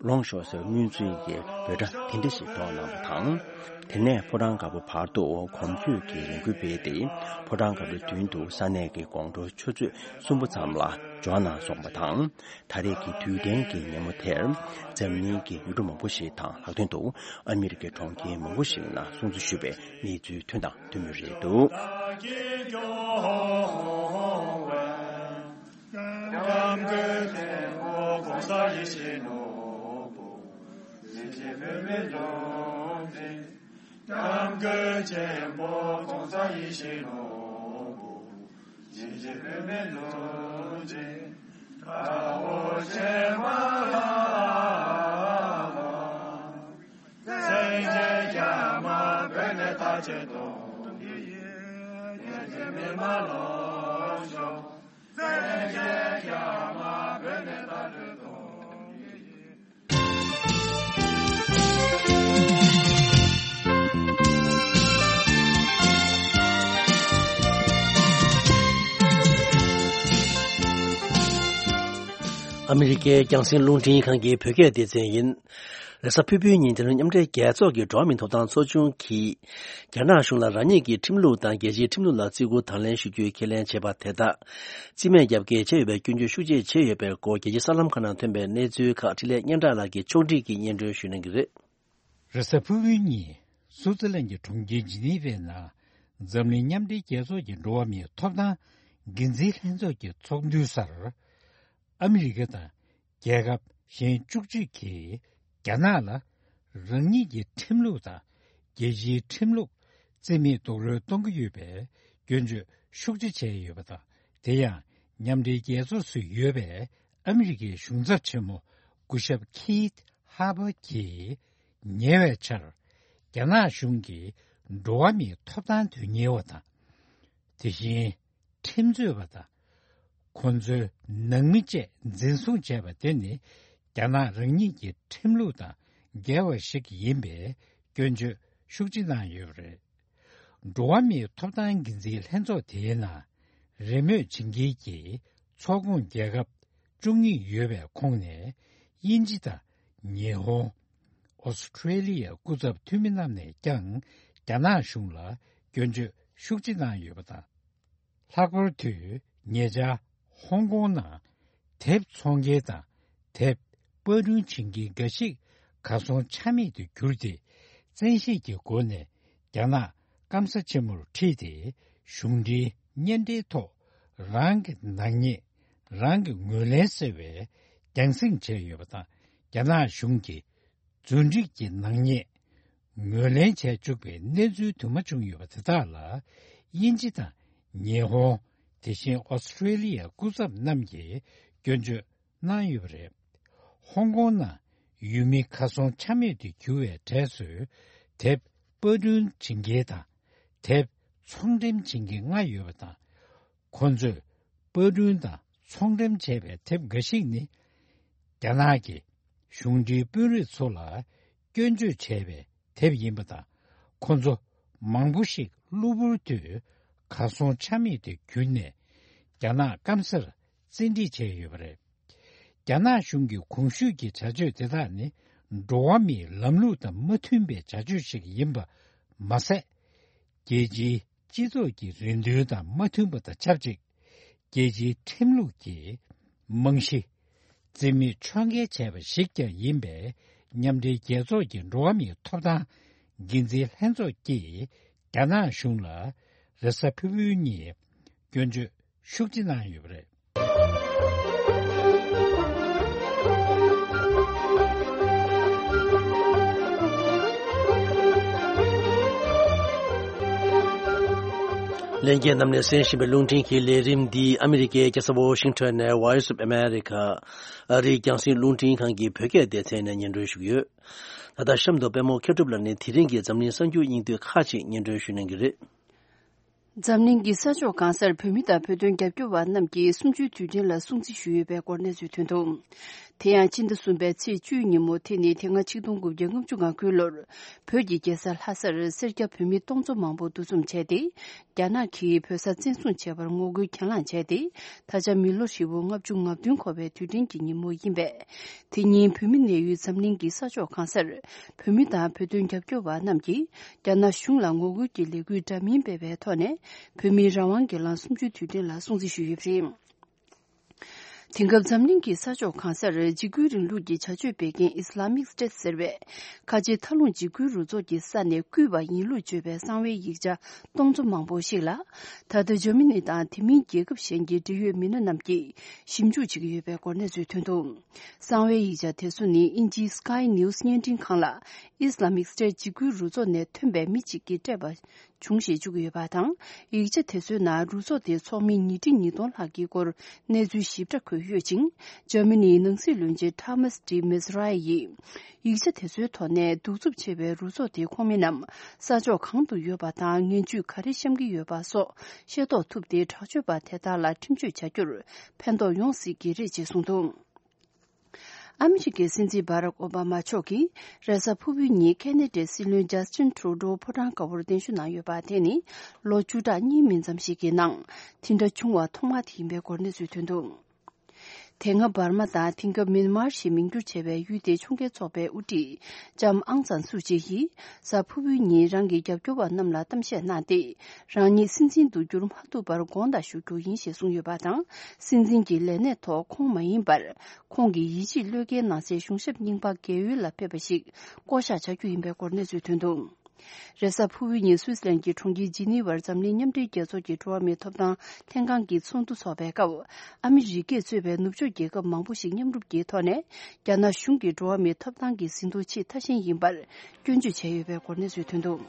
ལོངས་ཤོག་ཟེར་སྔོན་ཚུད་ཀྱི་འབོད་སྒྲ་དེ་འདྲ་ཞིག་སྒྲོག་གནང་བ་དང་། དེ་ནས་ཕོ་བྲང་དཀར་པོ་བར་དུ་གོམ་བགྲོད་ཀྱི་ལས་འགུལ་སྤེལ་ཏེ། ཕོ་བྲང་དཀར་པོའི་མདུན་དུ་ས་གནས་ཀྱི་དགོང་དྲོ་ཆུ་ཚོད་གསུམ་པ་ཙམ་ལ་འབྱོར་གནང་སོང་བ་དང་། ད་རེས་ཀྱི་དུས་དྲན་གྱི་ཉིན་མོ་དེར། འཛམ་གླིང་གི་ཡུལ་གྲུ་མང་པོ་ཞིག་དང་། ལྷག་དོན་དུ་ཨ་མི་རི་ཀའི་གྲོང་ཁྱེར་མང་པོ་ཞིག་ནང་སྲུང་བརྩི་ཞུས་པའི་གནས་ཚུལ་ཐོན་དང་ཐོན་མུས་རེད་འདུག་སྐྱབས་མགོན་ཆེན་པོ་༸གོང་ས་ཡེ་ཤེས་ནོར་བུ། བྱིན་གྱིས་བརླབས་པའི་ལུང་བསྟན། སྐྱབས་མགོན་ཆེན་པོ་༸གོང་ས་ཡེ་ཤེས་ནོར་བུ། བྱིན་གྱིས་བརླབས་པའི་ལུང་བསྟན། ཨ་མི་རི་ཀའི་རྒྱང་སྲིང་རླུང་འཕྲིན་ཁང་གི་བོད་སྐད་སྡེ་ཚན་ཡིན། རེས་གཟའ་ཕུར་བུའི་ཉིན་འདིར་མཉམ་འབྲེལ་རྒྱལ་ཚོགས་ཀྱི་འགྲོ་བ་མིའི་ཐོབ་ཐང་ཚོགས་ཆུང་གིས། རྒྱ་ནག་གཞུང་ལ་རང་ཉིད་ཀྱི་ཁྲིམས་ལུགས་དང་རྒྱལ་སྤྱིའི་ཁྲིམས་ལུགས་ལ་བརྩི་བཀུར་དང་ལེན་ཞུ་རྒྱུའི་ཁས་ལེན་བྱས་པ་དེ་དག་རྩིས་མེད་རྒྱབ་འགལ་བྱས་ཡོད་པའི་སྐྱོན་བརྗོད་ཤུགས་ཆེ་བྱས་ཡོད་པའི་སྐོར། རྒྱལ་སྤྱིའི་གསར་ལམ་ཁག་ནང་ཐོན་པའི་གནས་ཚུལ་ཁག་འཕྲིན་ལས་སྙན་གྲགས་ལགས་ཀྱིས་ཕྱོགས་སྒྲིག་གིས་སྙན་སྒྲོན་ཞུ་གནང་གི་རེད། རེས་གཟའ་ཕུར་བུའི་ཉིན་སུའུ་ཙི་ལན་གྱི་གྲོང་ཁྱེར་ཇི་ནི་ཝའི་ནང་འཛམ་གླིང་མཉམ་འབྲེལ་རྒྱལ་ཚོགས་ཀྱི་འགྲོ་བ་མིའི་ཐོབ་ཐང་འགན་འཛིན་ལྷན་ཚོགས་ཀྱི་ཚོགས་འདུའི་སར། ཨ་མི་རི་ཀ་དང་རྒྱལ་ཁབ་གཞན་བཅུ་གཅིག་གིས་རྒྱ་ནག་ལ་རང་ཉིད་ཀྱི་ཁྲིམས་ལུགས་དང་རྒྱལ་སྤྱིའི་ཁྲིམས་ལུགས་རྩིས་མེད་རྡོག་རོལ་གཏོང་གི་ཡོད་པའི་སྐྱོན་བརྗོད་ཤུགས་ཆེ་བྱས་ཡོད་པ་དང་། དེ་ཡང་མཉམ་འབྲེལ་རྒྱལ་ཚོགས་སུ་ཡོད་པའི་ཨ་མི་རི་ཀའི་གཞུང་ཚབ་ཆེན་མོ་སྐུ་ཞབས་ཁིད་ཧར་པར་གྱིས་ཉེ་བའི་ཆར་རྒྱ་ནག་གཞུང་གིས་འགྲོ་བ་མིའི་ཐོབ་ཐང་དོན་གཉེར་བ་དང་། དེ་བཞིན་ཁྲིམས་རྩོད་པ་དང་། ཁོ་ཚོའི་ནང་མི་བཅས་འཛིན་བཟུང་བྱས་པ་དེ་ནི་རྒྱ་ནག་རང་ཉིད་ཀྱི་ཁྲིམས་ལུགས་དང་འགལ་བ་ཞིག་ཡིན་པའི་སྐྱོན་བརྗོད་ཤུགས་ཆེ་གནང་ཡོད་པ་རེད། འགྲོ་བ་མིའི་ཐོབ་ཐང་འགན་འཛིན་ལྷན་ཚོགས་དེའི་ནང་རེས་མོས་བྱེད་མཁན་གྱི་ཚོགས་ཁོངས་རྒྱལ་ཁབ་བཅུ་གཉིས་ཡོད་པའི་ཁོངས་ནས་དབྱིན་ཇི་དང་ཉི་ཧོང་། ཨོ་སི་ཁྲེ་ལི་ཡའི་སྐུ་ཚབ་འཐུས་མི་རྣམས་ནས་ཀྱང་རྒྱ་ནག་གཞུང་ལ་སྐྱོན་བརྗོད་ཤུགས་ཆེ་གནང་ཡོད་པ་དང་། ལྷག་པར་དུ་ཉེ་ཆར་ཧོང་ཀོང་ནང་དེབ་ཚོང་མཁན་དང་དེབ་པར་སྐྲུན་བྱེད་མཁན་འགའ་ཞིག་གར་སོང་ཆ་མེད་དུ་གྱུར་ཏེ། བཙན་ཤེད་ཀྱི་སྒོ་ནས་རྒྱ་ནག་སྐམ་ས་ཆེན་མོར་ཁྲིད་དེ། གཞུང་འབྲེལ་བརྙན་འཕྲིན་ཐོག་རང་གི་ནག་ཉེས་རང་གིས་ངོས་ལེན་ཟེར་བའི་རྒྱང་སྲིང་བྱས་ཡོད་པ་དང་། རྒྱ་ནག་གཞུང་གིས་རྫུན་སྒྲིག་གི་ནག་ཉེས་ངོས་ལེན་བྱས་བཅུག་པའི་གནས་ཚུལ་དུ་མ་བྱུང་ཡོད་པ་དེ་དག་ལ། དབྱིན་ཇི་དང་ཉི་ཧོང་། དེ་བཞིན་ཨོ་སི་ཁྲེ་ལི་ཡའི་སྐུ་ཚབ་རྣམས་ཀྱིས་སྐྱོན་བརྗོད་གནང་ཡོད་པ་རེད། ཧོང་ཀོང་ནང་ཡུལ་མི་གར་སོང་ཆ་མེད་དུ་གྱུར་བའི་གྲས་སུ། དེབ་པར་སྐྲུན་བྱེད་མཁན་དང་། དེབ་ཚོང་འགྲེམས་བྱེད་མཁན་ལྔ་ཡོད་པ་དང་། ཁོ་ཚོས་པར་སྐྲུན་དང་ཚོང་འགྲེམས་བྱས་པའི་དེབ་འགའ་ཞིག་ནི། རྒྱ་ནག་གི་གཞུང་འབྲེལ་དཔོན་རིགས་ཚོ་ལ་སྐྱོན་བརྗོད་བྱས་པའི་དེབ་ཡིན་པ་དང་། ཁོ་ཚོ་མང་པོ་ཞིག་གློ་བུར་དུ་གར་སོང་ཆ་མེད་དུ་གྱུར་ནས། རྒྱ་ནག་སྐམ་སར་བཙན་ཁྲིད་བྱས་ཡོད་པ་རེད། རྒྱ་ནག་གཞུང་གི་གོང་ཞུས་ཀྱི་བྱ་སྤྱོད་དེ་དག་ནི། འགྲོ་བ་མིའི་ལམ་ལུགས་དང་མ་མཐུན་པའི་བྱ་སྤྱོད་ཞིག་ཡིན་པ་མ་ཟད། རྒྱལ་སྤྱིའི་སྤྱི་ཚོགས་ཀྱི་རེ་འདུན་དང་མ་མཐུན་པ་དང་ཆབས་ཅིག་རྒྱལ་སྤྱིའི་ཁྲིམས་ལུགས་ཀྱི་རྨང་གཞི་རྩིས་མེད་ཕྱོགས་འགལ་བྱས་པ་ཞིག་ཀྱང་ཡིན་པས། མཉམ་འབྲེལ་རྒྱལ་ཚོགས་ཀྱི་འགྲོ་བ་མིའི་ཐོབ་ཐང་འགན་འཛིན་ལྷན་ཚོགས་ཀྱིས་རྒྱ་ནག་གཞུང་ལ་རེས་གཟའ་ཕུར་བུའི་ཉིན་སྐྱོན་བརྗོད་ཤུགས་ཆེ་གནང་ཡོད་པ་རེད། ལྷན་རྒྱས་རྣམས་ནས་གསན་བཞིན་པའི་རླུང་འཕྲིན་གྱི་ལས་རིམ་འདི་ཨ་མི་རི་ཀའི་རྒྱལ་ས་ཝོ་ཤིང་ཊོན་ནས་Voice of America ཨ་རིའི་རྒྱང་སྲིང་རླུང་འཕྲིན་ཁང་གི་བོད་སྐད་སྡེ་ཚན་ནས་སྙན་སྒྲོན་ཞུ་གི་ཡོད། ད་ལྟ་གཤམ་དུ་པད་མོ་མཁས་གྲུབ་ལགས་ནས་དེ་རིང་གི་འཛམ་གླིང་གསར་འགྱུར་སྙིང་བསྡུས་ཁག་ཅིག་སྙན་སྒྲོན་ཞུ་གནང་གི་རེད། འཛམ་གླིང་གི་ས་ཕྱོགས་གང་སར་བོད་མི་དང་བོད་དོན་རྒྱབ་སྐྱོར་བ་རྣམས་ཀྱིས་གསུམ་བཅུའི་དུས་དྲན་ལ་སྲུང་བརྩི་ཞུས་ཡོད་པའི་སྐོར་གནས་ཚུལ་ཐོན་འདུག་དེ་ཡང་སྤྱི་ཟླ་གསུམ་པའི་ཚེས་བཅུའི་ཉིན་མོ། དེ་ནི་དེ་སྔ་ཆིག་སྟོང་དགུ་བརྒྱ་ལྔ་བཅུ་ང་དགུའི་ལོར་བོད་ཀྱི་རྒྱལ་ས་ལྷ་སར་སེར་སྐྱ་བོད་མི་སྟོང་ཚོ་མང་པོ་འདུ་འཛོམས་བྱས་ཏེ། རྒྱ་ནག་གིས་བོད་ས་བཙན་བཟུང་བྱས་པར་ངོ་རྒོལ་གྱེན་ལངས་བྱས་ཏེ། ད་ཆ་མི་ལོ་ཧྲིལ་པོ་ལྔ་བཅུ་ང་བདུན་འཁོར་བའི་དུས་དྲན་གྱི་ཉིན་མོ་ཡིན་པས། དེ་ཉིན་བོད་མི་གནས་ཡུལ་འཛམ་གླིང་གི་ས་ཕྱོགས་གང་སར་བོད་མི་དང་བོད་དོན་རྒྱབ་སྐྱོར་བ་རྣམས་ཀྱིས་རྒྱ་ནག་གཞུང་ལ་ངོ་རྒོལ་གྱི་ལས་འགུལ་འདྲ་མིན་སྤེལ་བའི་ཐོག་ནས། བོད་མིའི་རང་དབང་སྒེར་ལངས་གསུམ་བཅུའི་དུས་དྲན་ལ་སྲུང་བརྩི་ཞུས་ཡོད་པ་རེད། དེང་སྐབས་འཛམ་གླིང་གི་ས་ཕྱོགས་གང་སར་འཇིགས་སྐུལ་རིང་ལུགས་ཀྱི་བྱ་སྤྱོད་སྤེལ་མཁན་Islamic State ཟེར་བས། ཁ་ཆེ་མཐའ་ལྷུང་འཇིགས་སྐུལ་རུ་ཚོགས་ཀྱི་ས་ནས་བརྐུས་པ་ཡིན་ལུགས་བརྗོད་པའི་གསང་བའི་ཡིག་ཆ་སྟོང་ཚོ་མང་པོ་ཞིག་ལ། ད་ལྟ་འཇར་མ་ནི་དང་དེ་མིན་རྒྱལ་ཁབ་གཞན་གྱི་འབྲེལ་ཡོད་མི་སྣ་རྣམས་ཀྱིས་ཞིབ་འཇུག་བྱེད་ཀྱི་ཡོད་པའི་སྐོར་གནས་ཚུལ་ཐོན་འདུག་གསང་བའི་ཡིག་ཆ་དེ་ཚོ་ནི་དབྱིན་ཇིའི་Sky News བརྙན་འཕྲིན་ཁང་ལ་Islamic State འཇིགས་སྐུལ་རུ་ཚོགས་ནས་ཐོན་པའི་མི་གཅིག་གིས་སྤྲད་པ། བྱུང་ཞེས་བརྗོད་ཀྱི་ཡོད་པ་དང་། ཡིག་ཆ་དེ་ཚོའི་ནང་རུ་ཚོགས་དེའི་ཚོགས་མི་ཉིས་ཁྲི་ཉིས་སྟོང་ལྷག་གི་སྐོར་གནས་ཚུལ་ཞིབ་ཕྲ་འཁོད་ཡོད་ཅིང་། འཇར་མ་ནིའི་ནང་སྲིད་བློན་ཆེན་ཐ་མཱས་ཌི་མེ་ཟི་ར་ཡིས། ཡིག་ཆ་དེ་ཚོའི་ཐོག་ནས་གདུག་རྩུབ་ཆེ་བའི་རུ་ཚོགས་དེའི་ཁོངས་མི་རྣམས་ས་ཕྱོགས་གང་དུ་ཡོད་པ་དང་། ངན་ཇུས་ག་རེ་བཤམས་ཀྱི་ཡོད་པ་སོགས་ཤེས་རྟོགས་ཐུབ་སྟེ། དྲག་སྤྱོད་པ་དེ་དག་ལ་ཁྲིམས་གཅོད་བྱ་རྒྱུར་ཕན་ཐོགས་ཡོང་སྲིད་ཀྱི་རེད་ཅེས་གསུངས་འདུག། ཨ་མི་རི་ཀའི་སྲིད་འཛིན་བྷ་རག་ཨོ་བྷ་མ་མཆོག་གིས་རེས་གཟའ་ཕུར་བུའི་ཉིན་ཁེ་ན་ཌའི་སྲིད་བློན་ཇཱ་སི་ཊིན་ཁྲུ་ཌོ་ཕོ་བྲང་དཀར་པོར་གདན་ཞུ་གནང་ཡོད་པ། དེ་ནི་ལོ་བཅུ་ཕྲག་གཉིས་མིན་ཙམ་ཞིག་གི་ནང་དེ་འདྲ་བྱུང་བ་ཐོག་མ་དེ་ཡིན་པའི་སྐོར་གནས་ཚུལ་ཐོན་འདུག། དེ་སྔ་འབར་མ་དང་དེང་སྐབས་མིན་མར་ཞེས་མིང་བསྒྱུར་བྱས་པའི་ཡུལ་དེའི་ཕྱོགས་འགལ་ཚོགས་པའི་དབུ་ཁྲིད་ལྕམ་ཨང་སན་སུ་ཅི་ཡིས་གཟའ་ཕུར་བུའི་ཉིན་རང་གི་རྒྱབ་སྐྱོར་བ་རྣམས་ལ་གཏམ་བཤད་གནང་སྟེ། རང་ཉིད་སྲིད་འཛིན་དུ་འགྱུར་མ་ཐུབ་པར་དགོངས་དག་ཞུ་རྒྱུ་ཡིན་ཞེས་གསུངས་ཡོད་པ་དང་། སྲིད་འཛིན་གྱི་ལས་གནས་ཐོག་ཁོང་མ་ཡིན་པར། ཁོང་གི་ཡིད་ཆེས་བློས་འགེལ་གནང་སའི་གཞུང་ཞབས་རྙིང་པ་རྒས་ཡོལ་ལ་ཕེབས་པ་ཞིག་བསྐོ་གཞག་བྱ་རྒྱུ་ཡིན་པའི་སྐོར་གནས་ཚུལ་ཐོན་འདུག། རེས་གཟའ་ཕུར་བུའི་ཉིན་སུད་སི་ལན་གྱི་གྲོང་ཁྱེར་ཇི་ནི་ཝར་འཛམ་གླིང་མཉམ་འབྲེལ་རྒྱལ་ཚོགས་ཀྱི་འགྲོ་བ་མིའི་ཐོབ་ཐང་ལྷན་ཁང་གི་ཚོགས་འདུ་འཚོགས་པའི་སྐབས། ཨ་མི་རི་ཀས་གཙོས་པའི་ནུབ་ཕྱོགས་རྒྱལ་ཁབ་མང་པོ་ཞིག་མཉམ་རུབ་ཀྱི་ཐོག་ནས། རྒྱ་ནག་གཞུང་གིས་འགྲོ་བ་མིའི་ཐོབ་ཐང་གི་ཟིན་ཐོ་ཆེས་མཐའ་ཞན་ཡིན་པར་སྐྱོན་བརྗོད་བྱས་ཡོད་པའི་སྐོར་གནས་ཚུལ་ཐོན་འདུག།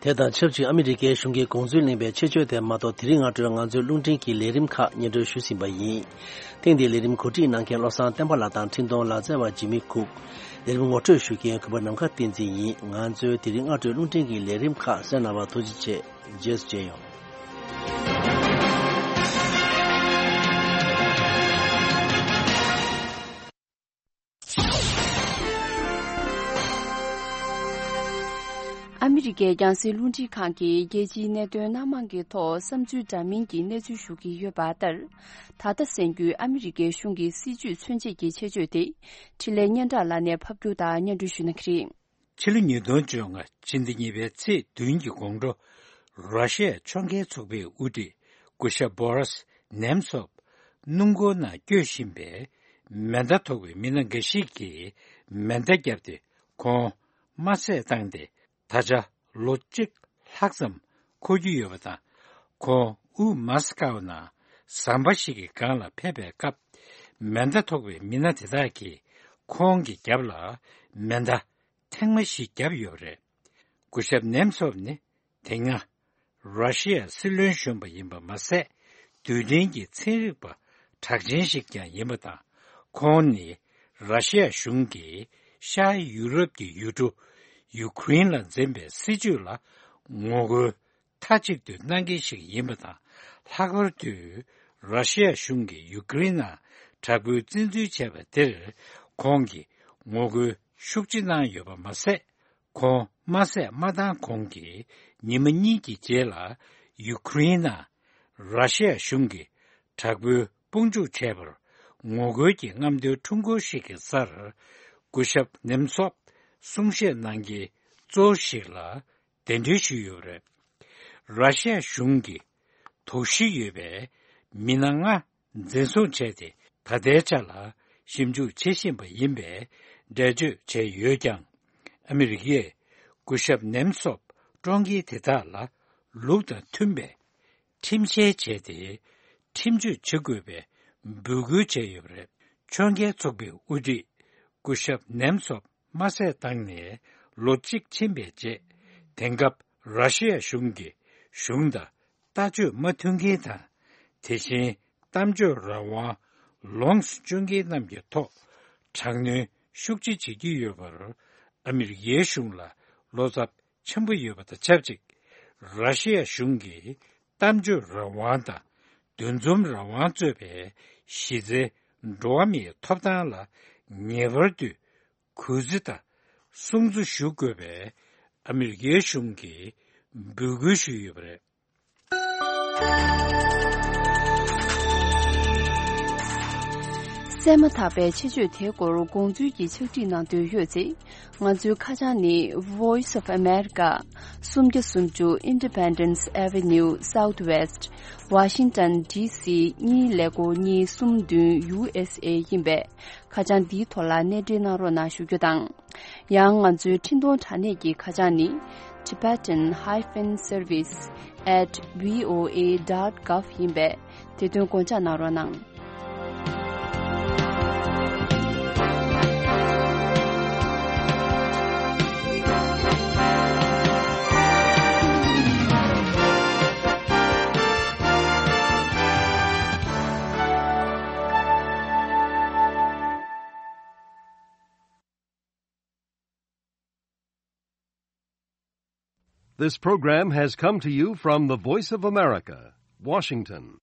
དེ་དང་ཆབས་ཅིག་ཨ་མི་རི་ཀའི་གཞུང་གིས་དགོངས་ཚུལ་གླེང་བའི་ཆེད་བརྗོད་དེ་མ་གཏོགས། དེ་རིང་སྔ་དྲོའི་ང་ཚོའི་རླུང་འཕྲིན་གྱི་ལས་རིམ་ཁག་སྙན་སྒྲོན་ཞུས་ཟིན་པ་ཡིན། ཐེངས་འདིའི་ལས་རིམ་གོ་སྒྲིག་གནང་མཁན་བློ་བཟང་བསྟན་པ་ལགས་དང་འཕྲིན་གཏོང་ལག་རྩལ་བ་འཇིགས་མེད་ཁུག། ལས་རིམ་ངོ་སྤྲོད་ཞུ་མཁན་གུས་པ་ནམ་མཁའ་བསྟན་འཛིན་ཡིན། ང་ཚོའི་དེ་རིང་སྔ་དྲོའི་རླུང་འཕྲིན་གྱི་ལས་རིམ་ཁག་གསན་གནང་བར་ཐུགས་རྗེ་ཆེ། རྗེས་སུ་མཇལ་ཡོང་། ཨ་མི་རི་ཀའི་རྒྱང་སྲིང་རླུང་འཕྲིན་ཁང་གིས་རྒྱལ་སྤྱིའི་གནད་དོན་སྣ་མང་གི་ཐོག་བསམ་ཚུལ་འདྲ་མིན་གྱི་གནས་ཚུལ་ཞུ་གི་ཡོད་པ་ལྟར། ད་ལྟ་གསན་རྒྱུའི་ཨ་མི་རི་ཀའི་གཞུང་གི་སྲིད་ཇུས་མཚོན་བྱེད་ཀྱི་ཆེད་བརྗོད་དེ། འཕྲིན་ལས་སྙན་གྲགས་ལགས་ནས་ཕབ་སྒྱུར་དང་སྙན་སྒྲོན་ཞུ་གནང་གི་རེད། ཕྱི་ལོ་ཉིས་སྟོང་བཅོ་ལྔ་ཕྱི་ཟླ་གཉིས་པའི་ཚེས་བདུན་གྱི་དགོང་དྲོ། ར་ཤི་ཡ་ཕྱོགས་འགལ་ཚོགས་པའི་དབུ་ཁྲིད་སྐུ་ཞབས་བྷོ་རིས་ནེམ་ཚོབ་སྣུམ་འཁོར་ནང་སྐྱོད་བཞིན་པའི་མེ་མདའ་ཐོགས་པའི་མི་སྣ་འགའ་ཞིག་གིས་མེ་མདའ་བརྒྱབ་སྟེ་ཁོང་དམར་བསད་བཏང་སྟེ། ད་ཆ་ལོ་གཅིག་ལྷག་ཙམ་འཁོར་རྒྱུ་ཡོད་པ་དང་། ཁོང་དབུས་མཱ་སི་ཀའོ་ནང་ཟམ་པ་ཞིག་གི་སྒང་ལ་ཕེབས་པའི་སྐབས། མེ་མདའ་ཐོགས་པའི་མི་སྣ་དེ་དག་གིས་ཁོང་གི་རྒྱབ་ལ་མེ་མདའ་ཐེངས་མ་བཞི་བརྒྱབ་ཡོད་པ་རེད། སྐུ་ཞབས་ནེམ་ཚོབ་ནི་དེ་སྔ་ར་ཤི་ཡའི་སྲིད་བློན་གཞོན་པ་ཡིན་པ་མ་ཟད། རྡུལ་ཕྲན་གྱི་ཚན་རིག་པ་གྲགས་ཅན་ཞིག་ཀྱང་ཡིན་པ་དང་། ཁོང་ནི་ར་ཤི་ཡ་གཞུང་གིས་ཤར་ཡུ་རོབ་ཀྱི་ཡུལ་གྲུ་ཡུ་ཁུ་རེན་ལ་འཛིན་པའི་སྲིད་བྱུས་ལ་ངོ་རྒོལ་མཐའ་གཅིག་ཏུ་གནང་མཁན་ཞིག་ཡིན་པ་དང་། ལྷག་པར་དུ་ར་ཤི་ཡ་གཞུང་གིས་ཡུ་ཁུ་རེན་ནང་དྲག་པོའི་བཙན་འཛུལ་བྱས་པ་དེར་ཁོང་གིས་ངོ་རྒོལ་ཤུགས་ཆེ་གནང་ཡོད་པ་མ་ཟད། ཁོང་དམར་བསད་མ་བཏང་གོང་གི་ཉི་མ་གཉིས་ཀྱི་རྗེས་ལ། ཡུ་ཁུ་རེན་ནང་ར་ཤི་ཡ་གཞུང་གིས་དྲག་པོའི་དཔུང་འཇུག་བྱས་པར་ངོ་རྒོལ་གྱི་རྔམ་སྟོན་ཁྲོམ་སྐོར་ཞིག་གི་སར། སྐུ་ཞབས་ནེམ་ཚོབ་གསུང་བཤད་གནང་མཁན་གཙོ་བོ་ཞིག་ལ་གདན་འདྲེན་ཞུས་ཡོད་པ་རེད། ར་ཤི་ཡ་གཞུང་གིས་དོགས་གཞི་ཡོད་པའི་མི་སྣ་ལྔ་འཛིན་བཟུང་བྱས་ཏེ། ད་ལྟའི་ཆ་ལ་ཞིབ་འཇུག་བྱེད་བཞིན་པ་ཡིན་པའི་འགྲེལ་བརྗོད་བྱས་ཡོད་ཀྱང་། ཨ་མི་རི་ཀས་སྐུ་ཞབས་ནེམ་ཚོབ་བཀྲོངས་མཁན་དེ་དག་ལ་ལུགས་དང་མཐུན་པའི་ཁྲིམས་བཤེར་བྱས་ཏེ། ཁྲིམས་གཅོད་བྱེད་དགོས་པའི་འབོད་སྐུལ་བྱས་ཡོད་པ་རེད། ཕྱོགས་འགལ་ཚོགས་པའི་དབུ་ཁྲིད་སྐུ་ཞབས་ནེམ་ཚོབ་དམར་བསད་བཏང་ནས་ལོ་གཅིག་ཕྱིན་པའི་རྗེས། དེང་སྐབས་ར་ཤི་ཡ་གཞུང་གིས་གཞུང་དང་ལྟ་སྤྱོད་མ་མཐུན་མཁན་དང་། དེ་བཞིན་གཏམ་བརྗོད་རང་དབང་ལོངས་སུ་སྤྱོད་མཁན་རྣམས་ཀྱི་ཐོག་དྲག་གནོན་ཤུགས་ཆེ་བྱེད་ཀྱི་ཡོད་པར། ཨ་མི་རི་ཀའི་གཞུང་ལ་བློ་འཚབ་ཆེན་པོ་ཡོད་པ་དང་ཆབས་ཅིག། ར་ཤི་ཡ་གཞུང་གིས་གཏམ་བརྗོད་རང་དབང་དང་འདུ་འཛོམས་རང་དབང་གཙོས་པའི་གཞི་རྩའི་འགྲོ་བ་མིའི་ཐོབ་ཐང་ལ་ངེས་པར་དུ་གུས་བརྩི་དང་སྲུང་བརྩི་ཞུ་དགོས་པའི་ཨ་མི་རི་ཀའི་གཞུང་གིས་འབོད་སྐུལ་ཞུས་ཡོད་པ་རེད། གསན་མ་ཐག་པའི་ཆེད་བརྗོད་དེའི་སྐོར་དགོངས་ཚུལ་གྱི་ཕྱག་བྲིས་གནང་འདོད་ཡོད་ཚེ། ང་ཚོའི་ཁ་བྱང་ནི། Voice of America། སུམ་བརྒྱ་སུམ་ཅུ་Independence Avenue Southwest། Washington D C གཉིས་ཀླད་ཀོར་གཉིས་གསུམ་བདུན། U S A ཡིན་པས། ཁ་བྱང་འདིའི་ཐོག་ལ་གནས་འབྲེལ་གནང་རོགས་གནང་ཞུ་རྒྱུ་དང་། ཡང་ང་ཚོའི་འཕྲིན་གཏོང་དྲ་གནས་ཀྱི་ཁ་བྱང་ནི། Tibetan hyphen service at V O A dot gov ཡིན་པས། དེ་དོན་དགོངས་འཇགས་གནང་རོགས་གནང་། This program has come to you from the Voice of America, Washington.